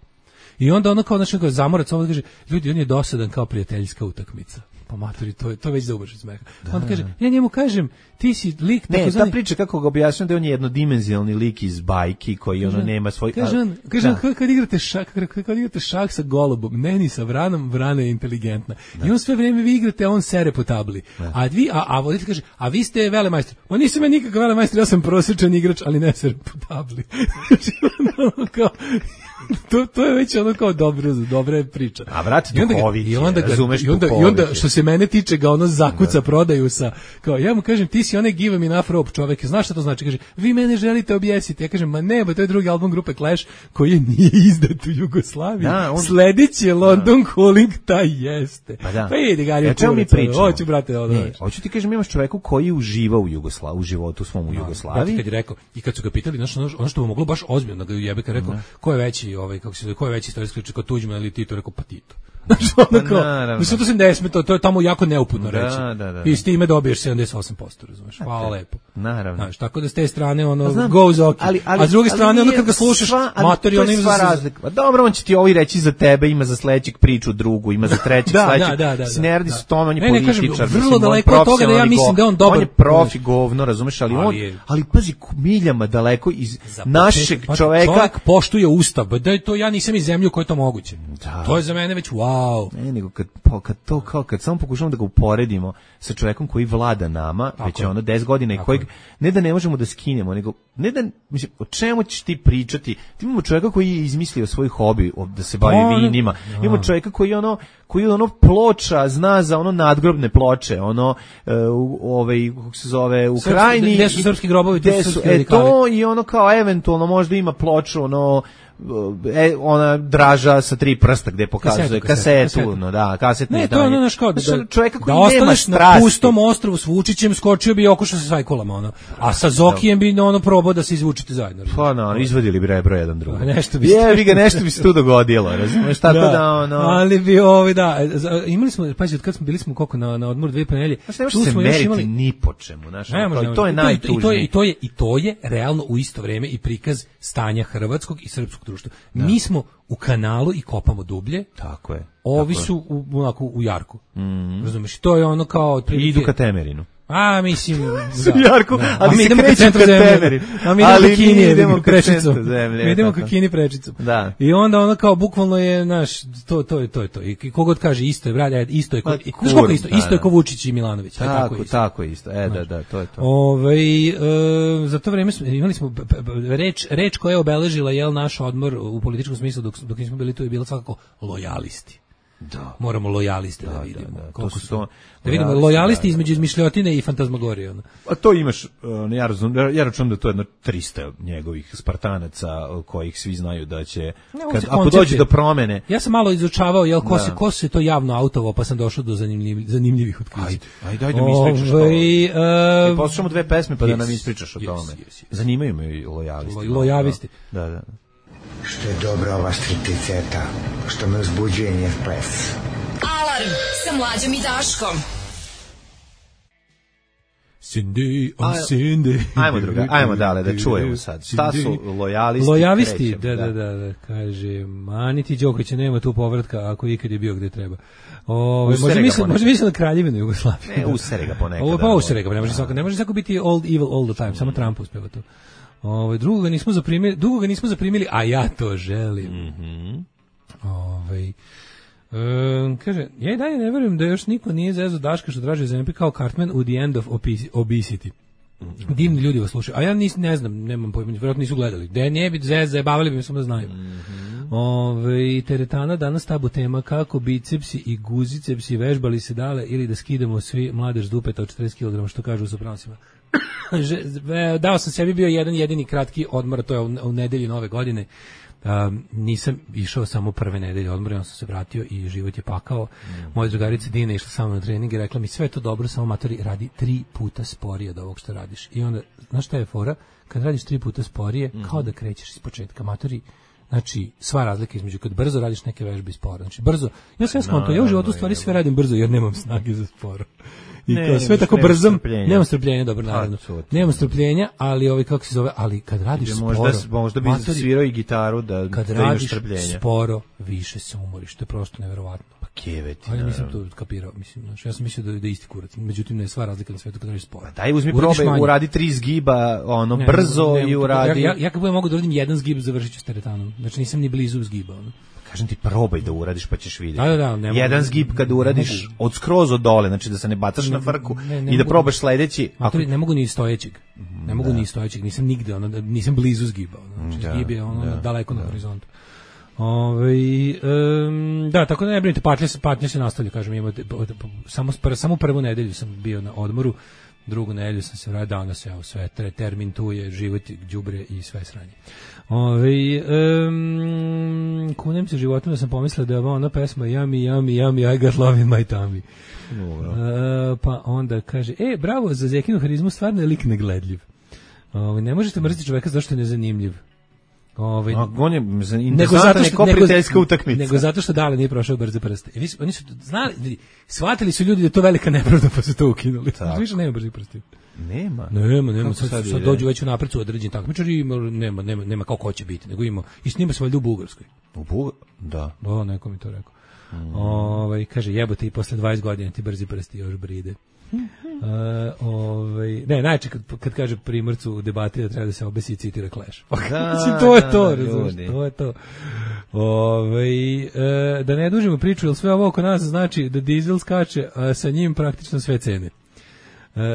I onda ono kao, znači, Zamorac ovo kaže, ljudi, on je dosadan kao prijateljska utakmica. Pa maturi, to već zaubaš iz smeha. Onda kaže, ja njemu kažem, ti si lik... Ne, ta priča kako ga objašnjam da on je jednodimenzionalni lik iz bajki koji ono nema svoj... Kaže, kad igrate šah sa golubom, ne ni sa vranom, vrana je inteligentna. I on sve vrijeme vi igrate, a on sere po tabli. A voditelj kaže, a vi ste velemajstor. Ma nisam ja nikakav velemajstor, ja sam prosječan igrač, ali ne sere po tabli. To je već ono kao dobra priča. A vrati duhovit je, razumeš duhovit. I onda što se mene tiče ga ono zakuca prodaju sa, kao ja mu kažem ti si onaj give me enough rope čovek, znaš šta to znači? Kaže, vi mene želite objesiti. Ja kažem, ma ne, to je drugi album grupe Clash koji nije izdat u Jugoslaviji. Sledeći je London Calling, taj jeste. Pa idi ga, ja čemu mi pričamo? Hoću, brate, hoću ti kažem, imaš čoveku koji uživa u životu svom u Jugoslaviji. Kad je rekao, i kad su ga pitali, ono što bi moglo baš ozbiljno da ga jebe, kad rekao, ko je veći ko je veći istorijski kao Tuđman ili Tito, rekao pa Tito. Mislim, to se ne sme, to je tamo jako neuputno reći. I s time dobiješ 78%, razumeš, hvala lepo. Naravno. Znaš, tako da s te strane goes ok. A s druge strane, kad ga slušaš, matori, ono ima za razliku. Dobro, on će ti ovi reći za tebe, ima za sledećeg priču drugu, ima za trećeg sledećeg. Snerdi su tome, on je političar. Vrlo daleko od toga da ja mislim da on dobar. On je profi govno, razumeš, ali pazi, miljama daleko iz našeg čoveka. Čovek poštuje ustav, da je to, ja nisam iz zemlje u kojoj je to moguće. To je za mene već wow. Ne, nego kad samo pokušamo da ga uporedimo sa čovjekom koji vlada nama, već je ono 10 godina i kojeg ne da ne možemo da skinemo, nego ne da, mislim, o čemu ćeš ti pričati? Ti imamo čovjeka koji je izmislio svoj hobi da se bavi vinima. Imamo čovjeka koji ploča, zna za ono nadgrobne ploče, kako se zove, u Krajini. Gde su srpski grobovi, gde su srpski radikali. To i ono kao eventualno možda ima ploču, ona draža sa 3 prsta gde pokazuje kasetu. Kasetni. Ne, to je ono kao čovjeka koji nema strasti. Da ostaneš na pustom ostrvu s Vučićem, skočio bi i okušao se s Vajkolama, a sa Zokijem bi probao probao da se izvučete zajedno. Pa no, izvadili bi rebro jedan drugo. Nešto bi nešto bi se tu dogodilo, razumeš, tako da ono. Ali bi imali smo, pazi, od kad smo bili smo koliko na odmoru 2 nedelje. Čuo smo još imali ni po čemu, znači, to je najtužnije. I to je realno u isto vrijeme i prikaz stanja hrvatskog i srpskog društva. Mi smo u kanalu i kopamo dublje. Tako je. Ovi su u jarku. Razumeš, to je ono kao i idu ka Temerinu. A, mislim, Jarko, ali mi idemo ka centru zemlje. A mi idemo ka Kini prečicom. Mi idemo ka Kini prečicom. Da. I onda ono kao bukvalno je to je to. I kogod kaže isto je, brate, isto je isto je ko Vučić i Milanović. Tako isto. Da, to je to. Za to vreme imali smo reč koja je obeležila naš odmor u političkom smislu dok nismo bili tu je bila svakako lojalisti. Da. Moramo lojaliste da vidimo. Koliko su da vidimo lojalisti između izmišljotine i fantazmagorije. A to imaš, ja računam da to je jedno 300 njegovih Spartanaca kojih svi znaju da će, ako dođe do promene. Ja sam malo izučavao, ko se to javno autovo, pa sam došao do zanimljivih otkrića. Ajde da mi ispričaš to. Poslušamo 2 pesme pa da nam ispričaš o tome. Zanimaju me i lojalisti. Lojalisti. Da. Što je dobra ova stripticeta, što me uzbuđuje njen ples. Alarm sa Mlađom i Daškom. Cindy. Ajmo dale da čujemo sad. Šta su lojalisti? Lojalisti, da, kaže, mani ti Đokovića, nema tu povratka ako ikad je bio gde treba. Može mislim na Kraljevinu Jugoslavije. Ne, usere ga ponekad. Ovo pa usere ga, ne može svako biti old evil all the time, samo Trump uspeva to. Dugo ga nismo zaprimili, a ja to želim. Kaže, ja i dalje ne verujem da još niko nije zezao Daška što traži zemlje kao Cartman u The End of Obesity. Divni ljudi vas slušaju, a ja ne znam, nemam pojma, vjerojatno nisu gledali. Da nije biti zajebavali bi mi samo da znaju. Teretana danas tabu tema kako bicepsi i guzicepsi vežbali se dale ili da skidamo svi mladež s dupeta od 40 kg, što kažu u Sopranosima. Dao sam sebi bio jedan jedini kratki odmor, to je u nedelji Nove godine. Nisam išao samo prve nedelje odmora, onda sam se vratio i život je pakao. Moja drugarica Dina išla sa mnom na trening i rekla mi sve je to dobro, samo matori radi 3 puta sporije od ovog što radiš. I onda, znaš šta je fora? Kad radiš 3 puta sporije, kao da krećeš iz početka. Matori, znači, sva razlika između kad brzo radiš neke vežbe i sporo. Znači, brzo, ja sve skonto, ja u životu stvari sve radim brzo jer nemam snage za sporo. I kao sve tako brzom, nemam strpljenja, dobro, naravno. Nemam strpljenja, ali kako se zove, ali kad radiš sporo, možda bi svirao i gitaru da imaš strpljenja. Kad radiš sporo, više se umoriš, to je prosto neverovatno. Pa keveti. Ja nisam to kapirao, mislim, ja sam mislio da je isti kurac, međutim ne je sva razlika na svetu kad radiš sporo. Daj, uzmi probaj, uradi 3 zgiba, brzo i uradi. Ja kad budem mogu da uradim 1 zgib, završit ću s teretanom, znači nisam ni blizu zgiba, Kažem ti, probaj da uradiš pa ćeš vidjeti. Da, jedan zgib kad uradiš od skroz od dole, znači da se ne bacaš na frku i da probaš sledeći. Ne mogu ni stojećeg. Nisam nigde, nisam blizu zgiba. Zgib je daleko na horizontu. Da, tako da ne brinite, patnja se nastavlja, kažem, imate, samo prvu nedelju sam bio na odmoru, drugu nedelju sam se vratio, onda se sve termin tu je, život, đubre i sve sranje. Kunem se životom da sam pomislila da je ovo ona pesma Yummy, I got love in my tummy. Pa onda kaže, bravo, za Zekinu harizmu stvarno je lik negledljiv. Ne možete mrziti čoveka zašto je nezanimljiv. On je interesantan je prijateljska utakmica. Nego zato što Dale nije prošao brze prste. Oni su znali, shvatili su ljudi da je to velika nepravda pa su to ukinuli. Više nema brzi prsti. Nema. Sad dođu već u napred su određeni takmičari i nema kao ko će biti. Nego ima, i snima se valjda u Bugarskoj. Da. Neko mi to rekao. Kaže, jebote i posle 20 godina ti brzi prsti još bride. Najče kad kaže Primorcu u debati da treba da se obesi i citira Clash. To je to, razumiješ, to je to. Da ne dužimo priču, jer sve ovo oko nas znači da dizel skače, a sa njim praktično sve cene.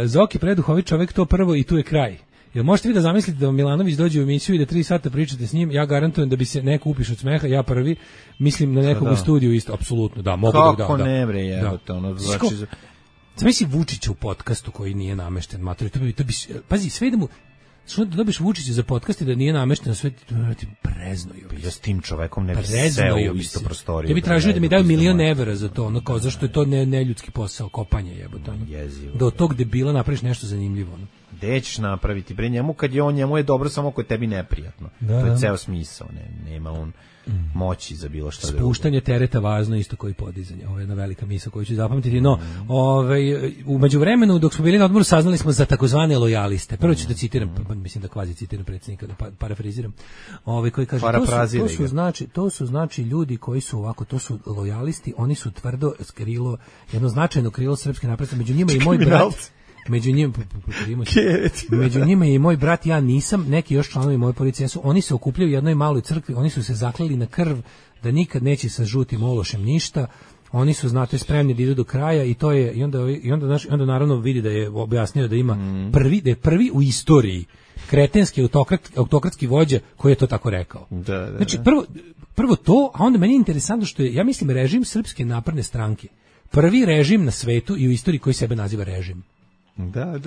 Zoki preduhovit čovek, to prvo i tu je kraj. Jel možete vi da zamislite da Milanović dođe u emisiju i da 3 sata pričate s njim, ja garantujem da bi se neko upiš od smeha, ja prvi, mislim na nekog u studiju isto, apsolutno, da, mogu da. Kako ne bre, znači... Zamisli Vučića u podcastu koji nije namešten, mater, to bi pazi, sve da mu što da dobiš Vučića za podcast i da nije namešten, sve ti preznojio bi. Ja s tim čovekom ne bi seo u istu prostoriju. Ja bi tražio da mi daju $1.000.000 za to, zašto je to neljudski posao, kopanje jebote. Jezivo. Da od tog debila napraviš nešto zanimljivo. Gde ćeš napraviti? Bre, njemu je dobro samo ako je tebi neprijatno. Da, to je ceo smisao. Nema on moći za bilo šta. Spuštanje tereta važno isto koji podizanje. Ovo je jedna velika misao koju ću zapamtiti. No, u međuvremenu dok smo bili na odmoru saznali smo za takozvane lojaliste. Prvo ću da citiram, mislim da kvazi citiram predsjednika, da parafraziram. Koji kaže to su znači ljudi koji su ovako, to su lojalisti, oni su tvrdo krilo, jedno značajno krilo srpske napredne, među njima i moj brat. Među njima je i moj brat, ja nisam, neki još članovi moje policije su, oni se okupljaju u jednoj maloj crkvi, oni su se zakleli na krv da nikad neće sa žutim ološem ništa, oni su, znate, spremni da idu do kraja i to je, i onda naravno vidi da je objasnio da ima da je prvi u istoriji kretenski autokratski vođa koji je to tako rekao. Znači, prvo to, a onda meni je interesantno što je, ja mislim, režim Srpske napredne stranke, prvi režim na svetu i u istoriji koji sebe naziva režim.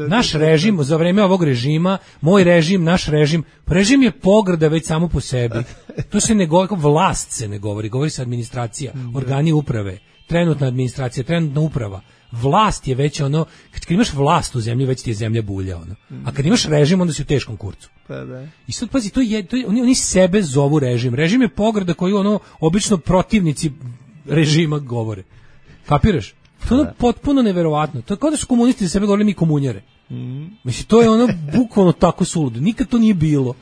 Naš režim, za vreme ovog režima, moj režim, naš režim je pogrda već samo po sebi. To se ne govori, vlast se ne govori se administracija, organi uprave, trenutna administracija, trenutna uprava. Vlast je već ono, kad imaš vlast u zemlji, već ti je zemlja bulja, ono. A kad imaš režim, onda si u teškom kurcu. I sad pazi, oni sebe zovu režim. Režim je pogrda koju ono obično protivnici režima govore. Kapiraš? To je ono potpuno neverovatno. To je kao da su komunisti za sebe govorili mi komunjare. Mislim, to je ono bukvalno tako suludo. Nikad to nije bilo.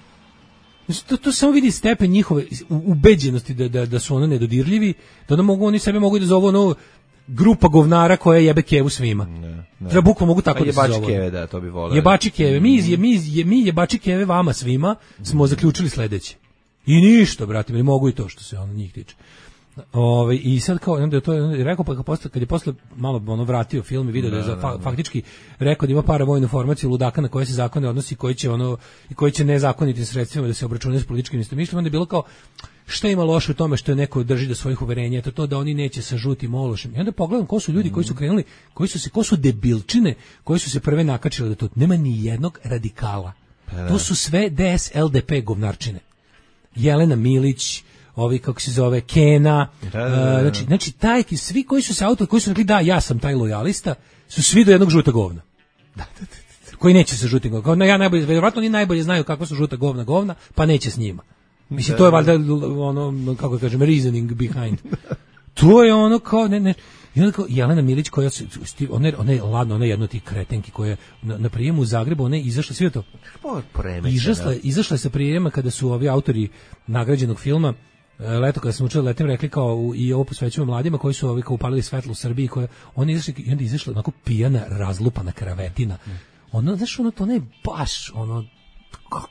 Mislim, to samo vidi stepen njihove ubeđenosti da su ono nedodirljivi, da oni sebe mogu da zovu ono grupa govnara koja jebe kevu svima. Treba bukvalno mogu tako da se zovu. Jebači keve, da, to bi voleo. Jebači keve. Mi jebači keve vama svima smo zaključili sledeće. I ništa, brate, mi mogu i to što se ono njih tiče. I sad kao onda je to rekao, pa kad je posle malo ono vratio film i video da je faktički rekao da ima paravojnu formaciju ludaka na koje se zakone odnosi, koji će nezakonitim sredstvima da se obračunaju s političkim istomišljenjem, onda je bilo kao šta ima loše u tome što je neko drži do svojih uverenja, to da oni neće sa žutim ološem. I onda pogledam ko su ljudi koji su krenuli, ko su debilčine, koji su se prve nakačili da to nema ni jednog radikala. To su sve DS LDP govnarčine. Jelena Milić, ovi kako se zove Kena, znači svi koji su se koji su rekli da ja sam taj lojalista, su svi do jednog žuta govna. Koji neće sa žutim govna. Ja najbolje, verovatno oni najbolje znaju kako su žuta govna, pa neće s njima. Mislim, to je valjda ono, kako kažem, reasoning behind. To je ono kao ne. I onda kao Jelena Milić koja ona je ladno, ona je jedna od tih kretenki koja na prijemu u Zagrebu, ona je izašla sve to. Izašla je sa prijema kada su ovi autori nagrađenog filma Leto kada sam učila letim rekli kao i ovo posvećujemo mladima koji su kao upalili svetlo u Srbiji, koje oni izašli i onda izašla onako pijana, razlupana kravetina. Ono, znaš, ono to ne baš ono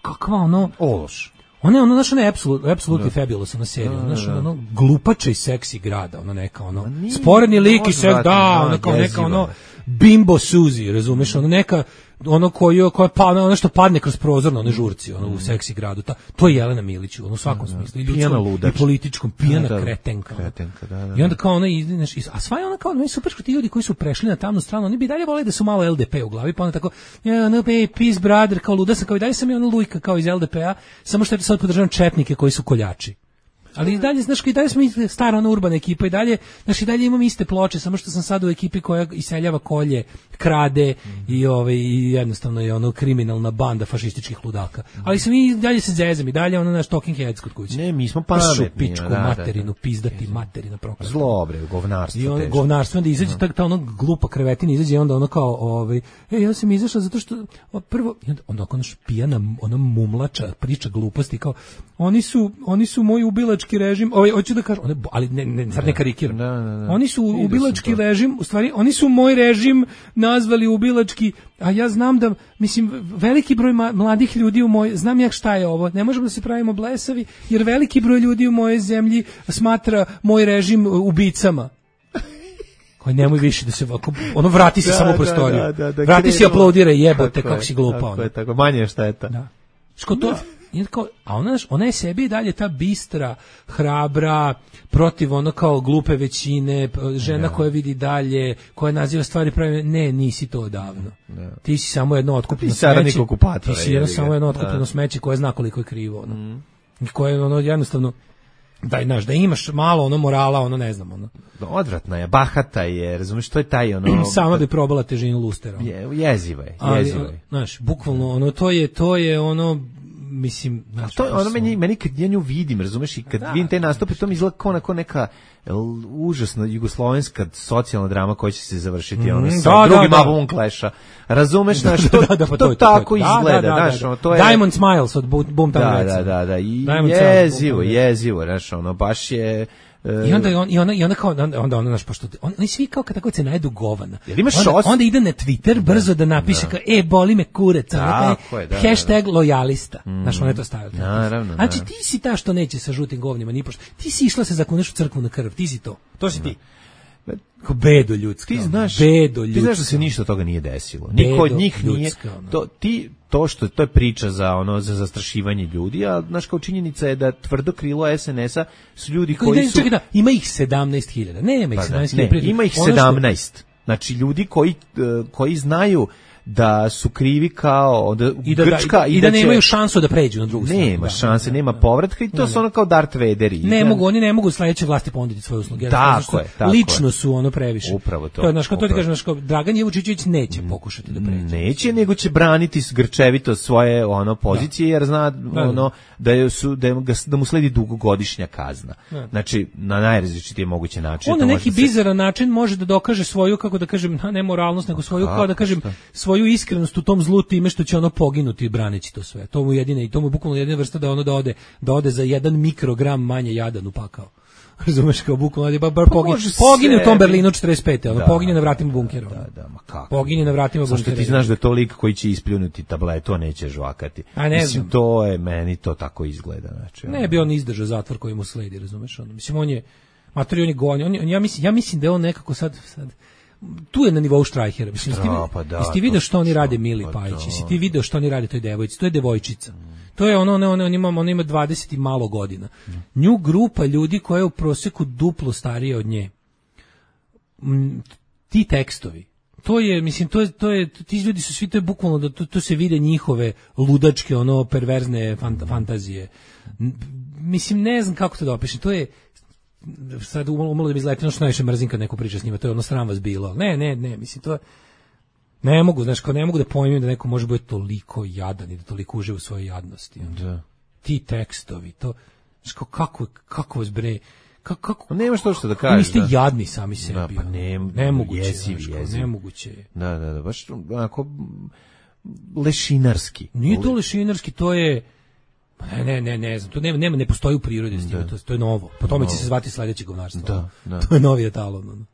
kakva ono ološ. Ona je znaš, ona je apsolutno fabulous na seriju, znaš, ono glupača i seksi grada, ono neka ono sporedni lik i sve, ono kao neka ono Bimbo Suzy, razumeš, ono neka ono koja pa ono što padne kroz prozor na one žurci, ono u seksi gradu, to je Jelena Milić, ono u svakom smislu, i ljudskom i političkom, pijana kretenka. I onda kao ona a sva je ona kao meni super što ti ljudi koji su prešli na tamnu stranu, oni bi dalje voleli da su malo LDP u glavi, pa onda tako peace brother, kao luda sam, kao i dalje sam je ono lujka kao iz LDP-a, samo što ja sad podržavam četnike koji su koljači. Ali i dalje, znaš, i dalje smo stara ona urbana ekipa i dalje, znaš, i dalje imam iste ploče, samo što sam sad u ekipi koja iseljava kolje, krade i jednostavno je ono kriminalna banda fašističkih ludaka. Ali sam i dalje se zezam i dalje ono naš talking heads kod kuće. Ne, mi smo pametni. Pičku materinu, pizdati materina prokleta. Zlo, bre, govnarstvo. I ono govnarstvo, onda izađe ta ono glupa krevetina, izađe onda ono kao, ja sam izašla zato što, prvo, onda ono pijana, ono mumlača, priča gluposti, kao, oni su moji ubilački režim, hoću da kažem, ali sad ne karikiram. Oni su ubilački režim, u stvari, oni su moj režim nazvali ubilački, a ja znam da, mislim, veliki broj mladih ljudi znam ja šta je ovo, ne možemo da se pravimo blesavi, jer veliki broj ljudi u mojoj zemlji smatra moj režim ubicama. Koji nemoj više da se ono vrati se samo u prostoriju. Vrati se i aplaudiraj, jebote, kako si glupa. Tako, manje je šteta. Da. Ško to? A ona je sebi dalje ta bistra, hrabra, protiv ono kao glupe većine, žena koja vidi dalje, koja naziva stvari pravi, ne, nisi to odavno. Ti si samo jedno otkupljeno smeće. Ti si samo jedno otkupljeno smeće koje zna koliko je krivo. Koje jednostavno da imaš malo ono morala, ono ne znam, ono. Odvratna je, bahata je, razumiješ, to je taj ono... Sama bi probala težinu lustera. Jeziva je. Znaš, bukvalno, ono, to je ono, mislim... Znači, to je ono meni kad ja nju vidim, razumeš, i kad vidim te nastupe, to mi izgleda kao onako neka užasna jugoslovenska socijalna drama koja će se završiti sa drugim albumom Clash-a. Razumeš, znaš, to tako izgleda, znaš, ono, to je... Diamond Smiles od Boomtown Rats. Da, i jezivo, znaš, ono, baš je... I onda kao onda ono naš pošto oni svi kao kad tako se najedu govana. Onda ide na Twitter brzo da napiše kao boli me kurac, hashtag lojalista. Znaš, on je to stavio. Znači ti si ta što neće sa žutim govnima ni pošto. Ti si išla se zakuneš u crkvu na krv, ti si to. To si ti. Ko bedo ljudski. Ti znaš da se ništa od toga nije desilo. Niko od njih nije. To je priča za zastrašivanje ljudi, a znaš kao činjenica je da tvrdo krilo SNS-a su ljudi koji su... Čekaj, ima ih 17.000. Nema ih 17.000. Ima ih 17. Znači ljudi koji znaju da su krivi kao Grčka i da nemaju šansu da pređu na drugu stranu. Nema šanse, nema povratka i to su ono kao Darth Vaderi. Oni ne mogu sledeće vlasti ponuditi svoje usluge. Tako je. Lično su ono previše. Upravo to. To je znaš kao to ti kažeš, Dragan Jevučićević neće pokušati da pređe. Neće, nego će braniti grčevito svoje pozicije jer zna da mu sledi dugogodišnja kazna. Znači na najrazličitije moguće načine. On na neki bizaran način može da dokaže svoju, kako da kažem, ne moralnost, nego svoju, kao da kažem, svoju iskrenost u tom zlu time što će ono poginuti braneći to sve. To mu jedine i to mu bukvalno jedina vrsta da ono da ode za 1 mikrogram manje jadan u pakao. Razumeš, kao bukvalno bar pogine u tom Berlinu 45. Ono pogine na vratima bunkera. Ma kako? Pogine na vratima bunkera. Zašto ti znaš da je to lik koji će ispljunuti tablet, to neće žvakati. Mislim, to je meni to tako izgleda, znači. Ne bi on izdržao zatvor koji mu sledi, razumeš, ono. Mislim on je on je gonio. Ja mislim da je on nekako sad tu je na nivou Štrajhera. Mislim, jesi ti vidio što oni rade Mili Pajić? Jesi ti vidio što oni rade toj devojci? To je devojčica. To je ona ima 20 i malo godina. Nju grupa ljudi koja je u prosjeku duplo starija od nje. Ti tekstovi. To je, mislim, to je ti ljudi su svi, to je bukvalno da to se vide njihove ludačke, perverzne fantazije. Mislim, ne znam kako to da opišem. To je sad umalo da mi izleti, što najviše mrzim kad neko priča s njima, to je ono sram vas bilo. Ne, mislim, to ne mogu, znaš, kao ne mogu da pojmim da neko može biti toliko jadan i da toliko uživa u svojoj jadnosti. Da. Ti tekstovi, to, znaš, kako vas bre, kako... Nema što da kažeš. Vi ste jadni sami sebi. Da, pa nemoguće, jezivi. Nemoguće je. Da, baš onako lešinarski. Nije to lešinarski, to je... Ne znam, to ne postoji u prirodi, to je novo. Po tome će se zvati sledeće govnarstvo. Da. To je novi etalon.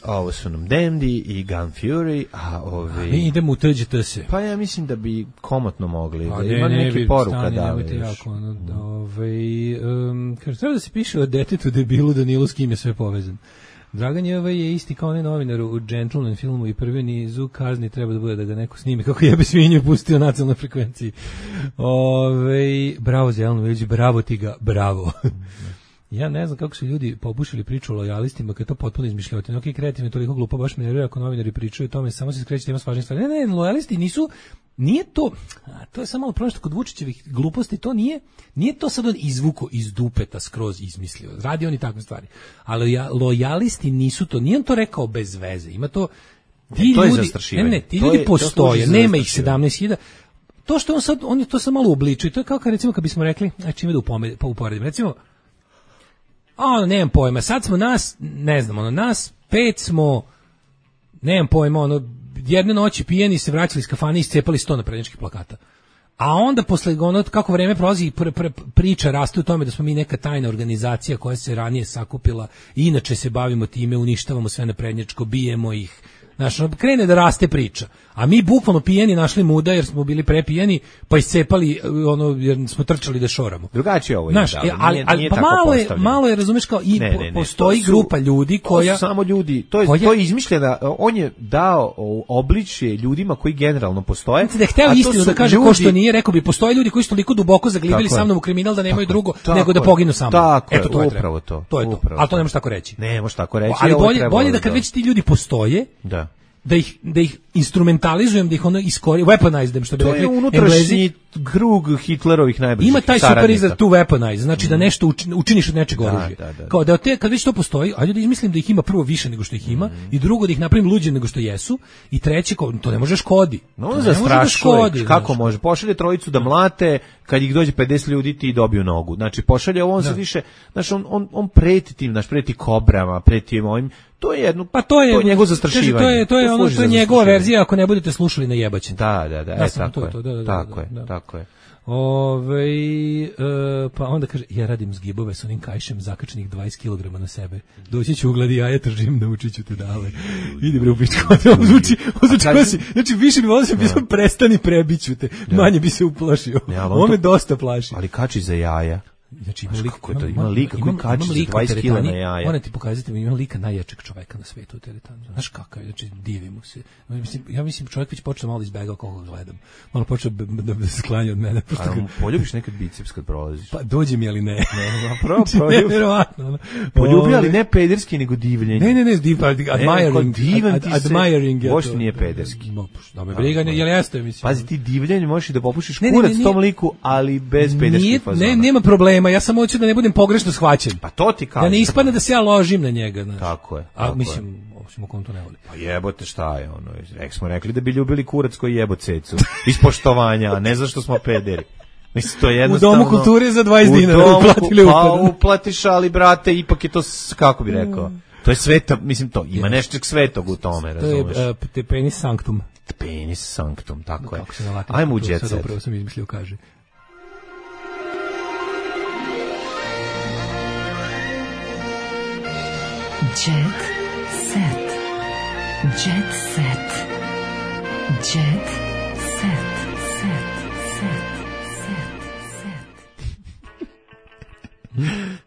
Ovo su nam Dandy i Gun Fury, mi idemo u TGTS. Pa ja mislim da bi komotno mogli, da ima neke poruka da kaže, treba da se piše o detetu debilu Danilu s kim je sve povezan. Dragan je isti kao onaj novinar u Gentleman filmu i prvi nizu kazni treba da bude da ga neko snimi kako jebe svinju i pustio na nacionalnoj frekvenciji. Bravo za Jelenu Velić, bravo ti ga, bravo. Ja ne znam kako su ljudi popušili priču o lojalistima, kad je to potpuno izmišljotino. Ok, kreativno je toliko glupo, baš me nervira ako novinari pričaju o tome, samo se skreće tema s važnih stvari. Ne, lojalisti nisu, nije to, to je samo malo problem što kod Vučićevih gluposti, to nije to sad on izvuko iz dupeta skroz izmislio. Radi oni takve stvari. Ali lojalisti nisu to, nije on to rekao bez veze. Ima to, ti ljudi postoje, nema ih 17.000. To što on je to samo malo uobličio, to je kao kad recimo kad bismo rekli, čime da uporedim, recimo, nemam pojma, sad smo nas, ne znam, nas 5 smo, nemam pojma, jedne noći pijeni se vraćali iz kafane i iscepali 100 naprednjačkih plakata. A onda posle kako vreme prolazi priča raste u tome da smo mi neka tajna organizacija koja se ranije sakupila i inače se bavimo time, uništavamo sve naprednjačko, bijemo ih. Znaš, krene da raste priča. A mi bukvalno pijeni našli muda jer smo bili prepijeni, pa iscepali jer smo trčali da šoramo. Drugačije ovo je. Znaš, ali malo je, razumeš, kao i postoji grupa ljudi koja... To su samo ljudi, to je izmišljena, on je dao obličje ljudima koji generalno postoje. Da je hteo istinu da kaže ko što nije, rekao bi, postoje ljudi koji su toliko duboko zaglibili sa mnom u kriminal da nemaju drugo nego da poginu sa mnom. Eto, to je upravo to. To je to. Ali to ne možeš tako reći. Ne možeš tako reći. Ali bolje da kad već ti ljudi postoje, da ih instrumentalizujem, da ih ono weaponize, što bi to rekli. je unutrašnji krug Hitlerovih najbližih ima taj saradnika. super izraz tu weaponize, znači da nešto učiniš od nečeg oružja. Kao da kad već to postoji, ajde da izmislim da ih ima prvo više nego što ih ima, i drugo da ih napravim luđe nego što jesu, i treće, to ne može škodi. No, on zastrašuje, kako može? Pošalje trojicu da mlate, kad ih dođe 50 ljudi ti dobiju nogu. Znači, pošalje on sad više, znači, on preti tim, znači, preti kobrama, preti ovim, to je jedno, pa to je njegovo zastrašivanje. To je njegova verzija, ako ne budete slušali na jebaćen. Da, tako je. Pa onda kaže, ja radim zgibove s onim kajšem zakačenih 20 kg na sebe. Doći ću u gladijaje, tržim, naučit ću te dale. Idi bre u pičku. Znači, više bi volio sam pisao, prestani, prebiću te. Manje bi se uplašio. Ovo me dosta plaši. Ali kači za jaja. Znači, ima lika koji kači za 20 kg na jaja. Moram ti pokazati, ima lika najjačeg čoveka na svetu u teretanu. Znaš kakav je, znači divimo se. Ja mislim čovjek već počne malo izbegao kako ga gledam. Malo počne da se sklanja od mene. Poljubiš nekad biceps kad prolaziš? Pa dođe mi, ali ne. Nevjerovatno. Poljubi, ali ne pederski, nego divljenje. Ne, admiring. Boš nije pederski. Da me briga, jel jeste, mislim. Pazi, ti divljenje možeš i da popušiš kurac tom liku, ali bez pederskih fazona. Ne, nema problema. Ja samo hoću da ne budem pogrešno shvaćen. Pa to ti kažem. Da ne ispadne da se ja ložim na njega, znaš. Tako je. A mislim, osim ako on to ne voli. Pa jebote, šta je ono? Smo rekli da bi ljubili kurac koji jebo cecu. Iz poštovanja, a ne zašto smo pederi. Mislim, to je jednostavno... U Domu kulture za 20 dinara uplatili upad. Pa uplatiš, ali brate, ipak je to, kako bi rekao, to je sveta, mislim, to ima nešto svetog u tome, razumeš? To je penis sanctum. Penis sanctum, tako je. Ajmo u jet set. Upravo sam izmislio, kaže. Jet set. Jet set. Jet set.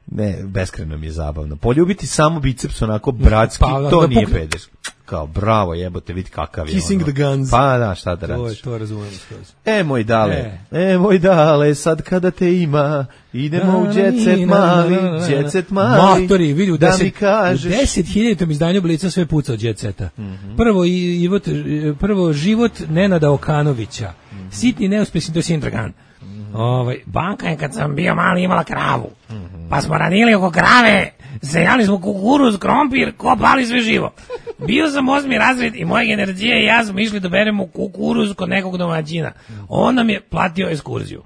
Ne, beskrajno mi je zabavno. Poljubiti samo biceps onako bratski, to nije pederski. Kao, bravo, jebote, vidi kakav je. Kissing the guns. Pa da, šta da radiš. To razumijem. Moj dale, sad kada te ima, idemo u jet set mali. Matori, vidi, u da mi kažeš. U 10.000 izdanju Blica sve puca od jet seta. Prvo život Nenada Okanovića. Sitni neuspješni, to je Sindragan. Banka je kad sam bio mali imala kravu, pa smo ranili oko krave, sejali smo kukuruz, krompir, kopali sve živo. Bio sam 8. razred i moje generacije i ja smo išli da beremo kukuruz kod nekog domaćina. On nam je platio ekskurziju.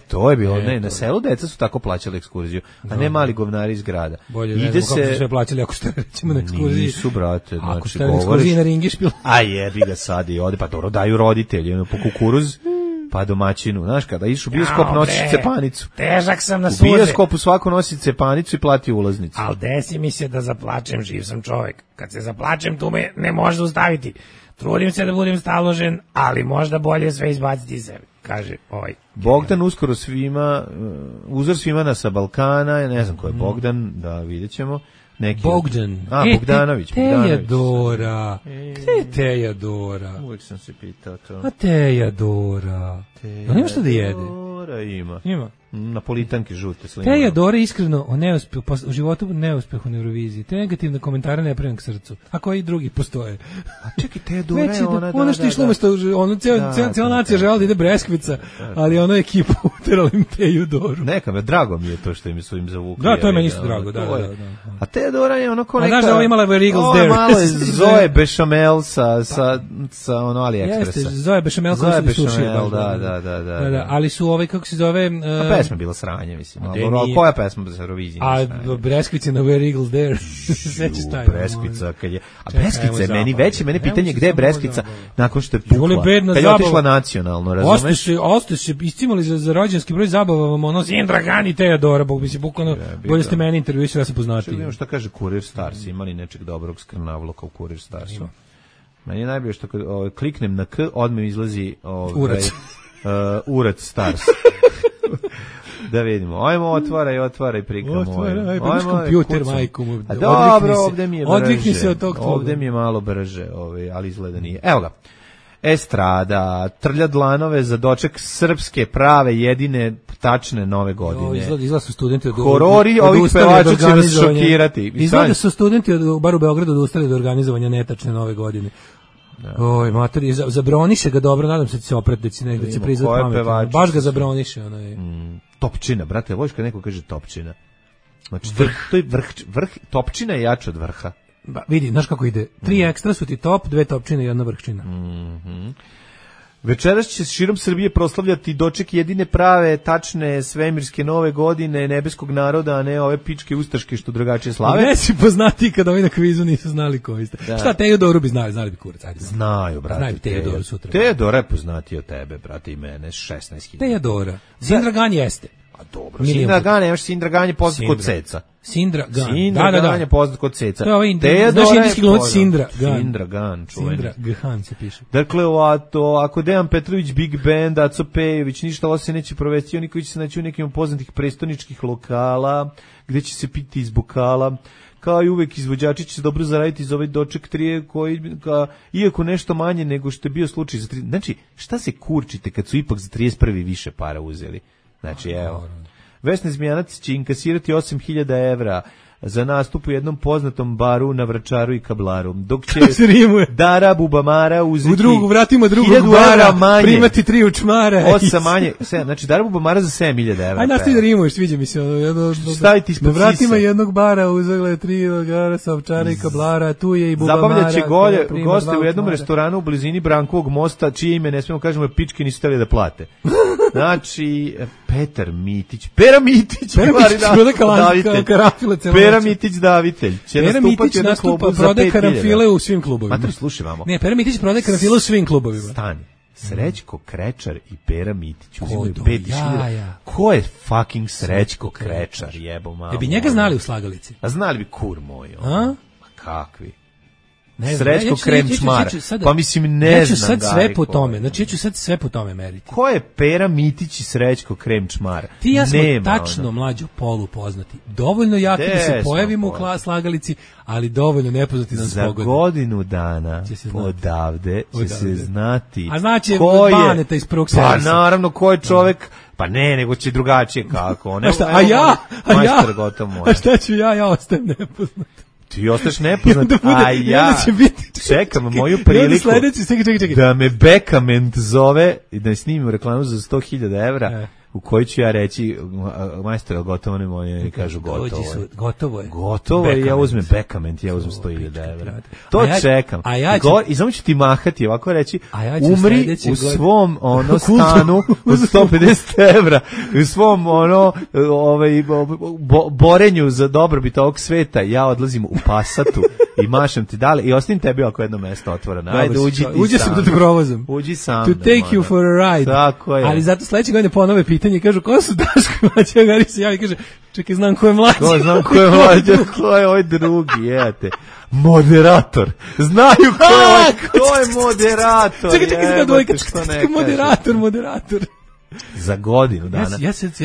To je bilo, na selu deca su tako plaćali ekskurziju, a ne mali govnari iz grada. Bolje, ne znam kako su sve plaćali ako ste recimo na ekskurziji. Nisu, brate, ako znači ste na ekskurziji na ringišpil. A jebi ga sad i ode, pa dobro daju roditelji, po kukuruz. Pa domaćinu, znaš, kada iš u bioskop nosiš cepanicu. Težak sam na suze. U bioskopu svako nosi cepanicu i plati ulaznicu. Al desi mi se da zaplačem, živ sam čovjek. Kad se zaplačem, tu me ne može zaustaviti. Trudim se da budem staložen, ali možda bolje sve izbaciti iz sebe, kaže ovaj. Bogdan uskoro svima, uzor svima sa Balkana, ja ne znam ko je Bogdan, da vidjet ćemo. Bogdan. Bogdanović. Tejadora. Gde je Tejadora? Uvijek sam se pitao to. A Tejadora. Da nema što da jede? Tejadora ima. Napolitanke žute sline. Tejadora iskreno u životu neuspehu na Euroviziji. Te negativne komentare ne pravim k srcu. A koji drugi postoje? A čekaj, Tejadora je ona... Ono što išlo umesto, cijela nacija žela da ide Breskvica, ali ono ekipu uterali im Tejadoru. Neka me, drago mi je to što im su im zavukli. Da, to je meni isto drago, da. A Tejadora je ono ko neka... A znaš da ovo imala Eagles Dare? Ovo malo je Zoe Bechamel sa ono AliExpressa. Jeste, Zoe Bechamel koji su sušili. Da. Ali su kako se zove... A pesma bila sranje, mislim. Koja pesma za Euroviziji? A Breskvica na Where Eagles Dare. Breskvica, kad je... A Breskvica je meni veće, mene pitanje gde je Breskvica nakon što je pukla. Kad je otišla nacionalno, razumeš? Oste se iscimali za rođenski broj zabava, vam ono Sindragan i Tejadora, bog bi se bukano, bolje ste meni intervjuisali, ja sam poznati. Šta kaže Kurir Stars, imali nečeg dobrog skrnavloka u Kurir Starsu? Meni je najbolje što kliknem na K, odmah izlazi Urac Stars. Da vidimo. Ajmo, otvaraj prikamo. Otvaraj kompjuter, majku mu. Dobro, ovdje mi je brže. Odvikni se od tog tvoga. Ovdje mi je malo brže, ali izgleda nije. Evo ga. Estrada, trlja dlanove za doček srpske prave jedine tačne nove godine. Izgleda su studenti od horori ovih pevača će vas šokirati. Izgleda su studenti bar u Beogradu odustali od organizovanja netačne nove godine. Oj, mater, zabroniše ga dobro, nadam se da će se oprati, da će prizvati pametno. Baš ga zabroniše. Topčina, brate, voliš kad neko kaže topčina. Znači, to je vrh, topčina je jača od vrha. Vidi, znaš kako ide, 3 ekstra su ti top, 2 topčine i 1 vrhčina. Večeras će širom Srbije proslavljati doček jedine prave, tačne, svemirske nove godine nebeskog naroda, a ne ove pičke ustaške što drugačije slave. Ne si poznati kada ovi na kvizu nisu znali koji ste. Da. Šta, Teodoru bi znali bi kurac. Ajde. Znaju, brate. Znaju Teodoru sutra. Teodora je poznati od tebe, brate, i mene, 16.000. Teodora. Sindragan jeste. A dobro, Sindragan, nemaš Sindragan je poznat kod Ceca. Sindragan je poznat kod Ceca. To je ovaj znaš indijski glumac Sindragan, čuveni. Sindragan se piše. Dakle, ako Dejan Petrović, Big Band, Aco Pejović, ništa ovo se neće provesti, oni koji će se naći u nekim poznatih prestoničkih lokala, gde će se piti iz bokala, kao i uvek izvođači će se dobro zaraditi iz ovaj doček 3 koji, iako nešto manje nego što je bio slučaj za 3. Znači, šta se kurčite kad su ipak za 31. više para uzeli? Znači, evo, Vesna Zmijanac će inkasirati 8.000 evra za nastup u jednom poznatom baru na Vračaru i Kablaru. Dok će Dara Bubamara uzeti u drugu, vratimo drugog bara, manje, primati 3 učmara. 8 manje, znači Dara Bubamara za 7.000 evra. Aj, nastavi da rimuješ, sviđa mi se. Staviti ispod sisa. Vratimo jednog bara, uzagle 3 gara sa Ovčara i Kablara, tu je i Bubamara. Zabavljaće goste u jednom restoranu u blizini Brankovog mosta, čije ime ne smemo kažemo, pičke nisu hteli da plate. Znači, Pera Mitić, Pera Mitić davitelj će nastupati u jednom klubu za 5.000. Prodaje karanfile u svim klubovima. Mater, slušaj vamo. Ne, Pera Mitić prodaje karanfile u svim klubovima. Stani. Srećko Krečar i Pera Mitić uzimaju 5.000. Ko je fucking Srećko Krečar, jebo malo. Bi njega znali u Slagalici? A znali bi kur moj. A? Kakvi? Srećko Kremčmar. Pa mislim ne ja ću sad sve po tome. Znači ja ću sad sve po tome meriti. Ko je Pera Mitić i Srećko Kremčmar? Ti ja smo tačno mlađo polu poznati. Dovoljno jaki da se pojavimo u Slagalici, ali dovoljno nepoznati da nas pogodi. Za godinu dana odavde će se znati. A znači Baneta iz prvog servisa. Pa naravno ko je čovek. Pa ne, nego će drugačije kako. A šta ću ja ostajem nepoznat. Ti ostaješ nepoznat, a ja čekam moju priliku da me Bekament zove i da snimim reklamu za 100.000 evra u kojoj ću ja reći majstor, gotovo ne moje, i kažu gotovo je, ja uzmem Bekament, ja uzmem 100.000 evra. To čekam. I samo ću ti mahati, ovako reći, umri u svom stanu od 150 evra, u svom borenju za dobrobit ovog sveta, ja odlazim u Passatu i mašam ti dale i ostavim tebi oko jedno mesto otvoreno. Ajde, uđi sam da te provozam. Uđi sam. To take you for a ride. Tako je. Ali zato sledeće godine ponove pitanje, kažu, ko su Daško i Mlađa? Gari se javi, kaže, čekaj, znam ko je Mlađa. Ko je Mlađa, ko je ovaj drugi, jete. Moderator. Znaju ko je moderator. Čekaj, dvojka, moderator. Za godinu dana.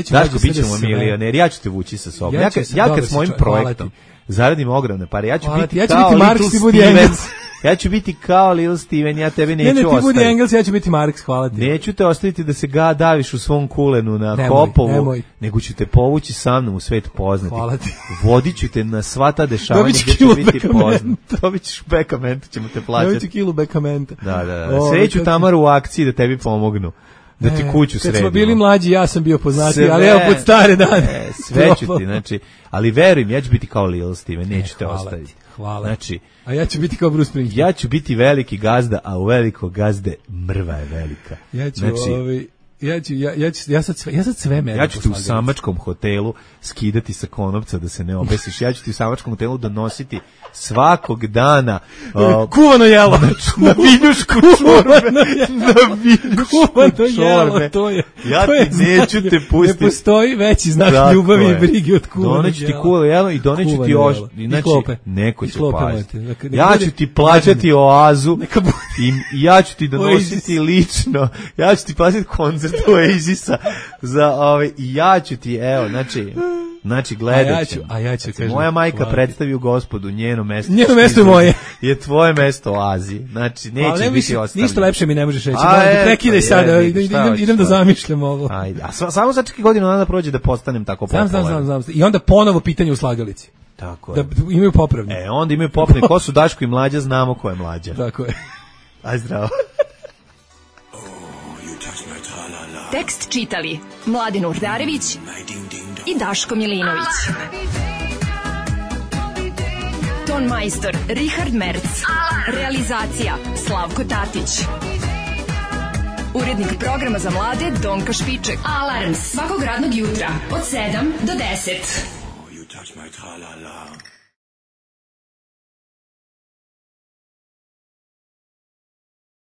Daško, bit ćemo milioneri, ja ću te vući sa sobom. Ja kad s mojim projektom zaradim ogromne pare, ja ću biti kao Little Stevens. Ja ću biti kao Little Steven, ja tebe neću ostaviti. Ne, ti budi Engels, ja ću biti Marks, hvala ti. Neću te ostaviti da se daviš u svom kulenu na Hopovu, nego ću te povući sa mnom u svet poznati. Hvala ti. Vodit ću te na sva ta dešavanja gdje ću biti poznat. Dobit ćeš bekamenta, ćemo te plaćati. Dobit ću kilu bekamenta. Da. Sreću Tamaru u akciji da tebi pomognu. Da ti kuću sredimo. Kad smo bili mlađi, ja sam bio poznati, ali evo pod stare dane. Sve ću ti, znači, ali verujem, ja ću biti kao Little Steven, neću te ostaviti. Hvala. Znači, a ja ću biti kao Bruce Springsteen. Ja ću biti veliki gazda, a u velikog gazde mrva je velika. Ja sad sve mene. Ja ću ti u samačkom hotelu skidati sa konopca da se ne obesiš. Ja ću ti u samačkom hotelu donositi svakog dana kuvano jelo na viljušku čorbe. Na viljušku čorbe. Ja ti neću te pustiti. Ne postoji veći znak ljubavi i brige od kuvano jelo. Doneću ti kuvano jelo i doneću ti neko će paziti. Ja ću ti plaćati oazu i ja ću ti donositi lično. Ja ću ti plaćati koncert Oasisa za i ja ću ti, evo, znači gledat ćemo. Moja majka predstavi u Gospodu, njeno mesto je moje. Je tvoje mesto u Aziji. Znači, neće biti ostavljeno. Ništa lepše mi ne možeš reći. Prekidaj sada, idem da zamišljam ovo. Ajde, a samo začekaj godinu dana prođe da postanem tako popularan. Znam. I onda ponovo pitanje u Slagalici. Tako je. Da imaju popravni. Onda imaju popravni. Ko su Daško i Mlađa, znamo ko je Mlađa. Tako je. Aj zdravo. Tekst čitali Mladin Urdarević i Daško Milinović. Ton majstor Richard Merc. Realizacija Slavko Tatić. Urednik programa za mlade Donka Špiček. Alarms svakog radnog jutra od 7 do 10.